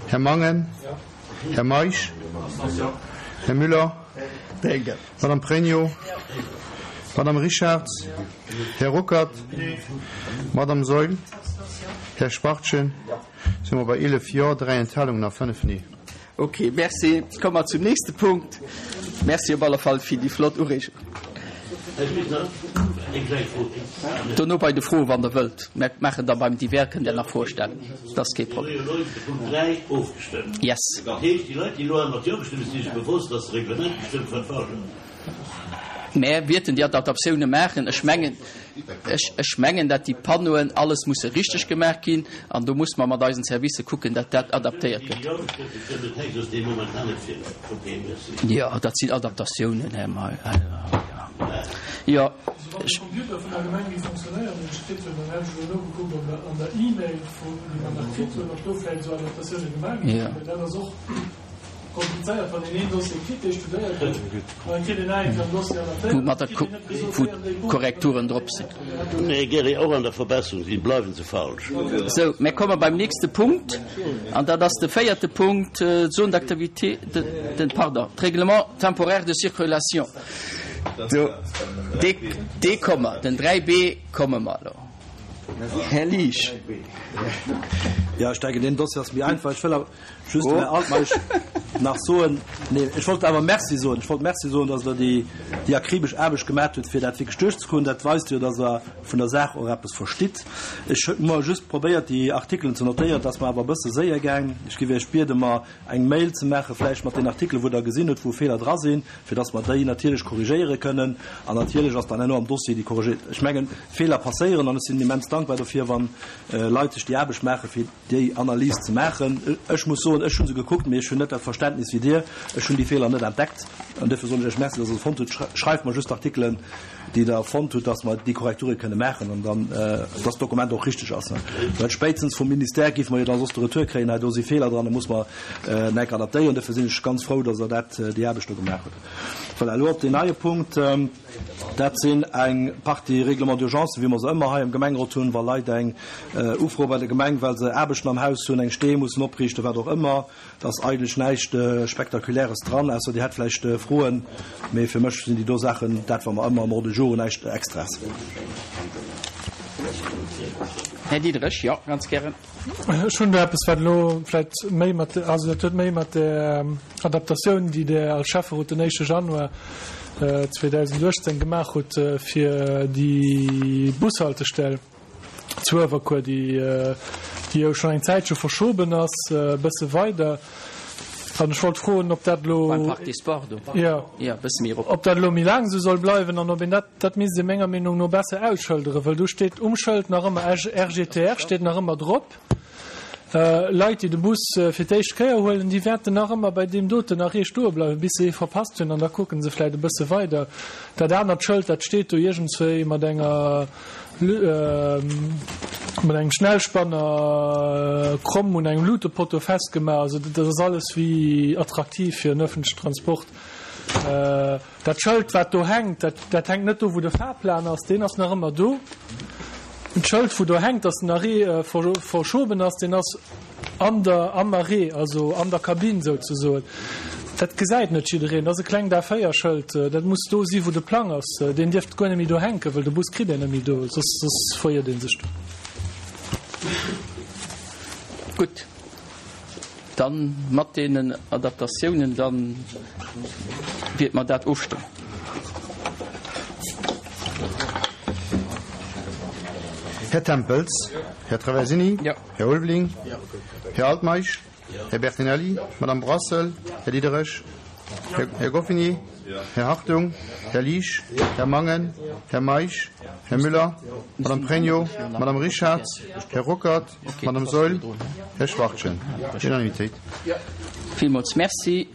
B: Här Mangen. Här Meisch. Här Müller. Madame Pregno. Madame Richarz. Här Ruckert. Madame Saeul. Här Spartchen. Si mer bei 11 Jo, 3 Enthalungen a 5 Nee.
A: Ok, merci. Komme mer zum nächste Punkt. Merci op alle Fall fir déi flott Ureegung. Dono bei de Froen, wann Der wëllt. Mer maachen da beim Divers, kënnt Der nach Froe stellen. Dat ass kee Problem. Yes. Mä wierten déi Adaptatioune maachen? Ech mengen, ech, ech mengen, dat déi Panneauen alles musse richteg gemaach ginn an do muss mer mat eisen Servicë kucken, dat dat adaptéiert gëtt. Jo, dat sinn Adaptatiounen, Här May. Jo. Wou mat der wou d'Korrekturen drop sinn.
E: Nee, Gerry, och an der Verbesserung sinn, bleiwen se falsch.
A: Sou, mir komme beim nächste Punkt, an dat ass de véierte Punkt, d'Zone d'activité, den, pardon, d'Règlement temporaire de circulation. Do, dee, dee komme mer, den 3B komme mer elo. Här Liesch.
B: Jo, ech denken, deen Dossier ass méi einfach. Ech wëll awer just dem Här Altmeisch nach soen, nee, ech wollt awer Merci soen, ech wollt Merci soen, dass Der déi, déi akribesch Aarbecht gemaat hutt, fir dat wierklech duerchzekroen. Dat weist jo, dass Der vun der Saach och eppes verstitt. Ech hu mer just probéiert, déi Artikelen ze notéieren. Et ass mer awer e bësse séier gaang. Ech géif Iech bieden, mer eng Mail ze maachen, vläicht mat den Artikelen, wou Der gesinn hutt, wou Feeler dra sinn, fir dass mer déi natierlech korrigéiere kënnen. An natierlech ass dann herno am Dossier déi korrigéiert. Ech mengen, Feeler passéieren an ech sinn immens dankbar dofir, wa Leit sech déi Aarbecht maachen, fir déi Analys ze maachen. Ech muss soen, ech hu se gekuckt, mee ech hunn net dat Verständnis wéi Dir. Ech hunn déi Feeler net entdeckt. An duerfir soen ech Iech Merci, dass Der se fonnt hutt. Schreift mer just d'Artikelen, déi Der fonnt hutt, dass mer déi Korrekture kënne maachen an dann, dass d'Dokument och richteg ass. Well spéitstens vum Ministère géife mer jo da soss de Retour kréien, hei do si Feeler dran, da muss mer enk adaptéieren. Duerfir sinn ech ganz frou, dass Der dat, déi Aarbecht do gemaach hutt. Voilà, elo op deen neie Punkt. Dat sinn eng Partie Règlements d'urgence, wéi mer se ëmmer hei am Gemengerot hunn, wa Leit eng ufroe bei der Gemeng, well se Aarbechten am Haus hunn, eng Stee mussen opriichten, wat och ëmmer. Et ass eigentlech näischt Spektakuläres dran, ausser Dir hätt vläicht Froen. Mee fir mech sinn déi do Saachen dat, wat mer ëmmer am Ordre du jour hunn, näischt Extraes.
A: Här Diderich, jo, ganz gären.
I: Ech hunn do eppes, wat elo vläicht méi mat, also dat huet méi mat där Adaptatioun, déi Der als Schäfferot den éischte Januar 2018 gemaach hutt, fir déi Bushaltestell zu Uewerkuer, déi déi jo schonn eng Zäitche verschoben ass, e bësse weider. An ech wollt froen, ob dat elo,
A: Beim Parc des Sports do?
I: Jo.
A: Jo, e bësse méi erop.
I: Ob dat elo méi laang esou soll bleiwen an ob een dat, dat misst ee menger Meenung no besser ausschëlderen, wëll do steet um Schëld nach ëmmer RGTR steet nach ëmmer drop. Leit, déi de Bus fir d'éischt Kéier huelen, déi wäerten nach ëmmer bei deem doten Arrêt stoe bleiwen, bis se ee verpasst hunn, an da kucke se vläicht e bësse weider. Dat anert Schëld, dat steet do iergendswéi mat enger, mat engem Schnellspanner kromm un engem Lutepotto festgemaach. Also dat ass alles wéi attraktiv fir en öffentlichen Transport. Dat Schëld, wat do hänkt, dat, dat hänkt net do, wou de Fahrplan ass, deen ass nach ëmmer do. D'Schëld, wou do hänkt, dass den Arrêt verschoben ass, deen ass an der, am Arrêt, also an der Kabinn souzesoen. Dat gesäit net jiddereen. Dat ass e klengt A4-Schëld. Dat muss do si wou de Plang ass. Deen dierft guer net méi do hänken, wëll de Bus kritt een net méi do, soss, soss veriert ee sech do.
A: Gutt. Dann mat deenen Adaptatiounen, dann wiert mer dat ofstëmmen.
J: Här Tempels, Här Traversini, Här Ulveling, Här Altmeisch, Här Bertinelli, Madame Brassel, Här Diderich, Här Goffinet, Här Hartung, Här Liesch, Här Mangen, Här Meisch, Här Müller, Madame Pregno, Madame Richarz, Här Ruckert, Madame Saeul, Här Schwachtgen. Unanimitéit.
A: Villmools Merci.